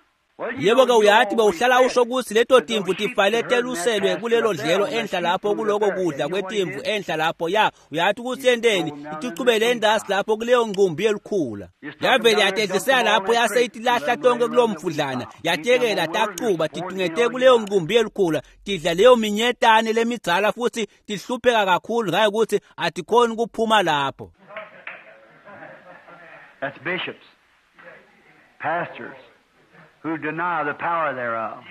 Yebo-ke uyathi bewuhlala usho ukuthi leto timvu tifale teluselwe kulelo dlelo enhla lapho kuloko kudla kwetimvu enhla lapho. Ya uyathi ukuthi yenteni? Itichubele endasi lapho kuleyo nqumbi yelikhula. Yavele yatedlisela lapho yase itilahla tonke kulowo mfudlana. Yatekela tacuba titungete kuleyo nqumbi yelikhula, tidla leyo minyetane lemidzala futhi tihlupheka kakhulu ngaye ukuthi atikhoni kuphuma lapho. That's bishops, pastors who deny the power thereof.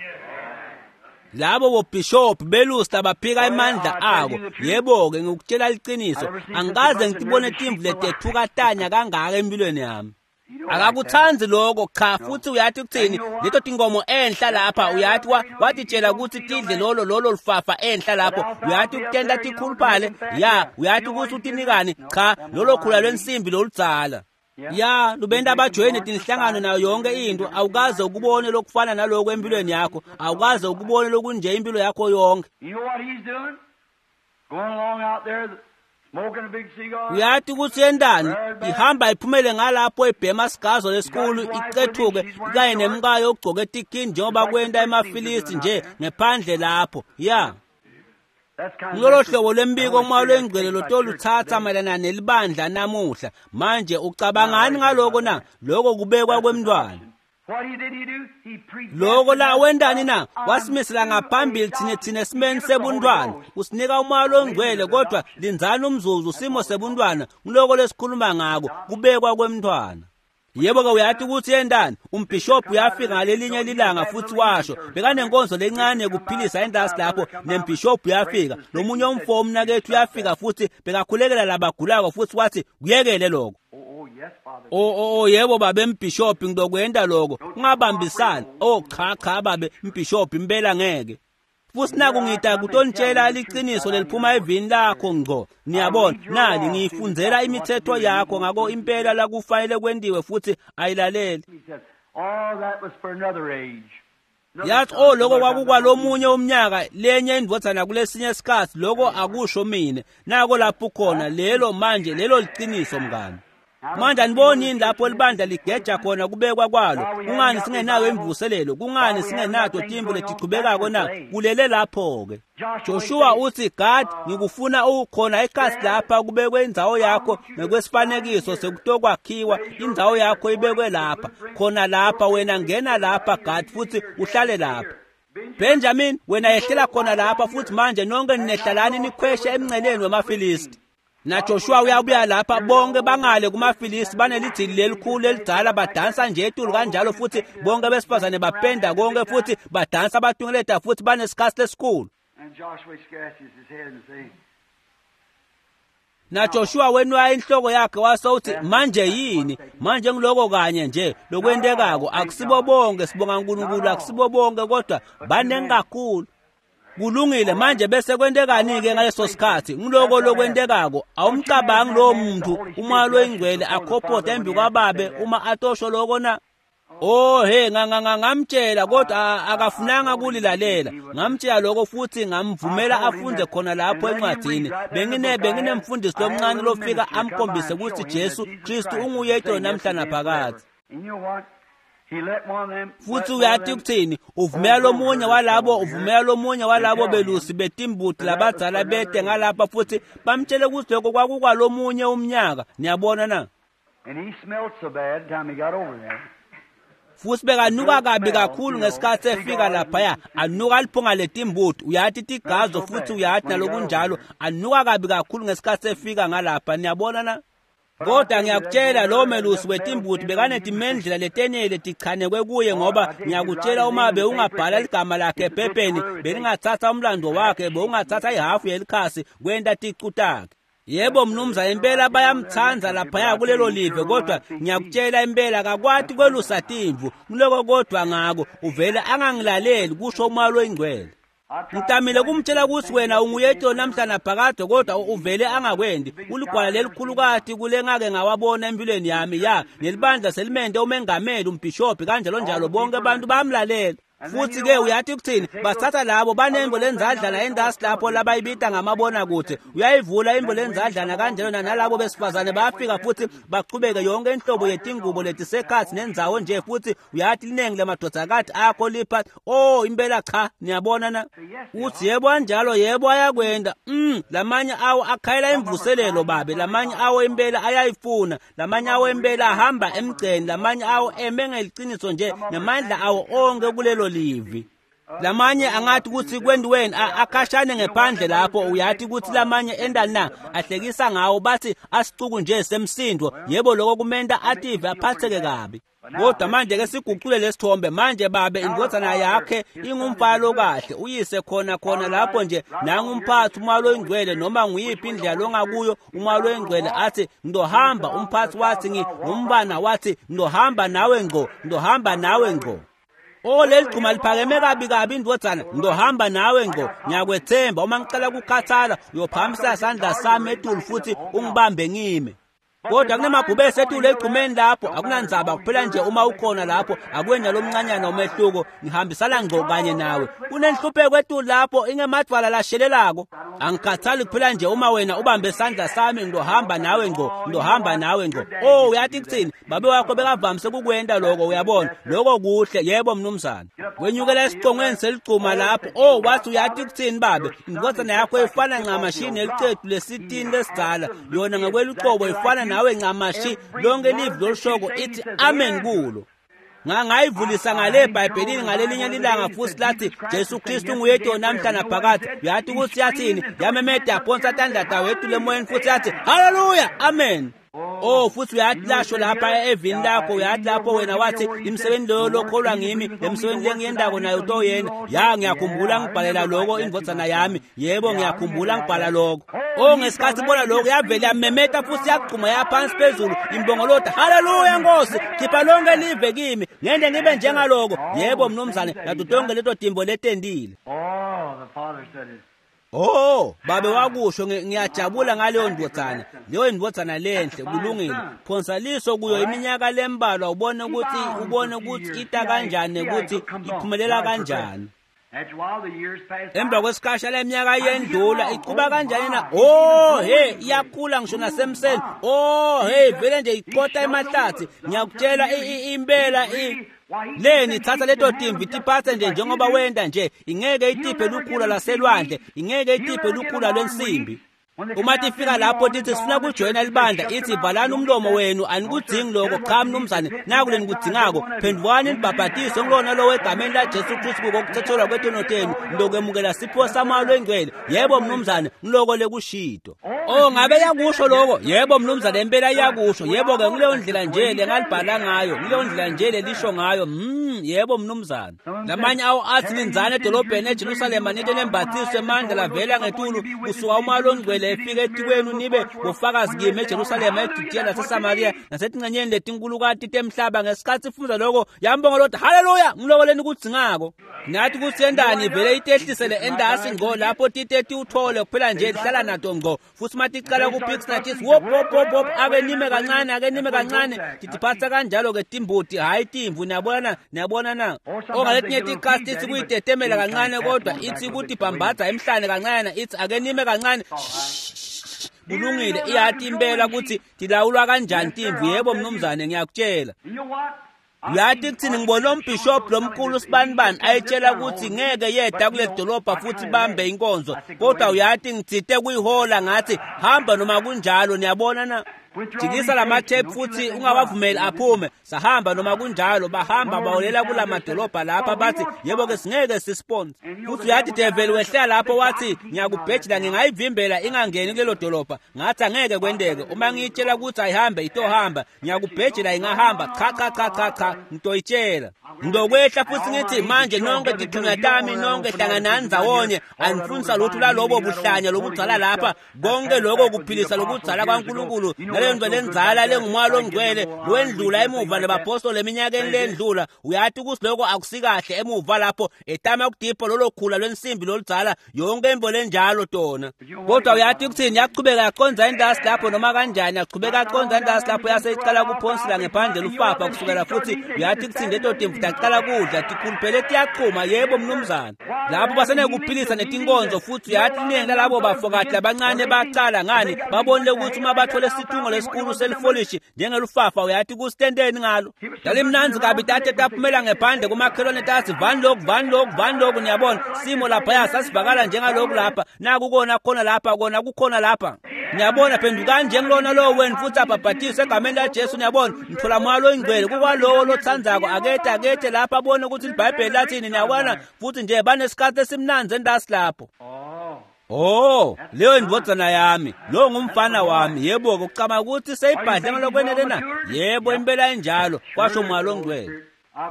Labo bobhishophu belusi abaphika emandla ako. Yebo-ke ngikutshela liciniso, angikaze ngitibone timvu letethuka tanya kangaka empilweni yami. Akakutsandzi lokho cha. Futhi uyathi kuthini leto tinkomo enhla lapha, uyathi watitshela ukuthi tidle lolo lolo lufafa enhla lapho, uyathi ukutenta tikhuluphale. Ya uyathi ukuthi utinikani? Cha, lolo khula lwensimbi loludzala. Ya lubenta abajoyine tinhlangano nayo yonke into. Awukaze ukubone lokufana naloko empilweni yakho, awukaze ukubone lokunje impilo yakho yonke. You know what he's doing? Going along out there smoking a big cigar. Uyathi ukuthi yentani? Ihamba iphumele ngalapho ibhema sigazo lesikhulu icethuke kanye nemkayo ogcoke etikini njengoba kwenta emaFilisti nje ngephandle lapho. Ya ngilolo hlobo lwembiko Moya loNgcwele lotoluthatha mayelana nelibandla namuhla. Manje ucabangani ngaloko na? Lokho kubekwa kwemntwana. What did he do? He Loko la wendani na? Wasimisela ngaphambili thine thine esimeni sebuntwana. Usinika uMoya loNgcwele, kodwa lindzani umzuzu simo sebuntwana. Ngiloko lesikhuluma ngako, kubekwa kwemntwana. Yebo-ke uyathi ukuthi yentani? Umbhishobhi uyafika ngalelinye lilanga futhi washo bekanenkonzo lencane yokuphilisa entasi lapho, nembhishobhi uyafika, lomunye umfo umnakethu uyafika futhi bekakhulekela labagulako futhi wathi kuyekele lokho. Oh, oh, yes, Father. O o o yebo babe mbhishobhi ngizokwenta lokho, ungabambisani. Oh cha cha babe mbhishobhi impela ngeke. Futhi naku ngita kutonitshela liciniso leliphuma evini lakho ngco. Niyabona nali ngiyifundzela imithetho yakho ngako impela la kufanele kwentiwe futhi ayilaleli. He said, Oh, that was for another age. Yathi oh lokho kwakukwalomunye umnyaka lenye indvodzana kulesinye isikhathi lokho akusho mina nako lapho khona lelo manje lelo liqiniso mngani. Manje aniboni yini lapho libandla ligeja khona kubekwa kwalo? Kungani singenayo imvuselelo? Kungani singenato timvu letichubekako na? Kulele lapho-ke. Joshua uthi God ngikufuna ukhona ekhasi lapha kubekwe indzawo yakho ngokwesifanekiso sekutokwakhiwa indzawo yakho ibekwe lapha khona lapha wena ngena lapha God futhi uhlale lapha. Benjamin wena yehlela khona lapha futhi manje nonke ninehlalani nikhweshe emnceleni wemaFilisti. Na Joshua uyabuya lapha bonke bangale kumaFilisti banelidzili lelikhulu elidzala badansa nje etulu kanjalo futhi bonke besifazane bapenda konke futhi badansa batungeleta futhi banesikhathi lesikhulu. And Joshua scratches his head and says, Na Joshua wenwaya inhloko yakhe wase uthi manje yini manje ngiloko kanye nje lokwentekako akusibo bonke sibonga uNkulunkulu akusibo bonke kodwa banengi kakhulu. Kulungile manje bese kwentekani-ke ngaleso sikhathi ngiloko lokwentekako awumcabangi lowo muntu umoya loyingcwele akhophotha embi kwababe uma atosho loko na? Oh he ngamtshela kodwa akafunanga kulilalela ngamtshela lokho futhi ngamvumela afunde khona lapho encwadini bengine benginemfundisi lomncane lofika amkhombise ukuthi Jesu Kristu unguye namhla naphakathi. And you know what? He let one of them Futhi uyathi ukuthini uvumela lomunye walabo uvumela lomunye walabo belusi betimbuti labadzala bete ngalapha futhi bamtshele ukuthi lokho kwakukwalomunye umnyaka niyabona na? And he smelled so bad the time he got over there. Futhi bekanuka kabi kakhulu ngesikhathi efika laphaya anuka liphunga letimbuti uyathi tigazo futhi uyathi nalokunjalo anuka kabi kakhulu ngesikhathi efika ngalapha niyabona na? Kodwa ngiyakutshela lo melusi wetimbuti bekanetimendlela letenele tichanekwe kuye ngoba ngiyakutshela uma bewungabhala ligama lakhe ephepheni belingathatha umlando wakhe bewungathatha ihafu yelikhasi kwenta ticu takhe. Yebo mnumzane impela bayamthanda laphaya kulelo live kodwa ngiyakutshela impela akakwati kwelusa timvu ngiloko kodwa ngako uvele angangilaleli kusho umoya loyingcwele. Ngitamile kumtshela ukuthi wena unguyethu namhla naphakade kodwa uvele angakwendi uligwala lelikhulukati kule ngake ngawabona empilweni yami ya nelibandla selimente umengameli umbhishobhi kanjalo njalo bonke abantu bayamlalela. Futhi ke uyathi ukuthini bathatha labo banembo lenzadlana endasi lapho labayibita ngamabona kude uyayivula imbo lenzadlana kanjalo nalabo besifazane bayafika futhi bachubeke yonke inhlobo yetingubo letisekhathi nendzawo nje futhi uyathi linengi lamadodakati akho lipha oh impela cha niyabona na uthi yebo kanjalo yebo ayakwenda mm lamanye awo akhayela imvuselelo babe lamanye awo impela ayayifuna lamanye awo impela ahamba emgceni lamanye awo eme ngeliciniso nje namandla awo onke kulelo livi. Lamanye angathi ukuthi kwendiweni akhashane ngephandle lapho uyathi ukuthi lamanye endani na ahlekisa ngawo bathi asicuku nje semsindo yebo lokho kumenta ative aphatheke kabi. Kodwa manje ke siguqule lesithombe manje babe indvodzana yakhe ingumfalo kahle uyise khona khona lapho nje nangumphathi umoya loyingcwele noma nguyiphi indlela longakuyo umoya loyingcwele athi ngizohamba umphathi wathi ngingumbana wathi ngizohamba nawe ngqo ngizohamba nawe ngqo. Oh leli gcuma liphakeme kabi kabi indvodzana ngizohamba nawe ngqo ngiyakwethemba uma ngicela kukhathala uyophakamisa isandla sami etulu futhi ungibambe ngime. Kodwa kunemabhubesi etulu egcumeni lapho akunandzaba kuphela nje uma ukhona lapho akwenza lomncanyana umehluko ngihambisana ngqo kanye nawe. Kunenhlupheko etulu lapho ingemadvwala lashelelako angikhathali kuphela nje uma wena ubambe isandla sami ngizohamba nawe ngqo ngizohamba nawe ngqo. Oh uyathi kuthini babe wakho bekavamise kukwenta lokho uyabona lokho kuhle yebo mnumzane. Wenyukela esicongweni seligcuma lapho oh wathi uyathi kuthini babe indvodzana yakho ifana ncamashi neliqedu lesitini lesidzala yona ngokweluqobo ifana nawe ncamashi lonke livi lolushoko ithi amen kulo. Ngangayivulisa ngale eBhayibhelini ngalelinye lilanga futhi lathi Jesu Kristu nguyedwa namhla naphakathi uyathi ukuthi yathini yamemeda yaphonsa tandla tawo etulu emoyeni futhi yathi haleluya amen. Oh futhi uyathi lasho lapha evini lakho uyathi lapho wena wathi imisebenzi loyo lokholwa ngimi lemsebenzi lengiyendako nayo utoyena ya ngiyakhumbula ngibhalela lokho indvodzana yami yebo ngiyakhumbula ngibhala lokho. Oh ngesikhathi bona lokho yavele yamemeta futhi yagquma yaphansi phezulu imbongolota haleluya Nkosi khipha lonke live kimi ngende ngibe njengaloko yebo mnumzane nato tonke leto timbo letendile. Oh the father said it. Oh, babe wakusho ngiyajabula ngaleyo ndvodzana. Leyo ndvodzana lenhle kulungile. Phonsa liso kuyo iminyaka lembalwa ubone ukuthi ubone ukuthi ita kanjani ukuthi iphumelela kanjani. Emva kwesikhasha leminyaka yendlula iquba kanjani na? Oh hey, iyakhula ngisho nasemseni. Oh hey, vele nje iqotha emahlathi. Ngiyakutshela impela leni thatha leto timvu tiphathe nje njengoba wenda nje, ingeke itiphe lukhula laselwandle, ingeke itiphe lukhula lwensimbi. Uma tifika lapho tithi sifuna kujoyina libandla, ithi valani umlomo wenu, anikudzingi lokho. Cha mnumzane, naku lenikudzingako, phendvukani nibhabhatiswe kulona lowo egameni laJesu Kristu kokuthethelwa kwetono tenu, nilokwemukela sipho saMoya loNgcwele. Yebo mnumzane, ngiloko lekushito. Oh, ngabe yakusho lokho? Yebo mnumzane, impela iyakusho. Yebo-ke, nguleyo ndlela nje lengalibhala ngayo, nguleyo ndlela nje lelisho ngayo. Mm, yebo mnumzane. Lamanye awo athi ninzane edolobheni eJerusalema ninte nembathiswe emandla lavela ngetulu kusuka uMoya loNgcwele efika etikwenu nibe bofakazi kimi eJerusalema, eJudiya naseSamariya nasetincenyeni letinkulukati temhlaba. Ngesikhathi ifundza lokho yambonga lodwa, haleluya, ngiloko lenikudzingako. Nathi kutsi yentani ivele itehlisele endasi ngco lapho tite tiwuthole kuphela nje lihlala nato ngco. Futhi maticala kuphikisana tithi wop wop wop wop, ake nime kancane, ake nime kancane. Titiphatsa kanjalo-ke timbuti, hhayi timvu. Niyabona, niyabona na? Ongaletinye tikhathi tithi kuyitetemela kancane, kodwa ithi kutibhambatha emhlane kancane, ithi ake nime kancane. Kulungile, iyati impela ukuthi tilawulwa kanjani timvu. Yebo mnumzane, ngiyakutshela. Uyathi kuthini, ngibona umbhishobhi lomkhulu sibanibani ayitshela ukuthi ngeke yeda kule dolobha futhi bambe inkonzo, kodwa uyathi ngitsite kuyihola ngathi hamba noma kunjalo. Niyabona na? Jikisa lamathephu futhi ungawavumeli aphume. Sahamba noma kunjalo, bahamba baholela kula madolobha lapha bathi yebo-ke singeke sisponse. Futhi uyathi develi wehlela lapho wathi ngiyakubhejela, ngingayivimbela ingangeni kulelo dolobha. Ngathi angeke kwenteke, uma ngiyitshela ukuthi ayihambe itohamba, ngiyakubhejela ingahamba. Cha cha cha cha cha, ngitoyitshela. Ngizokwehla futhi ngithi manje nonke tithunywa tami, nonke hlanganani ndzawonye, anifundisa lutho lalobo buhlanya lobudzala lapha, konke lokho kuphilisa lokudzala kwaNkulunkulu naleyo nto lenzala lenguMoya loNgcwele lowendlula emuva nebapostoli eminyakeni lendlula. Uyathi ukuthi lokho akusikahle emuva lapho etama kudipha lolo khula lwensimbi loludzala, yonke imvo lenjalo tona. Kodwa uyathi ukuthini, yachubeka yaqondza endasi lapho noma kanjani, yachubeka yaqondza endasi lapho yase iqala kuphonsela ngephandle lufafa kusukela. Futhi uyathi ukuthini, leto timvu taqala kudla tikhuluphele tiyachuma. Yebo mnumzane, lapho basenekuphilisa netinkonzo. Futhi uyathi iningi lalabo bafokati labancane bacala ngani, babonile ukuthi uma bathole isithungo lesikhulu selifolishi njengelufafa, uyathi kusitendeni ngalo. Lalimnanzi kabi tate taphumela ngephandle kumakhelwane tathi vani lokhu, vani lokhu, vani lokhu. Niyabona simo laphaya sasivakala njengalokhu lapha, naku kona khona lapha, kona kukhona lapha. Niyabona, phendukani njengilona lowo wenu futhi abhabhatiswe egameni laJesu. Niyabona, nithola Moya loNgcwele kukwalowo lothandzako. Akethe akethe lapha abone ukuthi iBhayibheli lathini. Niyabona, futhi nje banesikhathi esimnandzi endasi lapho. Oh, leyo indvodzana yami, lo ngumfana wami. Yebo-ke, ucabanga ukuthi seyibhadle ngalokwenele na? Yebo, impela injalo, kwasho Moya loNgcwele.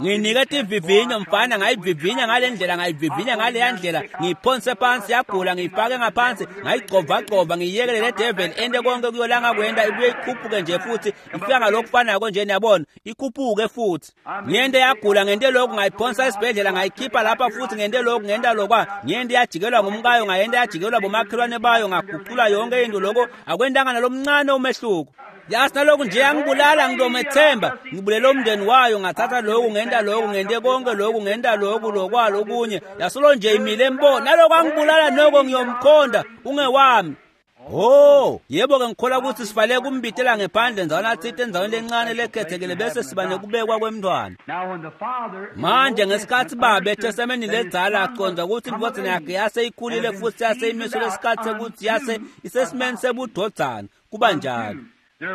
Nginike tivivinyo mfana, ngayivivinya ngale ndlela, ngayivivinya ngaleya ndlela, ngiyiphonse phansi yagula, ngiyifake ngaphansi, ngayigcovagcova, ngiyiyekele le devil ente konke kuyolanga kwenda, ibuye ikhuphuke nje futhi ifika ngalokufanako nje. Niyabona, ikhuphuke futhi. Ngiyente yagula, ngente lokhu, ngayiphonsa esibhedlela, ngayikhipha lapha futhi ngente lokhu, ngenta lokwa, ngiyente yajikelwa ngumkayo, ngayente yajikelwa bomakhelwane bayo, ngaguqula yonke into. Lokho akwentanga nalomncane umehluko. Yasi nalokhu nje yangibulala, ngidomethemba, ngibulele umndeni wayo, ngathatha lokhu, ngenta lokhu, ngente konke lokhu, ngenta lokhu, lokwalo okunye. Yasolo nje imile embo, nalokhu angibulala noko ngiyomkhonda, ungewami. Oh, yebo-ke, ngikholwa ukuthi sifale kumbitela ngephandle ndzawana tsite endzaweni lencane lekhethekile bese siba nekubekwa kwemntwana. Manje ngesikhathi babe eTestamenteni ledzala acondza ukuthi indvodzana yakhe yase ikhulile futhi yase imiswe lesikhathi sekuthi yase isesimeni sebudodzana, kuba njalo.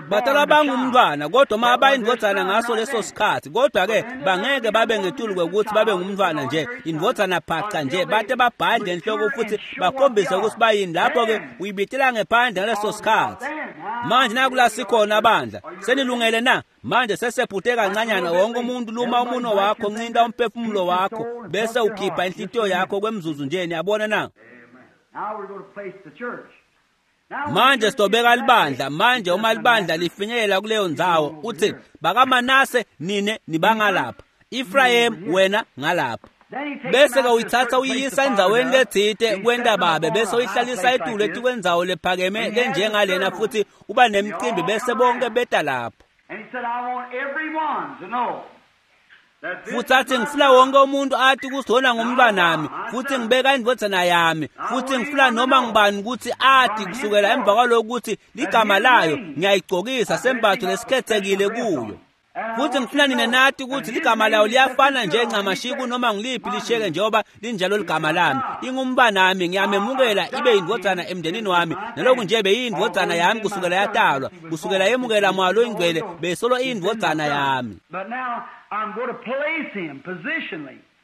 Batalwa bangumntwana, kodwa uma abayindvodzana ngaso leso sikhathi, kodwa-ke bangeke babe ngetulu kwekuthi babe ngumntwana nje, indvodzana phaca nje, bate babhadle enhloko futhi bakhombise ukuthi bayini. Lapho-ke uyibitela ngephandle ngaleso sikhathi. Manje nakula sikhona bandla, senilungele na? Manje sesephuthe kancanyana, wonke umuntu luma umuno wakho, ncinta umphefumulo wakho, bese ukhipha inhlitiyo yakho kwemzuzu nje. Niyabona na? Manje sitobeka libandla. Manje uma libandla lifinyelela kuleyo ndzawo, uthi bakaManase nine nibangalapha, Ephraim wena ngalapha, Bese-ke uyithatha uyiyisa endzaweni letsite kwenta babe, bese uyihlalisa etulu etikwendzawo lephakeme lenjengalena, futhi uba nemcimbi, bese bonke beta lapho. Futhi athi ngifuna wonke umuntu athi kusona ngumntwanami, futhi ngibeka indvodzana yami, futhi ngifuna noma ngibani ukuthi athi kusukela emva kwalokho ukuthi ligama layo ngiyayigcokisa sembatho lesikhethekile kuyo. Futhi ngifuna nina nathi ukuthi ligama layo liyafana nje ncamashi noma ngiliphi lisheke njengoba linjalo ligama lami. Ingumbanami, ngiyamemukela ibe yindvodzana emndenini wami. Naloku nje beyindvodzana yami kusukela yatalwa, kusukela yemukela moya loyingcwele beyisolo iyindvodzana yami.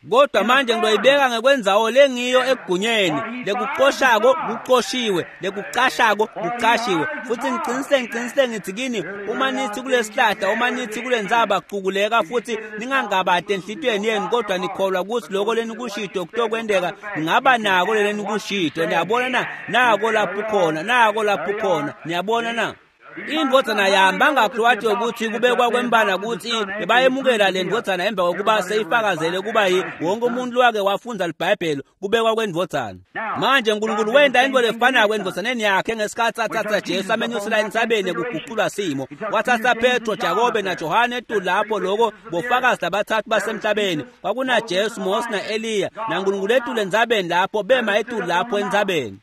Kodwa manje ngizoyibeka ngekwendzawo lengiyo egunyeni, lekucoshako kucoshiwe, lekucashako kucashiwe. Futhi ngiqinisile ngiqinisile ngithi kini, uma nithi kulesihlahla, uma nithi kulendzaba cukuleka, futhi ningangabati enhlitiyweni yenu, kodwa nikholwa ukuthi lokho lenikushito kutokwenteka, ningaba nako lenikushito. Niyabona na? Nako lapho khona, nako lapho khona. Niyabona na? Indvodzana yami bangakhi ukuthi kubekwa kwembala ukuthi bebayemukela le ndvodzana emva kokuba seyifakazele kuba yi wonke umuntu wake wafundza liBhayibheli kubekwa kwendvodzana. Manje uNkulunkulu wenta into lefanako endvodzaneni yakhe ngesikhathi athatha Jesu amenyusela entsabeni kuguqulwa simo. Wathatha Petro, Jakobe naJohane etulu lapho, loko bofakazi labathathu basemhlabeni. Kwakuna Jesu, Mose na-Eliya naNkulunkulu etulu entsabeni lapho, bema etulu lapho entsabeni.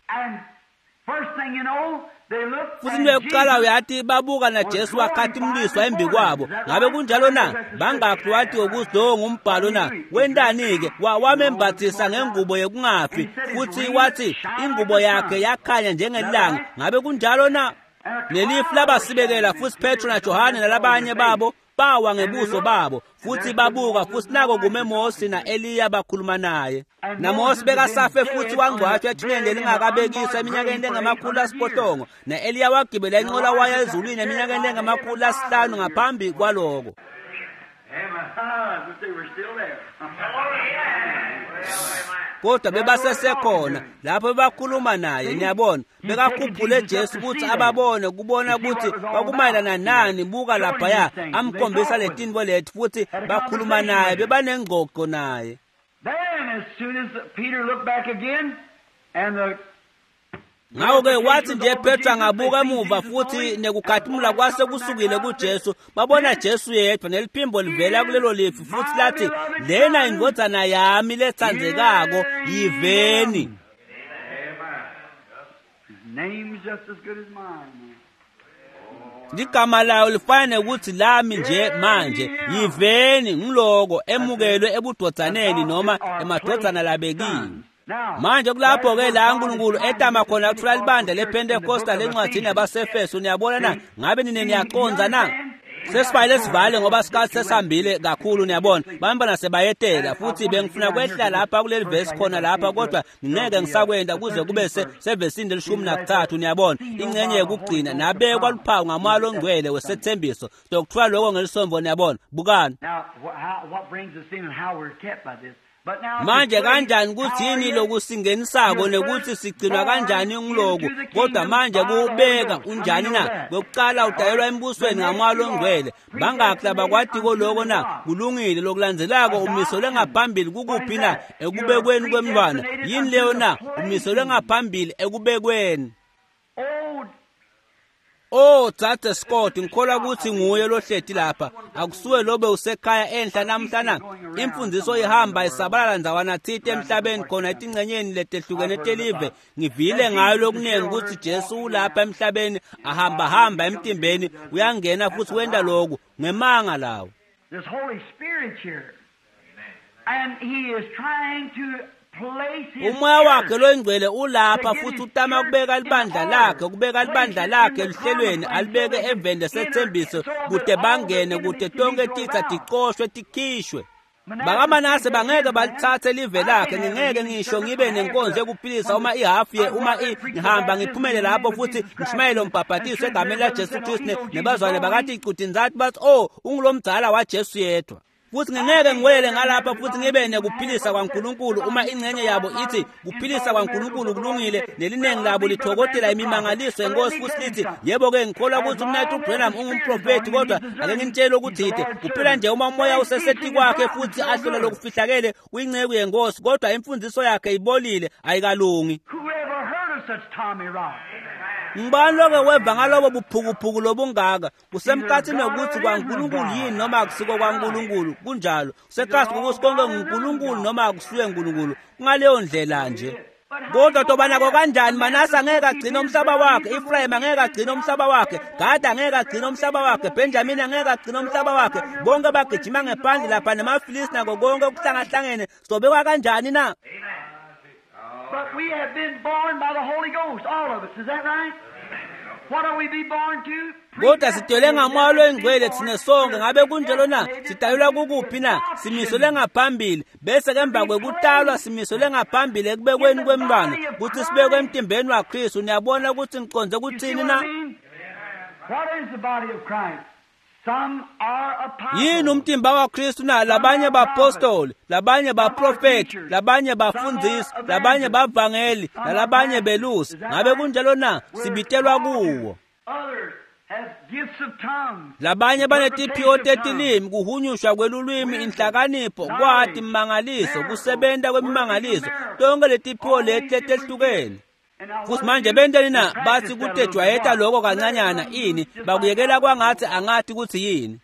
Futhi into yokuqala uyathi babuka na Jesu wakhatimliswa embi kwabo. Ngabe kunjalo na? Bangakhi wathi ukuthi lo ngumbhalo na? Wentani-ke? Wamembathisa ngengubo yokungafi, futhi wathi ingubo yakhe yakhanya njengelanga. Ngabe kunjalo na? Lelifu labasibekela, futhi Petro naJohane nalabanye babo bawa ngebuso babo, futhi babuka, futhi nako kume Mose na-Eliya bakhuluma naye. NaMose bekasafe futhi wangcwatshwa ethuneni lelingakabekiswa eminyakeni lengamakhulu asiphohlongo, na-Eliya wagibela inqola waya ezulwini eminyakeni lengamakhulu asihlanu ngaphambi kwaloko. Kodwa bebasesekhona lapho bebakhuluma naye. Niyabona, bekakhuphule Jesu ukuthi ababone, kubona ukuthi kwakumayelana nani. Buka laphaya, amkhombisa letintfo leti, futhi bakhuluma naye, bebanengxoxo naye. Ngakho-ke wathi nje Petro angabuka emuva, futhi nekukhathimula kwase kusukile kuJesu, babona Jesu yedwa neliphimbo livela kulelo lifu, futhi lathi, lena indvodzana yami letsandzekako, yiveni. Ligama layo lifana ukuthi lami nje manje, yiveni. Ngiloko emukelwe ebudodzaneni noma emadvodzana labekiwe. Manje kulapho-ke la uNkulunkulu etama khona kuthola libandla lePentecostal encwadini yabaseFeso. Niyabona na? Ngabe nine niyaqonza na? Sesifayile sivale ngoba sikhathi sesihambile kakhulu. Niyabona, bantwana sebayetela, futhi bengifuna kwehla lapha kuleli vesi khona lapha, kodwa ngingeke ngisakwenda kuze kube sevesini lelishumi nakuthathu. Niyabona, ingcenye yokugcina nabekwa luphawu ngamoya longcwele wesethembiso. Sokuthiwa lokho ngelisombo. Niyabona, bukani manje kanjani ukuthi yini lokusingenisako nekuthi sigcinwa kanjani ngiloku. Kodwa manje kubeka unjani na? Kokuqala udayelwa embusweni ngamoya longcwele. Bangakhi labakwatiko loko na? Kulungile. Lokulandzelako umiselwe ngaphambili kukuphi na? Ekubekweni kwemntwana. Yini leyo na? Umiselwe ngaphambili ekubekweni. Oh, Dzadze Scott, ngikholwa ukuthi nguye lohleti lapha. Akusuwe lobe usekhaya enhla namhla na? Imfundiso ihamba isabalala ndzawana thite emhlabeni khona etingcenyeni letehlukene telive. Ngivile ngayo lokuningi ukuthi Jesu ulapha emhlabeni, ahamba hamba emtimbeni, uyangena futhi wenta lokhu ngemanga lawo. This Holy Spirit here, and he is trying to Umoya wakhe loyingcwele ulapha futhi utama kubeka libandla lakhe, kubeka libandla lakhe eluhlelweni, alibeke eveni lesethembiso kude bangene, kude tonke titsa ticoshwe tikhishwe. BakaManase bangeke balithathe live lakhe. Ngingeke ngisho ngibe nenkonzo yokuphilisa uma ihafu ye uma ngihamba ngiphumele lapho futhi ngishumayele umbhabhatiso egameni laJesu Kristu, nebazwane bakathi icudinzathi bathi, oh, ungulomdzala waJesu yedwa. Futhi ngingeke ngiwelele ngalapha futhi ngibe nekuphilisa kwaNkulunkulu uma ingxenye yabo ithi kuphilisa kwaNkulunkulu kulungile, nelinengi labo lithokotela imimangaliso yenkosi futhi lithi yebo-ke ngikholwa ukuthi umnaketfu Branham ungumprofethi, kodwa ake nginitshele okuthide, kuphela nje uma umoya useseti kwakhe futhi ahlola lokufihlakele uyinceku yenkosi, kodwa imfundiso yakhe ibolile, ayikalungi. Who ever heard of such Tommy Rock? Ngibani loke weva ngalobo buphukuphuku lobungaka? Kusemkhathini wokuthi kwaNkulunkulu yini noma akusiko kwaNkulunkulu? Kunjalo. Kusekhathi ukuthi konke nguNkulunkulu noma akusuye uNkulunkulu. Kungaleyo ndlela nje. Kodwa tobanako kanjani? Manase angeke agcine umhlaba wakhe, Ephraim angeke agcine umhlaba wakhe, Gad angeke agcine umhlaba wakhe, Benjamin angeke agcine umhlaba wakhe. Bonke bagijima ngephandle lapha nemaFilisti nako konke okuhlangahlangene. Sobekwa kanjani na? But we have been born by the Holy Ghost, all of us. Is that right? What are we be born to? Kodwa sidalwe ngamoya longcwele thina sonke, ngabe kunjalo na? Sidalelwa kukuphi na? Simiselwe ngaphambili, bese emva kwekutalwa simiselwe ngaphambili ekubekweni kwemntwana, ukuthi sibekwe emtimbeni waKristu. Niyabona ukuthi ngiconze You see kuthini what na? I mean? What is the body of Christ? Some are apostles. Yini umtimba waKristu na? Labanye bapostoli, labanye baprofeti, labanye bafundisi, labanye bavangeli, nalabanye belusi. Ngabe kunjalo na? Sibitelwa kuwo. Others have gifts of tongues. Labanye banetiphiwo tetilimi, kuhunyushwa kwelulwimi, inhlakanipho, kwati imimangaliso, kusebenta kwemimangaliso, tonke letiphiwo leti letehlukene. And now Futhi what manje do benteni they na? practice Bathi that a little kutejwayeta bit. lokho kancanyana ini, bakuyekela kwangathi angathi kuthi yini.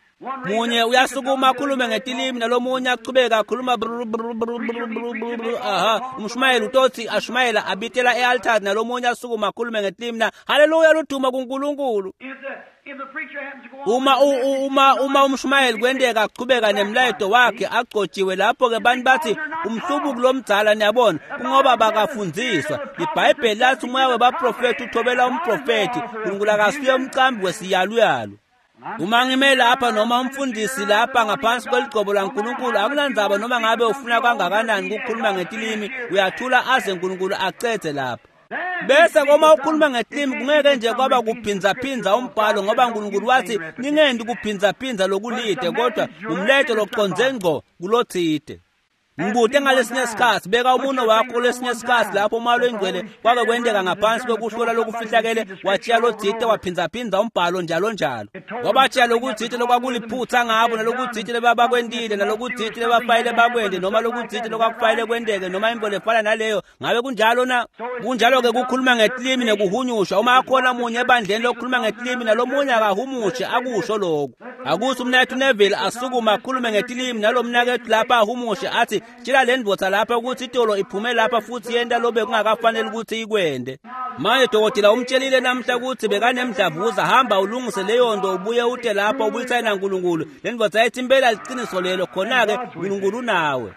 Munye uyasukuma akhulume ngetilimi nalomunye achubeka akhuluma bru bru bru bru bru bru bru aha. Umshumayeli utothi ashumayela abitela e-altari nalomunye asukuma akhulume ngetilimi na haleluya luduma kuNkulunkulu. If the, if the preacher happens to go on Uma with u- the u- message, uma uma umshumayeli kwenteka achubeka nemlayeto wakhe agcotshiwe, lapho ke bantu bathi umhlubuki lomdzala, niyabona, kungoba bakafundziswa. IBhayibheli lathi umoya webaprofethi uthobela umprofethi. uNkulunkulu akasuye umcambi wesiyaluyalu. Uma ngime lapha noma umfundisi lapha ngaphansi kweligcobo laNkulunkulu, akunandzaba noma ngabe ufuna kangakanani ukukhuluma ngetilimi, uyathula aze uNkulunkulu acedze lapha. Bese koma ukhuluma ngetilimi kungeke nje kwaba kuphinzaphindza umbhalo, ngoba uNkulunkulu wathi ningendi kuphinzaphindza lokulide, kodwa umleto loconze ngqo kulothide. Ngibute ngalesinye isikhathi, beka umuno wakho kulesinye isikhathi lapho umoya longcwele kwake kwenteka ngaphansi kokuhlola lokufihlakele, watshiya lothide waphinzaphindza umbhalo njalo njalo. Wabatshiya lokuthide lokwakuliphutha ngabo, nalokuthide lebabakwentile, nalokuthide lebafayile bakwente, noma lokuthide lokwakufayile kwenteke, noma into lefana naleyo. Ngabe kunjalo na? Kunjalo-ke kukhuluma ngetilimi nekuhunyushwa. Uma akhona munye ebandleni lokukhuluma ngetilimi nalomunye akahumushe, akusho lokhu. Akuthi umnaketfu Neville asukuma akhulume ngetilimi nalo mnaketfu lapha ahumushe athi tshela le ndvodza lapha ukuthi itolo iphume lapha futhi yenta lobe kungakafanele ukuthi ikwente. Manje dokotela umtshelile namhla ukuthi bekanemdlavuza, hamba ulungise leyo nto ubuye ute lapha ubuyisane naNkulunkulu. Le ndvodza yayithi impela liqiniso lelo, khona-ke uNkulunkulu unawe.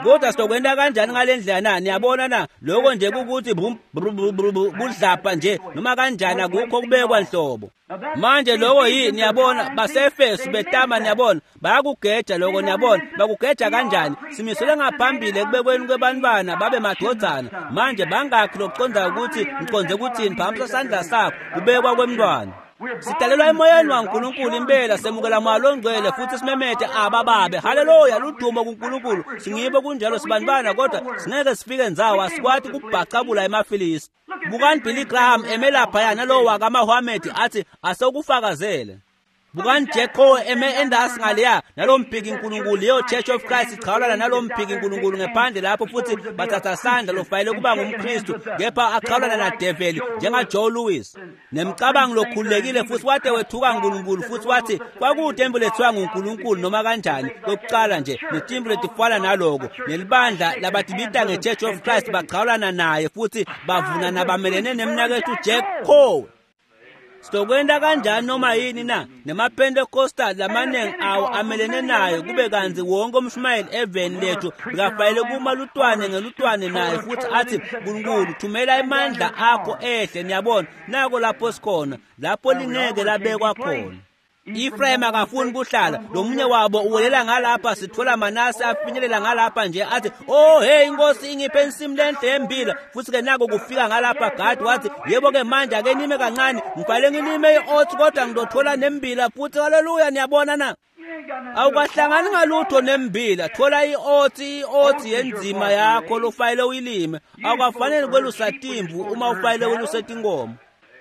Kodwa sizokwenta kanjani ngale ndlela na? Niyabona na? Lokho nje kukuthi brum brum brum brum brum, kudlapha nje noma kanjani, akukho kubekwa nhlobo. Manje lokho yini? Niyabona, baseEfesu betama, niyabona, bayakugeja lokho, niyabona, bakugeja kanjani? Simiselwe ngaphambili ekubekweni kwebantwana babe madvodzana. Manje bangakhi lokuconda ukuthi ngiconze ukuthini? Phamisa sandla sakho, kubekwa kwemntwana. Sidalelwa emoyeni waNkulunkulu impela, semukela moya longcwele futhi simemete abababe. Haleluya, ludumo kuNkulunkulu. Singibo kunjalo sibantwana, kodwa singeke sifike ndzawo, asikwati kubhacabula emaFilisti. Bukani Billy Graham eme laphaya nalowo wakaMahomed athi asewukufakazele. Bukani Jack Coe eme endasi ngaleya nalo mphiki nkulunkulu, leyo Church of Christ ichawulana nalo mphiki nkulunkulu ngephandle lapho, futhi bathatha sandla lofayele kuba ngumKristu, kepha achawulana nadeveli njengaJoe Louis nemcabango lokhululekile, futhi wade wethuka uNkulunkulu futhi wathi kwakude imvu lethiwa nguNkulunkulu noma kanjani kokuqala nje, netimvu letifana naloko, nelibandla labatibita nge-Church of Christ bachawulana naye futhi bavuna nabamelene nemnaketfu Jack Coe. Sitokwenta kanjani noma yini na? NemaPentecostal lamaningi awo amelene nayo, kube kantsi wonke umshumayeli eveni lethu bekafanele kuma lutwane ngelutwane naye futhi athi Nkulunkulu thumela emandla akho ehle. Niyabona, nako lapho sikhona, lapho lingeke labekwa khona. Ephraim akafuni kuhlala, lomunye wabo uwelela ngalapha, sithola Manase afinyelela ngalapha nje athi oh hey inkosi ingiphe insimu lenhle yembila, futhi ke nako kufika ngalapha Gad wathi yebo ke manje ake nime kancane, ngifanele ngilime i-oats kodwa ngizothola nembila futhi. Haleluya, niyabona na? Awukahlangani ngalutho nembila. Thola i-otsi, i-otsi yenzima yakho lofanele uyilime. Awukafanele kwelusa timvu uma ufanele weluse tinkomo.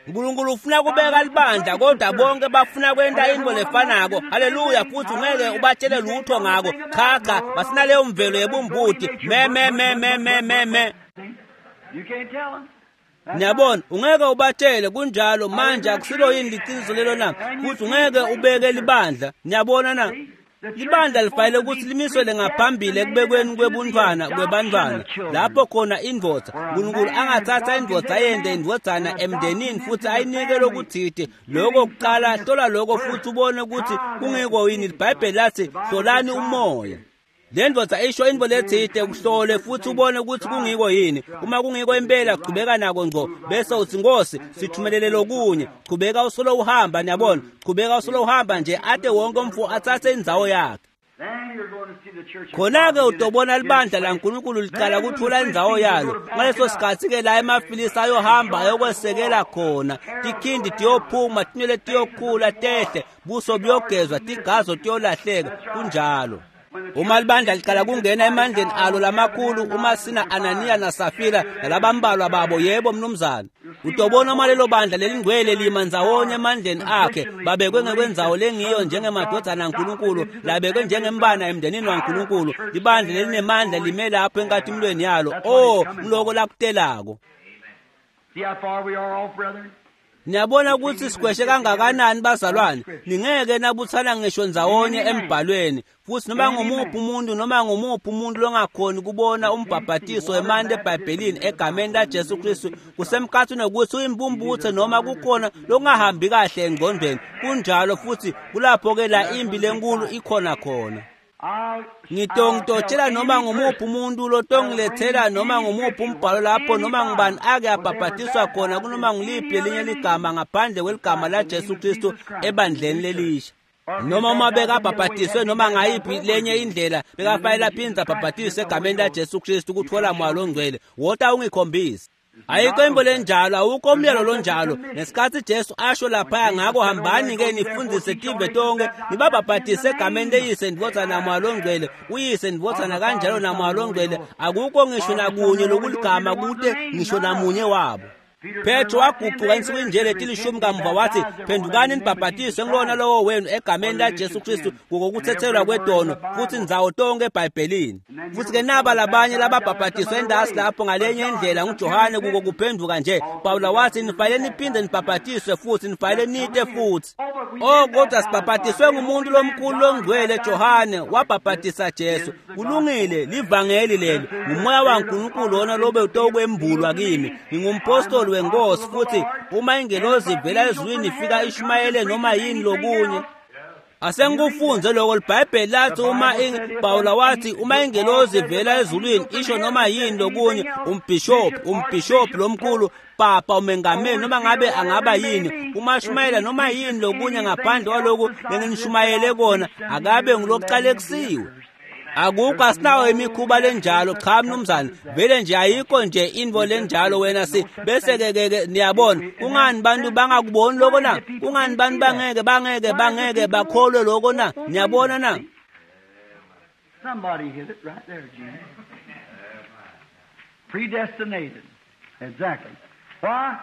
Nkulunkulu ufuna kubeka libandla, kodwa bonke bafuna kwenta intfo lefanako. Haleluya! Futhi ungeke ubatshele lutho ngako. Cha cha, basinaleyo mvelo yebumbuti. Me me me me me me me. You can't tell them. Niyabona, ungeke ubatshele kunjalo. Manje akusilo yini liciniso lelo na? Futhi ungeke ubeke libandla. Niyabona na? Libandla lifanele ukuthi limiswe ngaphambili ekubekweni kwebuntwana kwebantwana, lapho khona indvodza Nkulunkulu angathatha indvodza ayente indvodzana emndenini futhi ayinike lokuthite. Lokho kuqala, hlola lokho futhi ubone ukuthi kungiko yini. IBhayibheli lathi hlolani umoya. Le ndvodza isho intfo letsite, kuhlole futhi ubone ukuthi kungiko yini. Uma kungiko impela, chubeka nako ngco, bese uthi Nkosi sithumelele lokunye. Chubeka usolo uhamba, niyabona, chubeka usolo uhamba nje ate wonke umfo atsatse indzawo yakhe. Then you're going to see the church of Khona-ke God utobona begin to libandla get its laNkulunkulu liqala kuthola indzawo yalo. Ngaleso sikhatsi-ke la emafilisi ayohamba ayokwesekela khona, tikhindi tiyophuma, tinwele tiyokhula tehle, buso buyogezwa, tigazo tiyolahleka. Kunjalo. Uma libandla liqala kungena emandleni alo lamakhulu, uma sina Ananiya naSafira nalabambalwa babo, yebo mnumzane, utobona uma lelo bandla lelingcwele lima ndzawonye emandleni akhe, babekwe ngekwendzawo lengiyo njengemadvodzana aNkulunkulu, labekwe njengembana emndenini waNkulunkulu. Libandla lelinemandla lime lapho enkatimulweni yalo. Oh, ngiloko lakutelako. See how far we are off, brethren? Niyabona ukuthi sigweshe kangakanani bazalwane. Ningeke nabuthana ngisho ndzawonye embhalweni. Futhi noma ngumuphi umuntu noma ngumuphi umuntu longakhoni kubona umbhabhatiso wemanti eBhayibhelini egameni laJesu Kristu, kusemkhathini wokuthi uyimpumputhe noma kukhona lokungahambi kahle engqondweni. Kunjalo, futhi kulapho-ke la impi lenkulu ikhona khona. I'll, Ngitongitotshela noma ngumuphi umuntu lotongilethela noma ngumuphi umbhalo lapho noma ngubani ake abhabhatiswa khona kunoma nguliphi lelinye ligama ngaphandle kweligama laJesu Kristu ebandleni lelisha. Noma uma bekabhabhatiswe noma ngayiphi lenye indlela, bekafanele aphindze abhabhatiswe egameni laJesu Kristu kuthola moya longcwele. Wota ungikhombise. Ayikho imbo lenjalo, awukho umyalo lonjalo. Ngesikhathi Jesu asho laphaya, ngakho hambani-ke nifundise tive tonke, nibabhabhatise egameni leyise ndvodza namoya longcwele, uyise ndvodzana kanjalo namoya longcwele. Akukho ngisho nakunye lokuligama kute ngisho namunye wabo. Petro waguquka ensukwini nje letilishumi kamuva wathi, phendukani nibhabhatiswe ngilona lowo wenu egameni laJesu Kristu ngokuthethelwa kwetono, futhi ndzawo tonke eBhayibhelini. Futhi-ke naba labanye lababhabhatiswe endasi lapho ngalenye indlela nguJohane kuko kuphenduka nje. Pawula wathi nifanele niphinde nibhabhatiswe futhi, nifanele nite futhi. Oh, kodwa sibhabhatiswe ngumuntu lomkhulu longcwele Johane wabhabhatisa Jesu. Kulungile, livangeli leli, ngumoya waNkulunkulu wona lobe utokwembulwa kimi. Ngingumpostoli wenkosi, futhi uma ingelozi ivela ezulwini ifika ishumayele noma yini lokunye. Asengikufunze lokho. LiBhayibheli lathi uma Pawula wathi uma ingelozi ivela ezulwini isho noma yini lokunye, umbhishophi, umbhishophi lomkhulu, papa, umengameli, noma ngabe angaba yini, uma shumayela noma yini lokunye ngaphandle kwaloku lenginishumayele kona, akabe ngulokuqalekisiwe. Akukho, asinawo imikhuba lenjalo. Cha mnumzane, vele nje ayikho nje intfo lenjalo. Wena si bese ke ke ke niyabona, kungani bantu bangakuboni lokho na? Kungani bantu bangeke bangeke bangeke bakholwe lokho na? Niyabona na? Somebody hit it right there, Gene. Predestinated. Exactly. Why?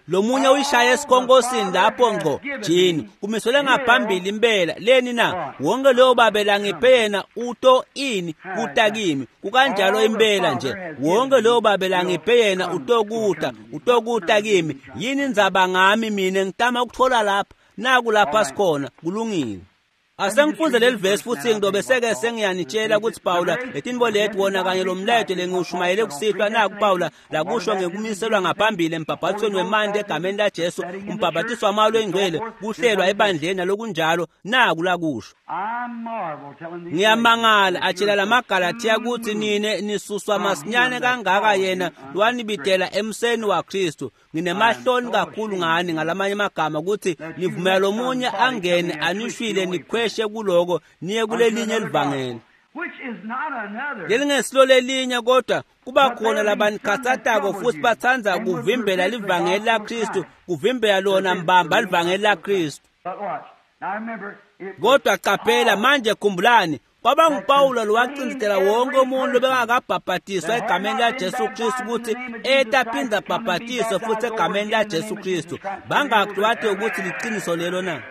Lomunye uyishaye esikhonkosini lapho ngco jini, kumiselwe ngaphambili impela. Leni na? Wonke loyo babela ngiphe yena uto ini kuta kimi. Kukanjalo impela nje, wonke loyo babela ngiphe yena utokuta utokuta kimi. Yini indzaba ngami mina ngitama ukuthola lapha? Naku lapha sikhona. Kulungile. Asengifunze leli verse futhi ngidobe seke sengiyanitshela ukuthi Pawula letintfo leti wona kanye lomlayeto lengiwushumayele kusihlwa. Naku Pawula lakusho ngekumiselwa ngaphambili embhabhatisweni wemanti egameni laJesu, umbhabhatiso wamoya longcwele, kuhlelwa ebandleni nalokunjalo. Naku lakusho. I marvel telling these Ngiyamangala atshela lamaGalathiya ukuthi nine nisuswa masinyane kangaka yena lwanibidela emseni waKristu. Nginemahloni kakhulu ngani, ngalamanye amagama, ukuthi nivumela lomunye angene anishwile nikhweshe kuloko niye kulelinye livangeli. which is not another. Lelingesilo lelinye, kodwa kuba khona labanikhatsatako futhi batsandza kuvimbela livangeli laKristu, kuvimbela lona mbamba livangeli laKristu. But watch. Now remember, Kodwa qaphela manje, khumbulani, kwaba nguPawulo lowacindezela wonke umuntu lobengakabhabhatiswa egameni laJesu Kristu ukuthi etaphinda abhabhatiswe futhi egameni laJesu Kristu. Bangaki wathi ukuthi liqiniso lelo na?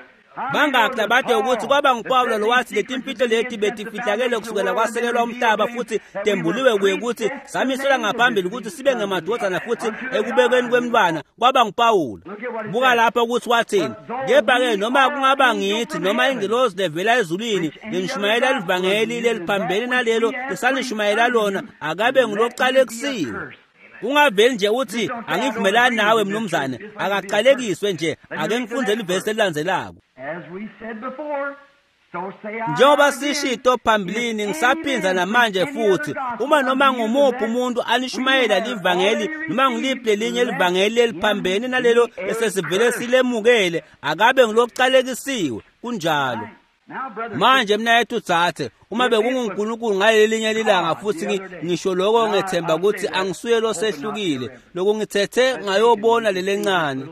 Bangaki labathe ukuthi kwaba nguPawulo lowathi letimfihlo leti betifihlakele kusukela kwasekelwa umhlaba futhi tembuliwe kuye ukuthi samiselwa ngaphambili ukuthi sibe ngemadodana futhi ekubekweni kwemntwana? Kwaba nguPawulo. Buka lapha ukuthi wathini. Kepha-ke noma kungaba ngithi noma ingilozi levela ezulwini lenishumayela livangeli leliphambene nalelo lesanishumayela lona, akabe ngulocalekisiwe. Ungaveli nje uthi angivumelani nawe mnumzane, akaqalekiswe nje. Ake ngifunde ivesi elilandzelako. Njengoba sishito phambilini, ngisaphinza namanje futhi, uma noma ngumuphi umuntu anishumayela livangeli noma ngiliphi lelinye livangeli eliphambene nalelo esesivele silemukele, akabe ngilocalekisiwe. Kunjalo. Manje mnayethu thathe, uma bekunguNkulunkulu ngalelinye lilanga futhi ngisho lokho, ngethemba ukuthi angisuye losehlukile lokungithethe ngayobona lelencane.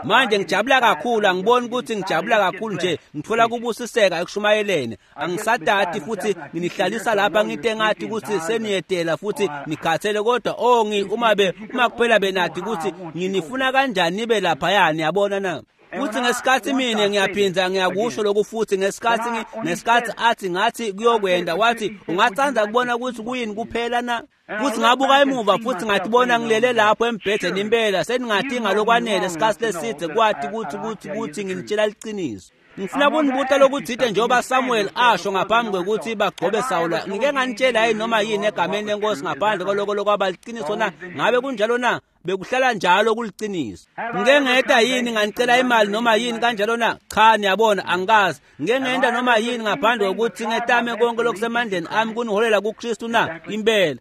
Manje ngijabula kakhulu, angiboni ukuthi ngijabula kakhulu nje, ngithola kubusiseka ekushumayeleni. Angisadati futhi nginihlalisa lapha ngite ngathi ukuthi seniyetela futhi nikhathele, kodwa oh ngi uma be uma kuphela benathi ukuthi nginifuna kanjani nibe laphaya, niyabona na? Futhi ngesikhathi mina ngiyaphinda ngiyakusho lokhu futhi, ngesikhathi ngesikhathi athi ngathi kuyokwenda, wathi ungathanda kubona ukuthi kuyini kuphela na? Futhi ngabuka emuva futhi ngathi bona ngilele lapho embhedeni impela, seningathi ngalokwanele isikhathi leside kwathi ukuthi ukuthi ukuthi nginitshela liqiniso. Ngifuna kunibuta lokuthide njengoba Samuel asho ngaphambi kwekuthi bagcobe Sawula, ngike nganitshela yini noma yini egameni lenkosi ngaphandle kwaloko lokwaba liqiniso na? Ngabe kunjalo na? Bekuhlala njalo kuliqiniso. Ngike ngeda yini nganicela imali noma yini kanjalo na? Cha, niyabona angikazi. Ngike ngenda noma yini ngaphandle kokuthi ngetame konke lokusemandleni ami kuniholela kuKristu na? Impela.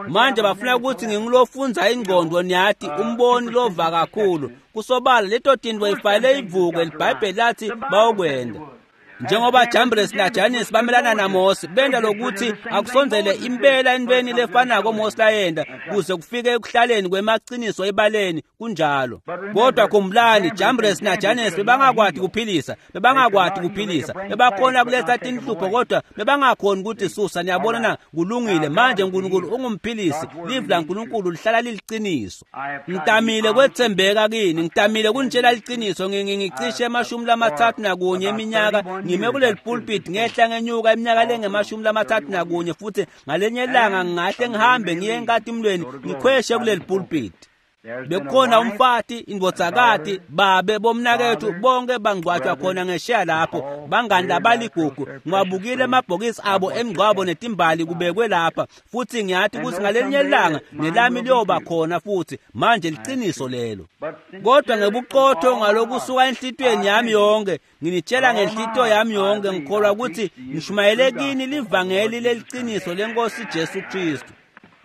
Manje bafuna ukuthi ngingulofunza ingqondo, niyathi umboni lova kakhulu. Kusobala leto tintfo ifayile ivuke, liBhayibheli lathi bayokwenda. Njengoba Jambres naJanis bamelana naMose, benda lokuthi akusondzele impela entweni lefanako Mose layenda kuze kufike ekuhlaleni kwemaqiniso ebaleni. Kunjalo. Kodwa khumbulani, Jambres naJanis bebangakwati kuphilisa, bebangakwati kuphilisa, bebakhona kuletha tinhlupho kodwa bebangakhoni ukuthi susa. Niyabona na? Kulungile. Manje uNkulunkulu ungumphilisi, livi laNkulunkulu lihlala liliqiniso. Ngitamile kwethembeka kini, ngitamile kunitshela liqiniso. Ngicishe emashumi lamathathu nakunye eminyaka ngime kuleli pulpit, ngehla ngenyuka iminyaka lengemashumi lamathathu nakunye, futhi ngalenye ilanga ngingahle ngihambe ngiye enkatimlweni ngikhweshe kuleli pulpit. Bekukhona umfati, indvodzakati, babe, bomnakethu, bonke bangcwatshwa khona ngesheya lapho, bangani labaligugu. Ngiwabukile emabhokisi abo emngcwabo netimbali kubekwe lapha, futhi ngiyathi ukuthi ngalenye ilanga nelami liyoba khona futhi. Manje liqiniso lelo. Kodwa ngebuqotho ngalokusuka enhlitiyweni yami yonke, nginitshela ngenhlitiyo yami yonke, ngikholwa ukuthi ngishumayele kini livangeli leliqiniso lenkosi Jesu Kristu.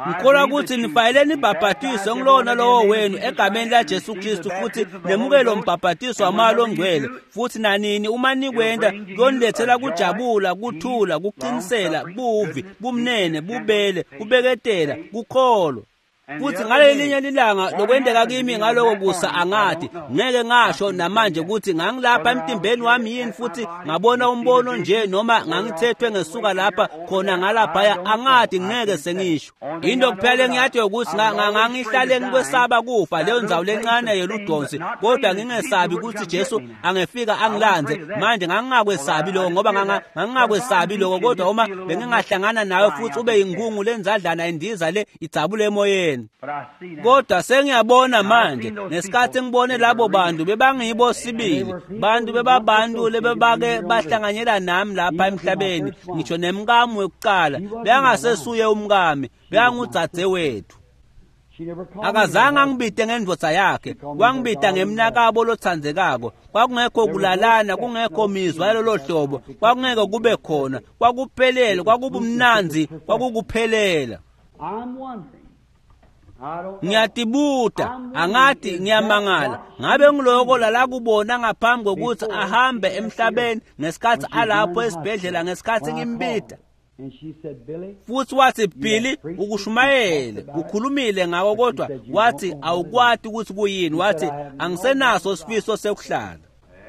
Ngikholwa ukuthi nifanele nibhabhatiswe ngilona lowo wenu egameni laJesu Kristu futhi nemukele umbhabhatiso wamoya ongcwele, futhi nanini uma nikwenda kuyonilethela kujabula, kuthula, kuqinisela, buvi, bumnene, bubele, kubeketela, kukholwa. Futhi ngalelinye lilanga lokwendeka kimi ngaloko kusa angathi ngeke ngasho namanje ukuthi ngangilapha emtimbeni wami yini futhi ngabona umbono nje noma ngangithethwe ngesuka lapha khona ngalaphaya, angathi ngeke sengisho. Into kuphela engiyathi ukuthi ngangihlale ngikwesaba kufa leyo ndzawo lencane yeludonsi, kodwa ngingesabi ukuthi Jesu angefika angilanze. Manje ngangingakwesabi lokho ngoba ngangingakwesabi lokho, kodwa uma bengingahlangana nawe futhi ube yingungu lenzadlana indiza le idzabule emoyeni. Kodwa sengiyabona manje, ngesikhathi ngibone labo bantu bebangibo sibili, bantu bebabantu lebebake bahlanganyela nami lapha emhlabeni, ngisho nemkami wekuqala beyangasesuye umkami, beyangudzadze wethu. Akazange angibite ngendvodza yakhe, wangibita ngemnakabo lotsandzekako. Kwakungekho kulalana, kungekho mizwa yalolo hlobo, kwakungeke kube khona, kwakuphelele, kwakubumnandzi, kwakukuphelela. Ngiyatibuta, angathi ngiyamangala, ngabe ngiloko lalakubona ngaphambi kokuthi ahambe emhlabeni ngesikhathi alapho esibhedlela ngesikhathi ngimbita. Futhi wathi, Billy, ukushumayele, ukhulumile ngako, kodwa wathi awukwati ukuthi kuyini. Wathi angisenaso sifiso sekuhlala.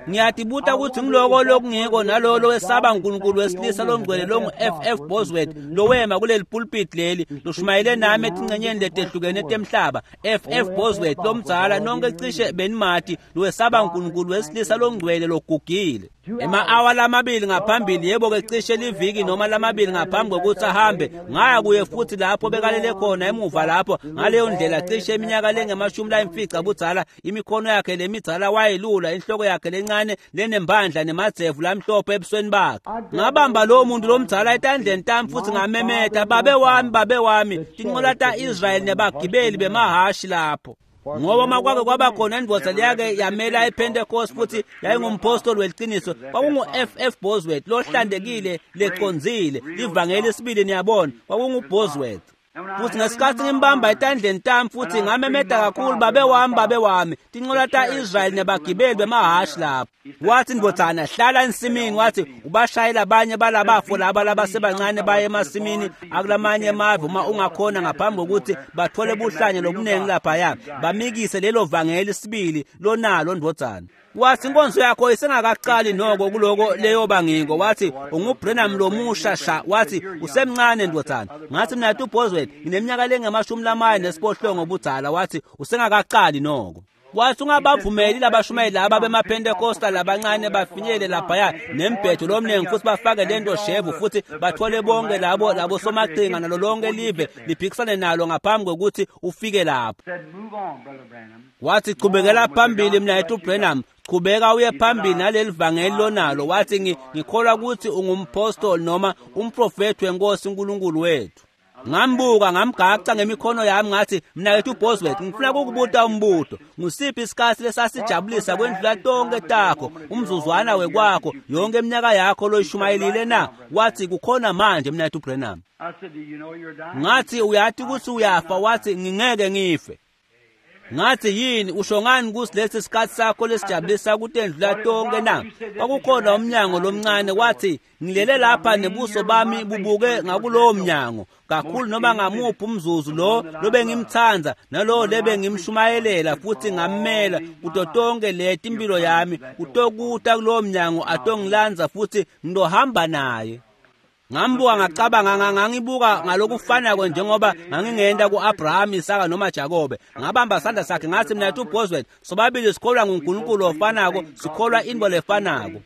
Ngiyatibuta ukuthi ngiloko lokungiko nalolo wesaba uNkulunkulu wesilisa longcwele longu F F Bosworth lowema kuleli pulpit leli loshumayele nami etingcenyeni letehlukene temhlaba. F F Bosworth lomdzala nonke cishe benimati lowesaba uNkulunkulu wesilisa longcwele logugile. Ema-awa lamabili ngaphambili, yebo-ke cishe liviki noma lamabili ngaphambi kokuthi ahambe, ngaya kuye futhi lapho bekalele khona emuva lapho ngaleyo ndlela cishe iminyaka lengemashumi layimfica budzala, imikhono yakhe lemidzala wayelula, inhloko yakhe lencane lenembandla nemadzevu lamhlophe ebusweni bakhe. Ngabamba lowo muntu lomdzala etandleni tami futhi ngamemeta, babe wami, babe wami, tinqola ta-Israyeli nebagibeli bemahashi lapho. Ngoba makwake kwaba khona indvodza leyake yamela ePentecost futhi yayingumpostoli weliciniso, kwakungu F F Bosworth lohlantekile lecondzile livangeli sibili, niyabona, kwakungu Bosworth. Futhi ngesikhathi ngimbamba etandleni tami futhi ngamemeta kakhulu, babe wami, babe wami, tinqola ta-Israyeli nebagibeli bemahashi lapho. Wathi, ndvodzana, hlala ensimini. Wathi, ubashayela abanye balabafo laba labasebancane baye emasimini akulamanye emave uma ungakhona ngaphambi kokuthi bathole buhlanya lobuningi laphaya, bamikise lelo vangeli sibili lonalo ndvodzana. Wathi, inkonzo yakho isengakaqali noko kuloko leyoba ngiko. Wathi, unguBrenham lomusha sha. Wathi, usemncane ndvodzana. Ngathi, mina uBosworth ngineminyaka lengamashumi lamane nesiphohlongo budzala. Wathi, usengakaqali noko. Wathi, ungabavumeli labashumayeli laba bemaPentecostal labancane bafinyele laphaya nembhedo lomningi futhi bafake lento shevu futhi bathole bonke labo labo somaqhinga nalo lonke live liphikisane nalo ngaphambi kokuthi ufike lapho. Wathi, chubekela phambili mnayethu Branham, chubeka uye phambili naleli vangeli lonalo. Wathi, ngikholwa ukuthi ungumpostoli noma umprofethi wenkosi uNkulunkulu wethu. Ngambuka ngamgaca ngemikhono yami ngathi, mnakethu Bosworth, ngifuna ukukubuta umbuto. Ngusiphi isikhathi lesasijabulisa kwendlula tonke takho, umzuzwana wekwakho, yonke iminyaka yakho loyishumayelile na? Wathi, kukhona manje mnakethu Branham. Ngathi, uyathi ukuthi uyafa? Wathi, ngingeke ngife. Ngathi, yini usho ngani kusi lesi sikhathi sakho lesijabulisa kutendlula tonke na? Kwakukhona umnyango lomncane. Wathi, ngilele lapha nebuso bami bubuke ngakulowo mnyango kakhulu noma ngamuphi umzuzu lo lobe ngimthanza nalo lebe ngimshumayelela futhi ngammela kuto tonke leti impilo yami utokuta kulowo mnyango atongilanza futhi ngizohamba naye. Ngambuka ngacabanga, ngangibuka ngalokufanako njengoba ngangingenda ku-Abraham, Isaka noma Jakobe. Ngabamba sandla sakhe ngathi, mina uBosworth, sobabili sikholwa nguNkulunkulu ofanako, sikholwa into lefanako.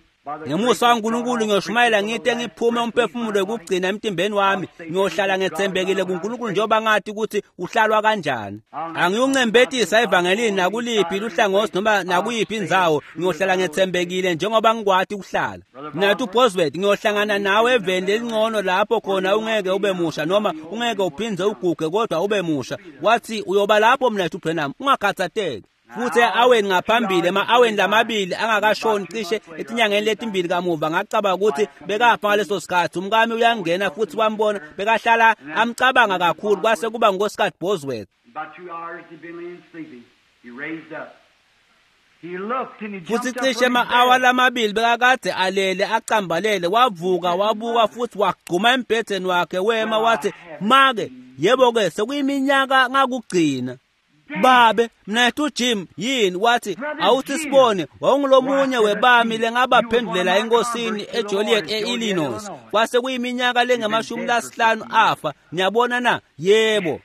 Ngemusa kaNkulunkulu ngiyoshumayela ngite ngiphume umphefumulo wokugcina emtimbeni wami, ngiyohlala ngethembekile kuNkulunkulu njengoba ngathi ukuthi uhlalwa kanjani. Angiyuncembetisa evangelini nakuliphi luhlangothi noma nakuyiphi indzawo, ngiyohlala ngethembekile njengoba ngikwati ukuhlala. Mina uBosworth, ngiyohlangana nawe eveni elingcono lapho khona ungeke ube musha noma ungeke uphindze uguge kodwa ube musha. Wathi, uyoba lapho mina uBrenham, ungakhathatheki. Futhi aweni ngaphambili ema-aweni lamabili angakashoni cishe etinyangeni letimbili kamuva, ngacabanga ukuthi bekafa ngaleso sikhathi. Umkami uyangena futhi wambona, bekahlala amcabanga kakhulu, kwase kuba nguNkosikazi Bosworth. Futhi cishe ema-awa lamabili bekakade alele acambalele, wavuka wabuka futhi wagcuma embhedeni wakhe wema. Wathi, make, yebo-ke sekuyiminyaka ngakugcina. Babe, mnethu Jim, yini? Wathi, awuthi sibone, wawungulomunye webami lengabaphendulela enkosini eJoliet e-Illinois. Kwase kuyiminyaka lengamashumi lasihlanu afa. Niyabona na? Yebo.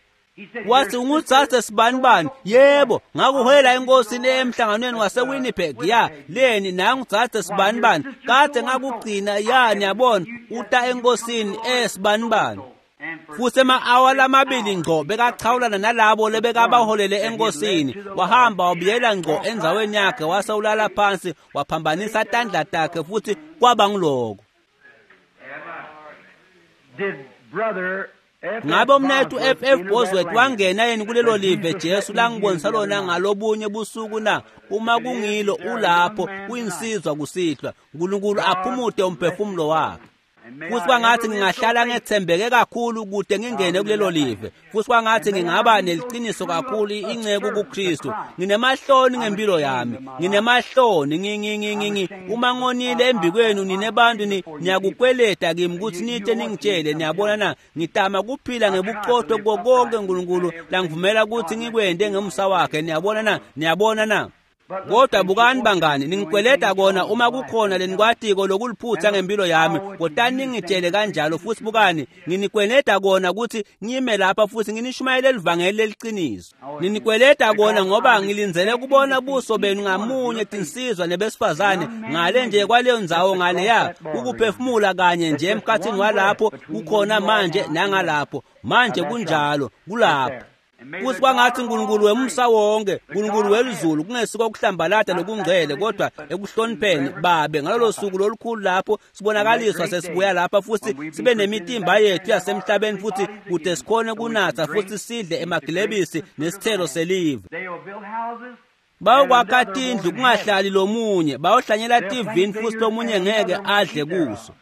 Wathi, ungutsatse sibanibani? Yebo, ngakuholela enkosini emhlanganweni waseWinnipeg. Ya, leni nangutsatse sibanibani? Kade ngakugcina, ya, niyabona, uta enkosini esibanibani. Futhi ema-awa lamabili ngco bekachawulana nalabo lebekabaholele enkosini. Wahamba wabuyela ngco endzaweni yakhe, wase ulala phansi, waphambanisa tandla takhe futhi kwaba ngiloko. Ngabe umnethu F F Bosworth wangena yini kulelo live Jesu langibonisa lona ngalobunye busuku na? Uma kungilo ulapho uyinsizwa kusihlwa, uNkulunkulu aphumute umphefumulo wakhe. Futhi kwangathi ngingahlala ngethembeke kakhulu kude ngingene kulelo live. Futhi kwangathi ngingaba neliqiniso kakhulu inceku kuKristu. Nginemahloni ngempilo yami, nginemahloni ngingingingi uma ngonile embikwenu nine bantu niyakukweleta kimi ukuthi nite ningitshele. Niyabona na? Ngitama kuphila ngebuqotho kuko konke uNkulunkulu langivumela ukuthi ngikwende ngemusa wakhe. Niyabona na? Niyabona na? Kodwa bukani bangani, ningikweleda kona uma kukhona lenikwatiko lokuliphutha ngempilo yami, kodwa ningitshele kanjalo. Futhi bukani, nginikweleda kona ukuthi ngime lapha futhi nginishumayele livangeli leliqiniso. Ninikweleda kona ngoba ngilindzele kubona buso benu ngamunye, tinsizwa nebesifazane, ngale nje kwaleyo ndzawo ngaleya, ukuphefumula kanye nje emkhathini walapho kukhona manje nangalapho. Manje kunjalo, kulapho. Futhi kwangathi uNkulunkulu wemsa wonke, uNkulunkulu welizulu, kungesiko ukuhlambalata lokungcwele, kodwa ekuhlonipheni babe ngalolo suku lolukhulu lapho sibonakaliswa sesibuya lapha futhi sibe nemitimba yethu yasemhlabeni futhi kude sikhone kunatha futhi sidle emagilebisi nesithelo selive. Bayokwakha tindlu kungahlali lomunye, bayohlanyela tivini futhi lomunye ngeke adle kuso.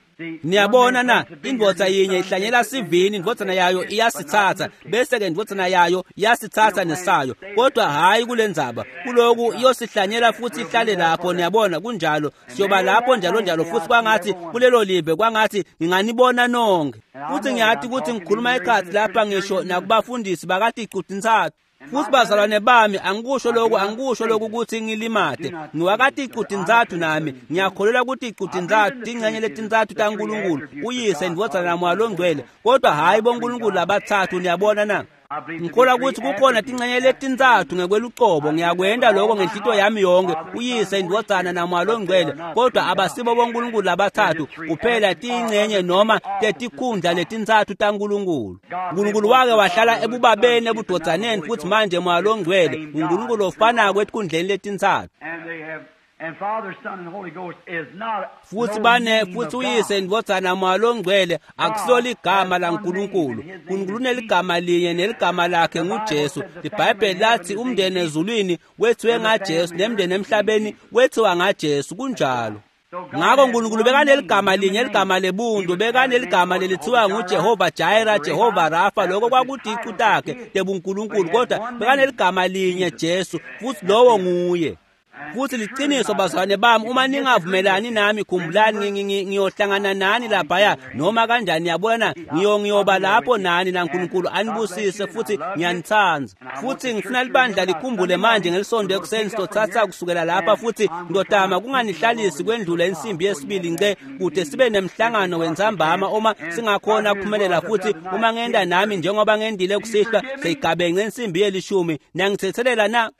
Niyabona na, indvodza yinye ihlanyela sivini, indvodzana yayo iyasithatha, bese-ke indvodzana yayo iyasithatha nesayo. Kodwa hhayi kule ndzaba, kuloku iyosihlanyela futhi ihlale lapho. Niyabona, kunjalo, siyoba lapho njalo njalo. Futhi kwangathi kulelo live, kwangathi nginganibona nonke. Futhi ngiyati ukuthi ngikhuluma ekhathi lapha ngisho nakubafundisi bakaticu-tintsatfu. Futhi bazalwane bami, angikusho lokhu, angikusho lokhu ukuthi ngilimate. Ngiwakaticu-tintsatfu nami, ngiyakholelwa kuticu-tintsatfu, tingcenye letintsatfu taNkulunkulu, uYise, iNdvodzana naMoya loNgcwele, kodwa hhayi boNkulunkulu labatsatfu. Niyabona na? Ngikholwa ukuthi kukhona tingcenye letintsatfu ngekwelucobo. Ngiyakwenta lokho ngenhlito yami yonke, uYise, iNdvodzana naMoya loNgcwele, kodwa abasibo boNkulunkulu labatsatfu kuphela, tingcenye noma tetikhundla letintsatfu taNkulunkulu. uNkulunkulu wake wahlala ebubabeni, ebudodzaneni, futhi manje Moya loNgcwele uNkulunkulu ofanako etikhundleni letintsatfu. Futhi bane futhi uYise, iNdvodzana, Moya loNgcwele akusilo ligama laNkulunkulu. uNkulunkulu uneligama linye neligama lakhe nguJesu. IBhayibheli lathi umndeni ezulwini wethiwe ngaJesu nemndeni emhlabeni wethiwa ngaJesu. Kunjalo. Ngakho uNkulunkulu bekaneligama linye, ligama lebuntu, bekaneligama lelithiwa nguJehova Jireh, Jehova Rafa, lokho kwakuticu takhe tebuNkulunkulu, kodwa bekaneligama linye, Jesu, futhi lowo nguye. Futhi liqiniso bazalwane bami, uma ningavumelani nami, khumbulani ngiyohlangana nani laphaya noma kanjani. Yabona, ngiyo ngiyoba lapho nani, naNkulunkulu anibusise, futhi ngiyanithanda. Futhi ngifuna libandla likhumbule manje ngelisonto ekuseni sizothatha kusukela lapha, futhi ngizotama kunganihlalisi kwendlula insimbi yesibili nce, kude sibe nemhlangano wentsambama uma singakhona ukuphumelela. Futhi uma ngenda nami njengoba ngendile kusihlwa seyigabence insimbi yelishumi, niyangithethelela na?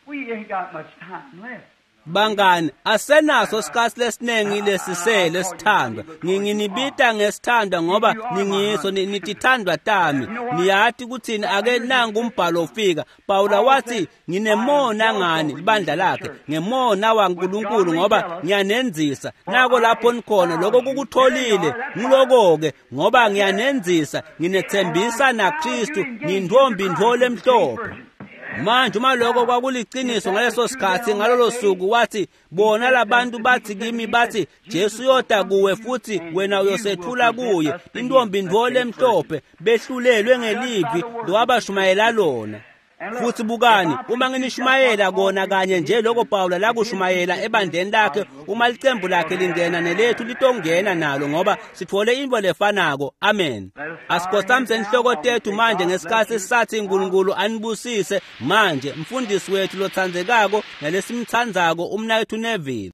We ain't got much time left. Bangani, asenaso sikhathi lesiningi lesisele sithandwa. Nginibita ngesithandwa ngoba ningiso, nitithandwa tami. Niyati kuthini? Ake nangu umbhalo ufika. Pawula wathi, nginemona ngani, libandla lakhe, ngemona waNkulunkulu ngoba ngiyanenzisa. Nako lapho nikhona, lokho kukutholile. Ngiloko-ke ngoba ngiyanenzisa, nginethembisa naKristu, ngintombi ntfo lemhlophe. Manje uma lokho kwakuliqiniso ngaleso sikhathi, ngalolo suku, wathi bona labantu bathi kimi, bathi Jesu uyoda kuwe futhi wena uyosethula kuye, intombi ntfo lemhlophe, behlulelwe ngelivi lowabashumayela lona. Futhi bukani, uma nginishumayela kona kanye nje lokho Pawula lakushumayela ebandleni lakhe, uma licembu lakhe lingena nelethu litongena nalo, ngoba sithole into lefanako. Amen. Asikhothamise inhloko tethu manje ngesikhathi sisathi uNkulunkulu anibusise. Manje mfundisi wethu lothandzekako nalesimthandzako, umnaketfu Neville.